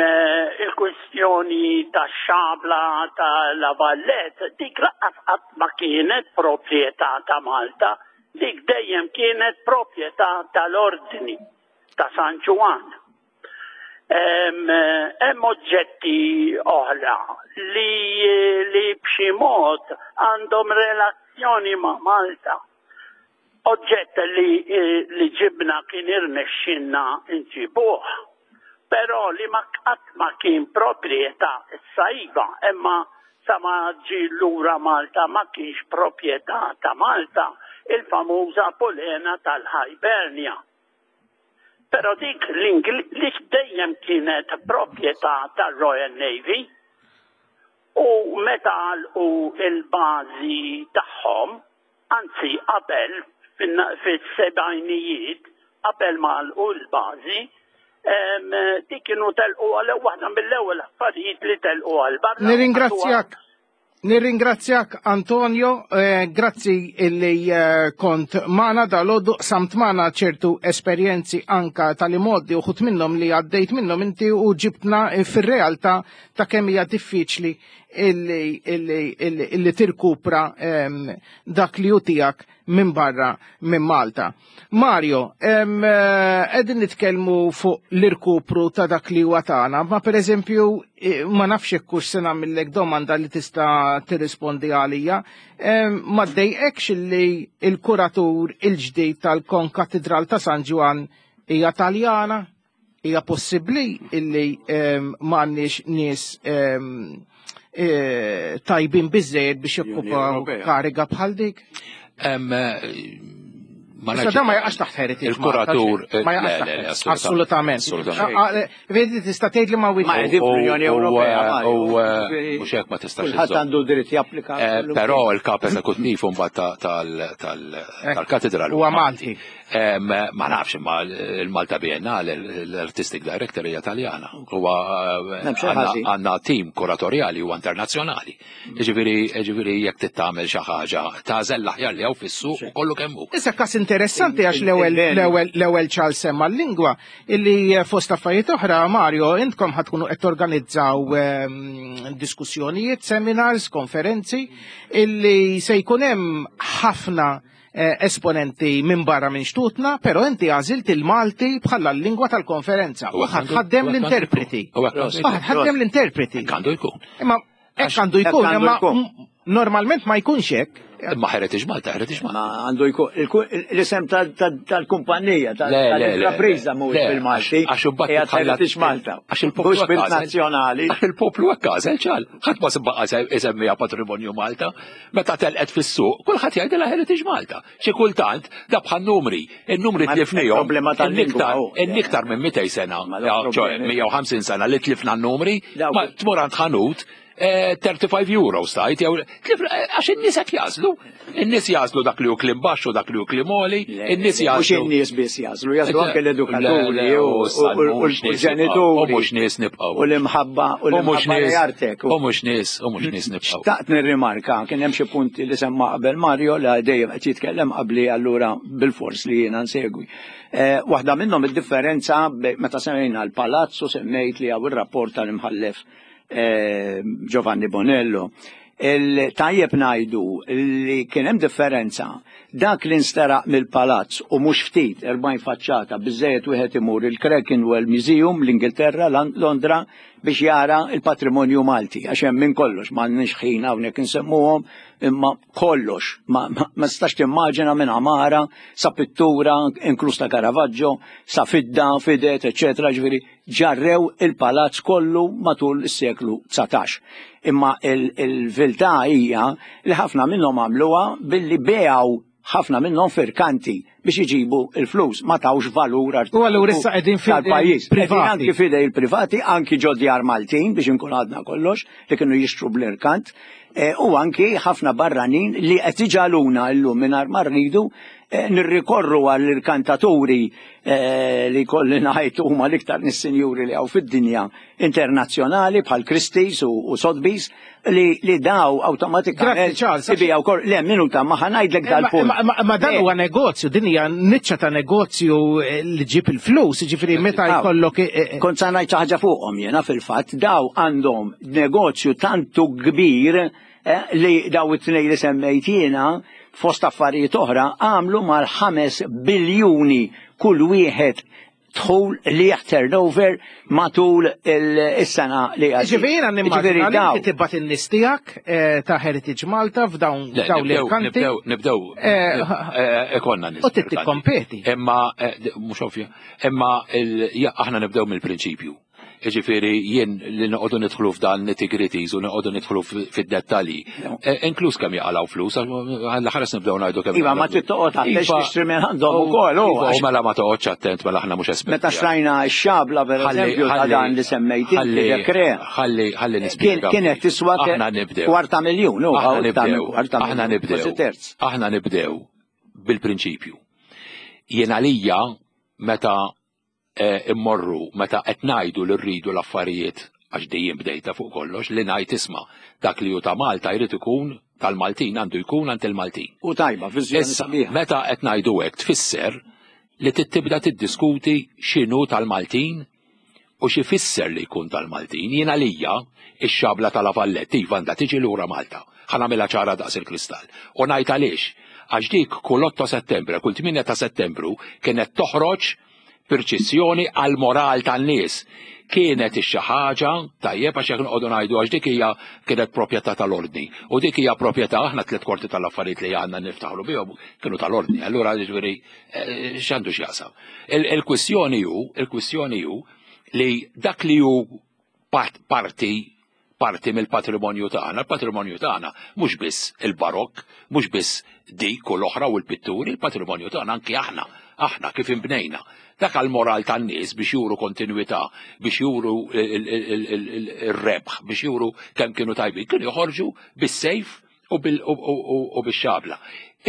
Il-kwistjoni ta' xabla ta' La Valette, dik lanqas qatt ma kienet proprjetà ta' Malta, dik dejjem kienet proprjetà tal-ordni ta' San Ġwann. Em, Hemm oġġetti oħra li, li b'xi mod għandhom relazzjoni ma' Malta. Oġġett li, li ġibna kien irnexxinna nġibuh, però li ma qatt ma kien proprjetà issa iva, imma sa ma ġi lura Malta ma kienx proprjetà ta' Malta, il-famuża polena tal-Hibernia. Però dik l-Ingliż dejjem kienet proprjetà tal-Royal Navy u meta għalqu il-bażi tagħhom, anzi qabel fis-sebgħinijiet, qabel ma għalqu l-bażi, em, dik kienu telqu għal waħda mill-ewwel affarijiet li telqu għal barra. Nirringrazzjak. Nirringrazzjak, Antonio, eh, grazzi illi eh, kont magħna dalgħodu, qsamt magħna ċertu esperjenzi anka tal-modi uħud minnhom li għaddejt minnhom inti u ġibtna fir-realtà ta' kemm hija diffiċli illi, illi, illi, illi tirkupra em, dak li hu tiegħek minn barra minn Malta. Mario, em, eh, qegħdin nitkellmu fuq l-irkupru ta' dak li huwa tagħna, ma pereżempju eh, ma nafx hekk hux se nagħmellek domanda li tista' tirrispondi għalija. Em, Ma ddejqekx li il-kuratur il-ġdid tal-Konkatedral ta' San Ġwann hija Taljana? Hija possibbli illi ehm, m'għandniex nies ehm, eh, tajbin biżejjed biex jokkupaw Ewropea. kariga bħal dik? Em, eh, ma Issa nafx- dan ma jaqax taħt Heritage Malta, Il-kuratur, xejn. Ma eh, jaqax le, taħt le, le, Heritage. Assolutament. Assolutament. Ah, ah, Vedi, tista' tgħid li ma Ma wieħed. qegħdin fl-Unjoni Ewropea, U, Mario. u, eh, Ġifieri, mhux hekk ma tistax Kulħadd iżżomm. għandu dritt japplika. Eh, kollu. Però il-kap eżekuttiv mbagħad ta- tal- tal- tal-katedral Huwa Malti. Em, Ma nafx imma il-Malta Biennale, l-Artistic Director hija Taljana. Huwa eh, M'hemm xejn għandna- ħażin. għandna team kuratorjali huwa internazzjonali. Ġifieri ġifieri jekk tittamel xi ħaġa tagħżel l-aħjar li hawn fis-suq u kollu kemm hu. Issa kas interessanti għax l-ewwel Il-beni. l-ewwel l-ewwel Charles semma l-lingwa illi eh, fost affarijiet oħra Mario intkom ħa tkunu qed torganizzaw ehm, diskussjonijiet, seminars, konferenzi illi se jkun hemm ħafna eh, esponenti minn barra minn xtutna, però inti għażilt il-Malti bħala l-lingwa tal-konferenza u U hekk għandu- ħaddem u hekk għandu l-interpreti. jkun. U hekk għandu jkun. Ħaddem l-interpreti. Hekk għandu jkun. Imma hekk għandu jkun, Hekk għandu imma jkun. m- normalment ma jkunx hekk. Imma Heritage Malta, Heritage Malta. Ma għandu jkun il- l-isem tal- tal- tal-kumpanija, tal- Le, le, le, tal-intrapriża mhuwiex le, bil-Malti. għax imbagħad Hija titħallat- Heritage Malta. Għax il-poplu Mhux hekk għażel. bil-nazzjonali. Għax il-poplu hekk għażel ċal. Ħadd ma sebba isemmiha patrimonju Malta. Meta telqet fis-suq, kulħadd jgħidilha Heritage Malta. Xi kultant da bħal numri, in-numri Ma tlifnihom. problema tal-lingwa, in-iktar oh. in-iktar minn mitejn sena, Ma da ja, ċoe problemi. mija u ħamsin sena li tlifna n-numri, Dawk- ma tmur għand ħanut eh, thirty-five euros tajt, jew tlifna- eh, għax in-nies qed jażlu. In-nies jażlu dak li hu kliem baxx u dak li hu kliem għoli, in-nies Mhux jażlu. in-nies biss jażlu, jażlu anke l-edukaturi Le, le, u u u- u mhux nies l-ġenituri. U mhux nies nibqgħu. U l-imħabba u U mhux l-imħabba nies li artek. U mhux nies, u mhux nies nibqgħu. Xtaqt nirrimarka, kien hemm xi punti li semma qabel Mario li dejjem qed jitkellem qabli allura bil-fors li jiena nsegwi. Eh, Waħda minnhom id-differenza bej- meta semmejna l-palazzo semmejt li hawn ir-rapport tal-imħallef eh, Giovanni Bonello. Il-tajjeb ngħidu li kien hemm differenza dak li nsteraq mill-palazz u mhux ftit erbgħin faċċata, biżejjed wieħed imur il-Clerkenwell Museum l-Ingilterra, Lon- Londra, biex jara il-patrimonju Malti, għax hemm minn kollox, m'għandniex ħin hawnhekk insemmuhom, imma kollox ma, ma, ma tistax timmaġina, minn għamara sa pittura, inkluż ta' Caravaggio, sa fidda, fidet, eċetera. Ġifieri ġarrew il-palazz kollu matul is-seklu dsatax. Imma il-verità hija li ħafna minnhom għamluha billi bejaw ħafna minnhom f'irkanti biex iġibu il-flus, ma tawx valur U allura issa qegħdin f'idejn tal-pajjiż. privati. Qegħdin anki fidej il-privati, anki ġo djar Maltin, biex inkun għadna kollox, li kienu jixtru bl-irkant, eh, u anki ħafna barranin li qed iġaluna llum mingħajr ma rridu eh, nirrikorru għall-irkantaturi eh, li kolli ngħid huma l-iktar nis-sinjuri li hawn fid-dinja internazzjonali bħal Christie's u, u Sotheby's li, li daw awtomatikament Grazzi, Charles. ibijaw kol. Le, minuta, ma ħa ngħidlek dal-punt. Ma, ma, ma dan Le. huwa negozju, din hija niċċa ta' negozju eh, li ġib il-flus, ġifieri meta Aw. jkollok eh, eh, Kont sa ngħid xi ħaġa fuqhom jiena fil-fatt, daw għandhom negozju tantu kbir eh, li daw it-tnejn li semmejt jiena fost affarijiet oħra għamlu mal-ħames biljuni kull wieħed dħul li turnover matul il-sena li għaddiet. Ġifieri jiena nimmaġina Ġifieri li daw- inti tibgħat in-nies tiegħek eh, ta' Heritage Malta f'dawn Le, dawn nibdew, l-irkanti nibdew, nibdew, Eh, eh, ikonna nies u trid irkanti. tikkompeti. Imma, eh, d- mhux ovvja, imma il- ja, aħna nibdew mill-prinċipju. Ġifieri jien li noqogħdu nidħlu f'dan nitty-gritties u noqogħdu nidħlu f- fid-dettalji. Eh, Inkluż kemm jaqalgħu flus, għalla ħares nibdew ngħidu kemm Iva, ma jaqalgħu trid toqgħod attent Iva, tixtri minn għandhom ukoll, u Iva, u għax- mela ma toqgħodx attent, mela aħna mhux esperti. Meta xtrajna x-xabla per Ħalli- eżempju ta' ħalli- dan li semmejt inti ħalli- dekre. Ħalli ħalli Kien nispjega. kienet tiswa ke- Aħna nibdew. kwarta miljun, u Aħna iktar minn nibdew. kwarta Aħna miljun, nibdew. kważi terz. Aħna nibdew bil-prinċipju. Jien għalija meta eh, immorru, meta qed ngħidu li rridu l-affarijiet, għax dejjem bdejta fuq kollox li ngħid isma' dak li hu ta' Malta jrid ikun tal-Maltin, għandu jkun għand il-Maltin. U tajba, viżjoni Issa, sabiħa. meta qed ngħidu hekk tfisser li tibda tiddiskuti x'inhu tal-Maltin u xi fisser li jkun tal-Maltin. Jien għalija ix-xabla ta' La Vallette iva għandha tiġi lura Malta. Ħa nagħmilha ċara daqs il-kristall. U ngħid għaliex, għax dik kull otto Settembru, kull tmienja ta' Settembru kienet toħroġ Perċezzjoni għal moral tan-nies. Kienet xi ħaġa tajjeb għax jekk noqogħdu ngħidu għax dik hija kienet proprjetà tal-ordni. U dik hija proprjetà aħna tliet kwarti tal-affarijiet li għandna niftaħlu bihom kienu tal-ordni. Allura jiġifieri eh, x'għandu x'jaqsam. Il-kwistjoni hu, il-kwistjoni hu li dak li hu parti parti mill-patrimonju tagħna. Il-patrimonju tagħna mhux biss il-barokk, mhux biss dik u l-oħra u l-pitturi, il-patrimonju tagħna anki aħna, aħna kif inbnejna. Dak għal-moral tan-nies biex juru kontinuità, biex juru il-rebħ, biex juru kemm kienu tajbin, kienu joħorġu bis-sejf u bil-xabla.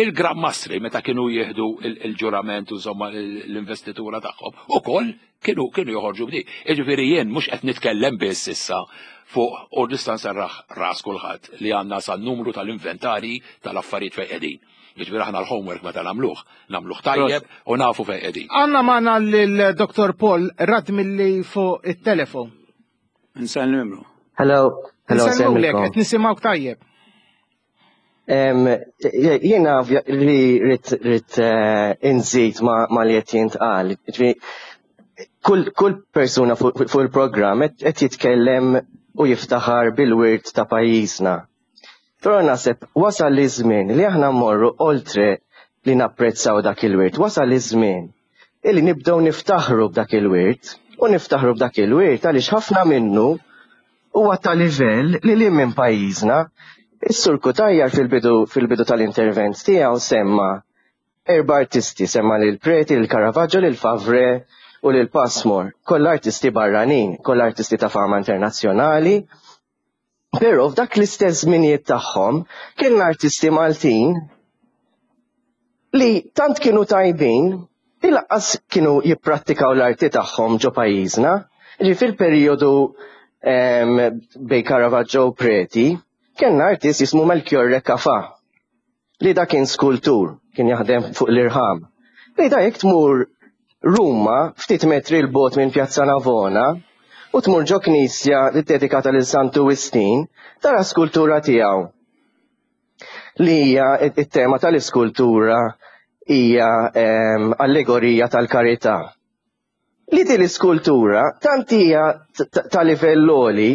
Il-Gran Mastri meta kienu jieħdu il-ġurament u insomma l-investitura tagħhom, ukoll kienu kienu joħorġu b'di. Jiġifieri jien mhux qed nitkellem biss issa fuq u nista' nserraħ ras kulħadd li għandna sa numru tal-inventari tal-affarijiet fejn qegħdin. Jiġifieri aħna l-homework meta nagħmluh, nagħmluh tajjeb u nafu fejn qegħdin. Għandna magħna lil Dottor Paul Radmilli fuq it-telefon. Nsellimlu. Hello, hello, Nsellmulek, qed nisimgħuk tajjeb. Jiena li rrid rrid inżid ma li qed jintqal. Kull kull persuna fuq il-programm qed jitkellem u jiftaħar bil-wirt ta' pajjiżna. Però naħseb wasal li żmien li aħna mmorru oltre li napprezzaw dak il-wirt. Wasal li żmien illi nibdew niftaħru b'dak il-wirt u niftaħru b'dak il-wirt għaliex ħafna minnu huwa ta' livell li li minn pajjiżna. Is-Sur Cutajar fil-bidu fil-bidu tal-intervent tiegħu semma erba' artisti, semma lil Preti, lil Caravaggio, lil Favre u lil Passmore. Kollha artisti barranin, kollha artisti ta' fama internazzjonali. Però f'dak l-istess żminijiet tagħhom kien artisti Maltin li tant kienu tajbin li lanqas kienu jipprattikaw l-arti tagħhom ġo pajjiżna. Ġi fil-perjodu bejn Caravaggio u Preti, kien artist jismu Melchiorre Cafà, li da kien skultur, kien jaħdem fuq l-irħam. Li da jekk tmur Ruma, ftit metri 'l bogħod minn Pjazza Navona, u tmur ġo knisja li dedikata lil Santu Wistin, tara skultura tiegħu. Li hija it-tema tal-iskultura hija allegorija tal-karità. Li din l-iskultura tant hija ta' livell għoli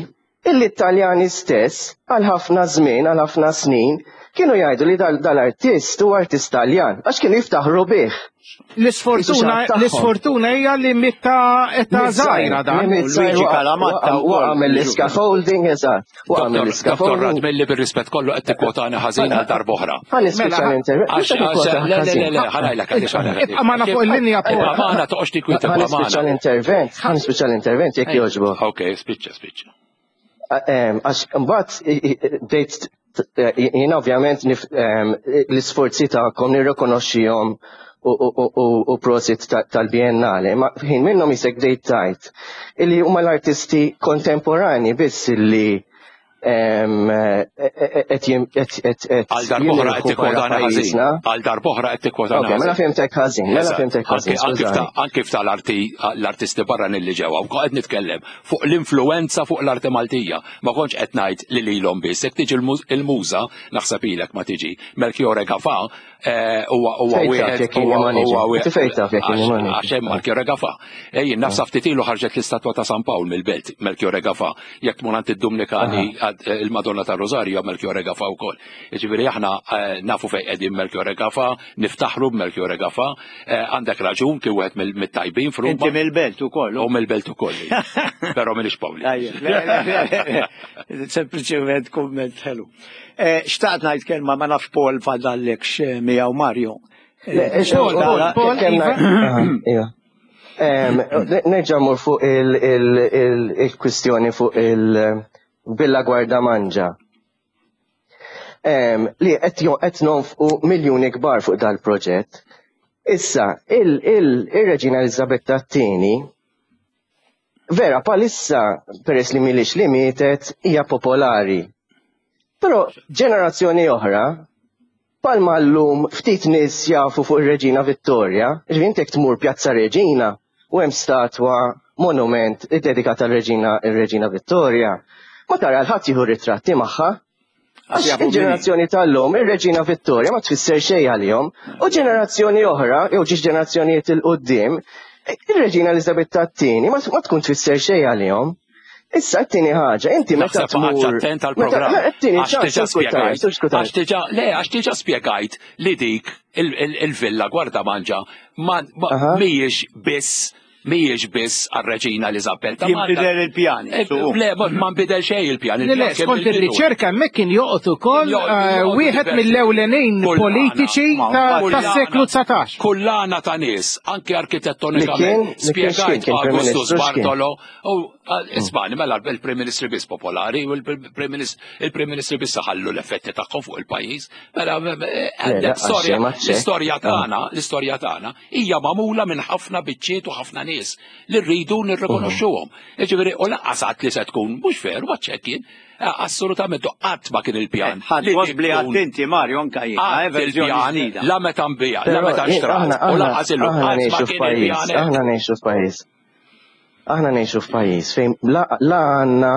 illi Italjani stess għal ħafna żmien, għal ħafna snin, kienu jgħidu li dal-artist huwa artist Taljan, għax kienu jiftaħru bih. L-isfortuna l-isfortuna hija li miet ta' età żgħira dan. Luigi Calamatta waqgħa mill-scaffolding, eżatt. Waqgħa mill-scaffolding. Dottor Radmilli, bir-rispett kollu qed tikkwotani ħażin għal darb'oħra. Ħa nispiċċa l-intervent. Le, le, le, ħa ngħidlek għaliex ħa ngħidlek. Ibqa' magħna fuq il-linja. Paul. Ibqa' magħna, toqgħodx tikkwita. Ħa nispiċċa l-intervent, ħa nispiċċa l-intervent jekk jogħġbok. Ok, spiċċa, spiċċa. Għax mbagħad bdejt jien ovvjament l-isforzi tagħkom nirrikonoxxihom u prosit tal-Biennale, ma ħin minnhom jisek bdejt tajt illi huma l-artisti kontemporani biss illi Għal darb'oħra qed tikkwotana ħażin. Għal darb'oħra qed tikkwotana ħażin. Mela fhimtek ħażin, mela fhimtek ħażin. Anki tal-arti l-artisti barranin li ġewwa, u qed nitkellem fuq l-influenza fuq l-arti Maltija. Ma kontx qed ngħid li lilhom biss. Jekk tiġi il-muża, naħseb ilek ma tiġi, Melchiorre Gafà huwa huwa wieħed huwa wieħed. Għax hemm Melchiorre Gafà. Ejjin nafsa ftit ilu ħarġet l-istatwa ta' San Pawl mill-Belt, Melchiorre Gafà. Jekk tmur għand id-Dumnikani il-Madonna ta' Rosario, Melchiorre Gafà wkoll. Jiġifieri aħna nafu fejn qegħdin Melchiorre Gafà, niftaħru b'Melchiorre Gafà, għandek raġun kien wieħed mit-tajbin f'Ruma. Inti mill-Belt ukoll. U mill-Belt ukoll. Però m'iniex Pawli. Sempliċement kumment ħelu. Xtaqt ngħid kelma, ma nafx Paul fadallekx miegħu Mario. Paul, Paul, Iva. Nerġa' mur fuq il-kwistjoni fuq il-Villa Gwardamanġa. Li qed nonfqu miljuni kbar fuq dal-proġett. Issa, il-Reġina Elizabetta t-tieni vera palissa peress li milix li mietet hija popolari. Però ġenerazzjoni oħra, palma llum ftit nies jafu fuq ir-Reġina Vittoria, ġifieri intek tmur Pjazza Reġina u hemm statwa monument iddedikata għal-Reġina ir-Reġina Vittoria, ma tara l-ħadd jieħu ritratti magħha. Għax il-ġenerazzjoni tal-lum, ir-Reġina Vittoria ma tfisser xejn għalihom, u ġenerazzjoni oħra, jew ġiex ġenerazzjonijiet 'il quddiem, Ir-Reġina Elizabetta t-tieni ma tkun tfisser xejn għalihom. Issa t-tieni ħaġa, inti meta tmur. Attent għall-programm. Għax diġà spjegajt. Għax diġà, le, għax diġà spjegajt li dik il-villa Gwardamanġa mhijiex biss mhijiex biss għar-Reġina Elizabetta. Jinbidel il-pjan. Le, ma nbidel xejn il-pjan. Le, le, skont ir-riċerka hemmhekk kien joqgħod ukoll wieħed mill-ewlenin politiċi tas-seklu dsatax. Kullana ta' nies, anke arkitettonikament, spjegajt Augustus Bartolo, u ismani, mela il-Prim Ministri biss popolari u il-Prim Ministri biss ħallu l-effetti tagħhom fuq il-pajjiż. Mela l-istorja l-istorja tagħna, l-istorja tagħna hija magħmula minn ħafna biċċiet u ħafna nies li rridu nirrikonoxxuhom. Jiġifieri u lanqas qatt li se tkun mhux veru għaċċekk jien, assolutament qatt ma kien il-pjan. Ħadd li attenti Mario anke jien, la meta nbija, la meta nxtrat, u lanqas illum qatt ma kien il-pjan. Aħna ngħixu f'pajjiż. Aħna ngħixu f'pajjiż fejn la għandna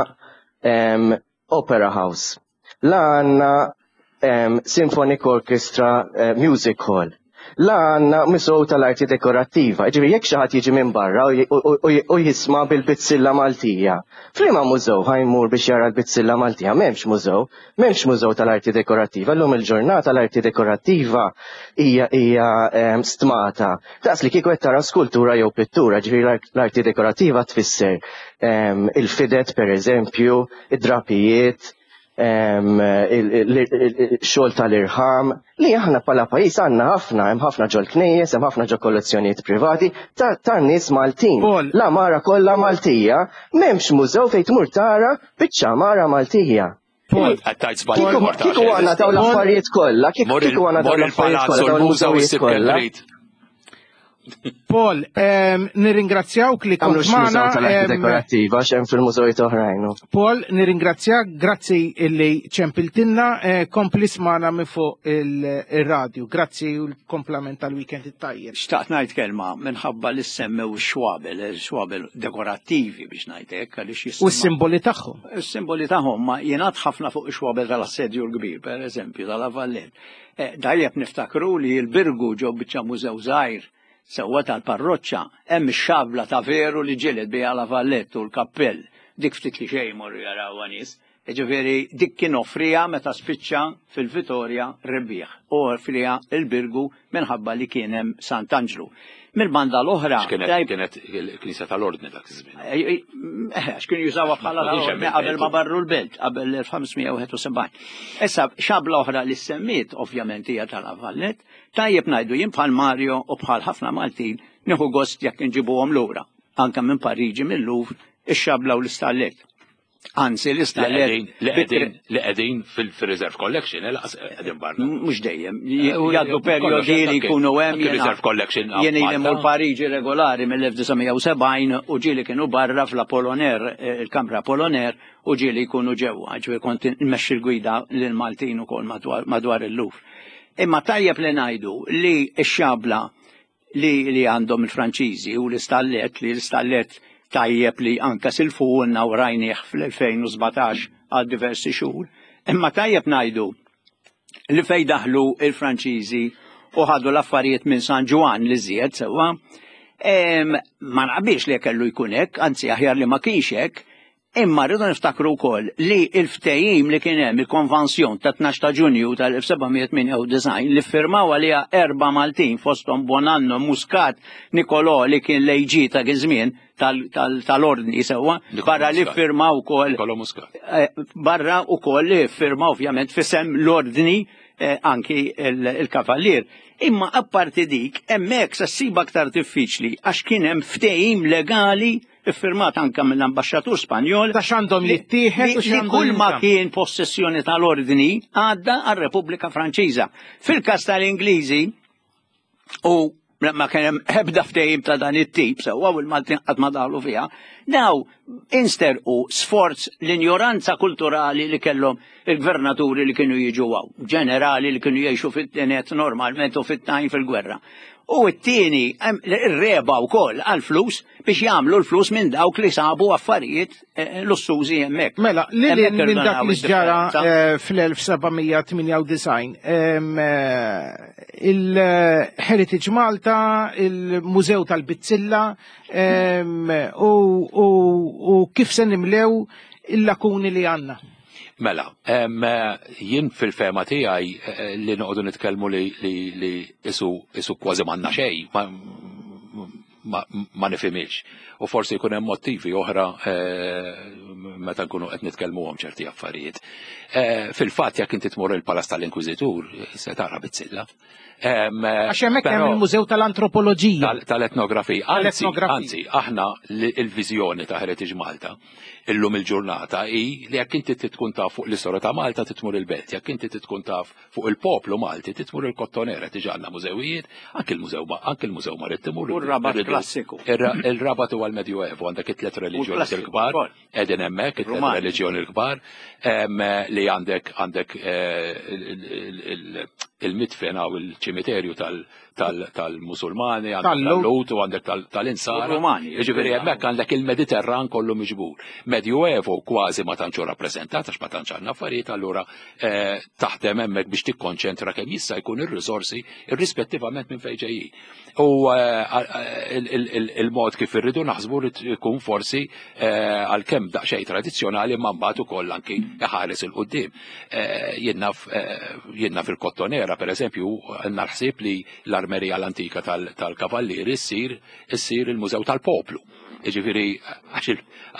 Opera House, la għandna Symphonic Orchestra Music Hall, la għandna Musew tal-Arti Dekorattiva. Ġifieri jekk xi ħadd jiġi minn barra u jisma' bil-bizzilla Maltija, f'liema mużew ħa jmur biex jara l-bizzilla Maltija? M'hemmx mużew, m'hemmx mużew tal-arti dekorattiva. Llum il-ġurnata l-arti dekorattiva hija hija stmata. Daqs li kieku qed tara skultura jew pittura, ġifieri l-arti dekorattiva tfisser il-fidet pereżempju, id-drapijiet, il-xogħol tal-irħam li aħna bħala pajjiż għandna ħafna, hemm ħafna ġol knejjes, hemm ħafna ġol kollezzjonijiet privati ta' nies Maltin. L-għamara kollha Maltija, m'hemmx mużew fejn tmur tara biċċa għamara Maltija. Kieku għandna dawn l-affarijiet kollha, kieku għandna dawn l-affarijiet kollha, dawn il-mużewijiet kollha. Paul, nirringrazzjawk li kont magħna. Tal-arti dekorattiva x'hemm fil-mużewijiet oħrajn. Paul, nirringrazzjak, grazzi illi ċempiltilna, kompli smana minn fuq ir-radju. Grazzi u l-komplament tal-weekend it-tajjeb. Xtaqt ngħid kelma minħabba li semmew ix-xwabel, ix-xwabel dekorattivi biex ngħid hekk għaliex U s-simboli tagħhom. Is-simboli tagħhom ma jingħad ħafna fuq ix-xwabel tal-Assedju l-Kbir, pereżempju tal-Avallett. Dajjeb niftakru li l-Birgu ġew biċċa mużew żgħir sewwa tal-parroċċa, hemm ix-xabla ta' veru li ġieled biha La Valletta u l-kappell. Dik ftit li xejn morru jarawha nies. Jiġifieri dik kien offriha meta spiċċa fil-Vitorja rebbieħ u offriha il-Birgu minħabba li kien hemm Sant'Anġlu. Mill-banda l-oħra kienet il-Knisja tal-Ordni dak iż-żmien. Għax kienu jużawha bħala tal-Ordni qabel ma barru l-belt, qabel l-elf ħamsmija wieħed u sebgħin. Issa xabla oħra li semmiet ovvjament hija tal-Avallett, tajjeb ngħidu jien bħal Mario u bħal ħafna Maltin nieħu gost jekk inġibuhom lura, anke minn Pariġi mill-Louvre, ix-xabla u l-istallet. Anzi, l-istallet li qegħdin fil-Reserve Collection, qegħdin barra. Mhux dejjem, jgħaddu perjodi li jkunu hemm. Reserve Collection. Jien ili mmur Pariġi regolari mill-elf disa' mija u sebgħin u ġieli kienu barra fl-Apollinaire, il-Kamra Apollinaire, u ġieli jkunu ġewwa, ġifieri kont nmexxi l-gwida lil Maltin ukoll madwar il-Louvre. Imma tajjeb li ngħidu li x-xabla li għandhom il-Franċiżi u l-istallet, li l-istallet tajjeb li anka silfuhulna u rajnieh fl-elfejn u sbatax għal diversi xhur. Imma tajjeb ngħidu li fej daħlu il-Franċiżi u ħadu l-affarijiet minn San Ġwann li żied sewwa, ma naqbilx li kellu jkun hekk, anzi aħjar li ma kienx hekk, imma rridu niftakru wkoll li l-ftehim li kien hemm il-konvenzjon ta' tnax ta' Ġunju tal-elf seba' mija tmienja u disgħin li ffirmaw għaliha erba' Maltin fosthom Bonanno, Muscat, Nicolò li kien l-A G ta' żmien tal-ordni sewwa, barra li ffirmaw ukoll Nicolò Muscat. Barra ukoll li ffirmaw ovvjament fisem l-ordni anki il-kavallier. Imma apparti dik, hemmhekk se ssib aktar diffiċli għax kien hemm ftehim legali iffirmat anka mill-ambaxxatur Spanjol Ta' x'għandhom jittieħed u li x'għandhom kull ma jinżamm. kien possessjoni tal-ordni għadda għar-Repubblika Franċiża. Fil-każ tal-Ingliżi u ma kien hemm ebda ftehim ta' dan it-tip sewwa u l-Maltin qatt ma daħlu fiha, daw insterqu sforz l-injoranza kulturali li kellhom il-gvernaturi li kienu jiġu hawn, ġenerali li kienu jgħixu fit-tenet normalment u fit-tajn fil-gwerra. U t-tieni, ir-reba wkoll għall-flus biex jagħmlu l-flus minn dawk li sabu affarijiet, eh, lussużi hemmhekk. Mela, li Hemmhekk minn dak irdonaw li ġara, id-differenza. eh, fl-elf seba' mija tmienja u disgħin, em, eh, Il-Heritage Malta, il-Mużew tal-Bizzilla, u, u, u kif se nimlew il-lakuni li għandna. Mela, jien fil-fehma tiegħi eh, li noqogħdu nitkellmu li li li isu isu kważi m'għandna xejn, ma, ma, ma nifhimx. U forsi jkun hemm motivi oħra eh, meta nkunu qed nitkellmuhom ċerti affarijiet. Eh, fil-fatt jekk inti tmur il-Palazz tal-Inkwiżitur se tara bizzilla. Għax hemmhekk hemm il-Mużew tal-Antropoloġija. Tal-etnografija. Anzi, anzi, aħna il-viżjoni ta' Heritage Malta illum il-ġurnata hi li jekk inti tkun taf fuq l-istorja ta' Malta titmur il-Belt, jekk inti tkun taf fuq il-poplu Malti titmur il-Kottonera, diġà għandna mużewijiet, anke il-Mużew anke il-Mużew Marittimu. U r-Rabat klassiku. Il-Rabat huwa l-Medjuevu, għandek it-tliet reliġjoni l-kbar, qegħdin hemmhekk it-tliet reliġjoni l-kbar, li għandek għandek il-midfen u il-ċimiterju tal-Musulmani, għandek tal-Lut u għandek tal-Insara. Jiġifieri hemmhekk għandek il-Mediterran kollu miġbur. Medjuevo kważi ma tantx rappreżentat għax ma tantx għandna affarijiet, allura taħdem hemmhekk biex tikkonċentra kemm jista' jkun ir-riżorsi irrispettivament minn fejn ġejjin. U il-mod kif irridu naħsbu rid ikun forsi għalkemm daqsxejn tradizzjonali ma mbagħad ukoll anki iħares il quddiem. Jiena fil-Kottonera pereżempju għandna l-ħsieb li l-armerija l-antika tal-Kavallieri ssir issir il-Mużew tal-Poplu. Jiġifieri għax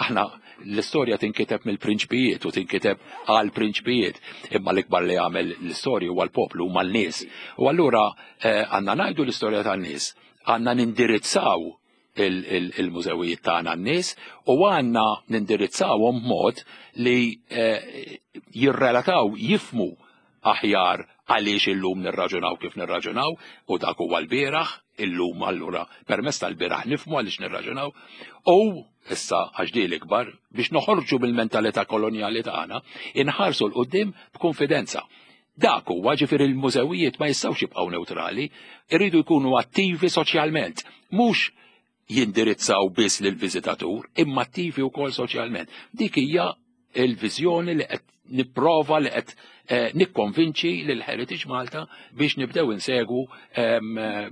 aħna l-istorja tinkiteb mill-prinċpijiet u tinkiteb għal prinċpijiet, imma l-ikbar li għamel l-istorja huwa l-poplu, huma l-nies. U allura għandna ngħidu l-istorja tan-nies, għandna nindirizzaw il-mużewijiet tagħna n-nies u għandna nindirizzawhom b'mod li jirrelataw, jifmu aħjar għaliex illum nirraġunaw kif nirraġunaw, u dak huwa l-bieraħ, illum allura permezz tal-bieraħ nifmu għaliex nirraġunaw, u issa għax di l-ikbar biex noħorġu mill-mentalità kolonjali tagħna, inħarsu 'l quddiem b'konfidenza. Dak huwa, ġifieri l-mużewijiet ma jistgħux jibqgħu neutrali, irridu jkunu attivi soċjalment, mhux jindirizzaw biss lill-viżitatur, imma attivi wkoll soċjalment. Dik hija il-viżjoni li qed nipprova li qed nikkonvinċi lil Heritage Malta biex nibdew insegu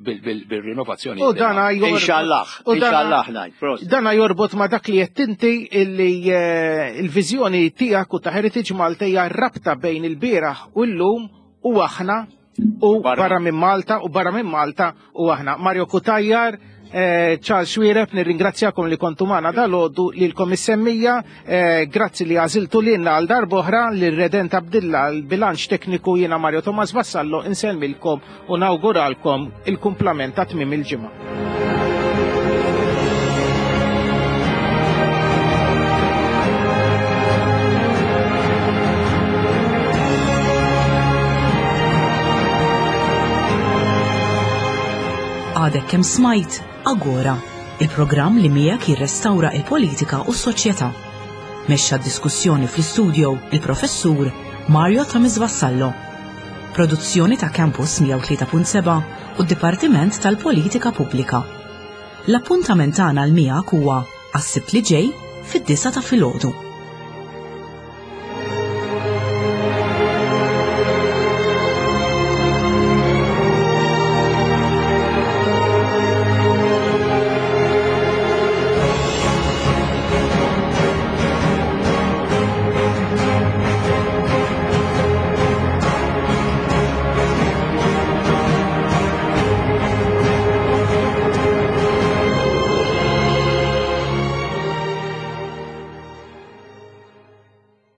bil-rinnovazzjoni. U dana Inshallah, inshallah ngħid. Dana jorbot ma dak li qed inti illi il-viżjoni tiegħek u ta' Heritage Malta hija rabta bejn il-bieraħ u llum u aħna u barra minn Malta u barra minn Malta u aħna. Mario Cutajar, Charles Xuereb, nirringrazzjakom li kontu magħna dalgħodu, lilkom is-semmija, grazzi li għażiltu lilna għal darb'oħra, lil Redent Abdilla l-bilanċ tekniku, jiena Mario Thomas Vassallo insellmilkom u nawguralkom il-kumplament ta' tmiem il-ġimgħa. Għadek kemm smajt Agora, il-programm li miegħek jirrestawra il-politika u s-soċjetà. Mexxa diskussjoni fl-istudio il-professur Mario Thomas Vassallo. Produzzjoni ta' Campus mija u tlieta punt seba' u d-Dipartiment tal-Politika Pubblika. L-appuntament tagħna l miegħek huwa għas-Sibt li ġej fid-disgħa ta' filgħodu.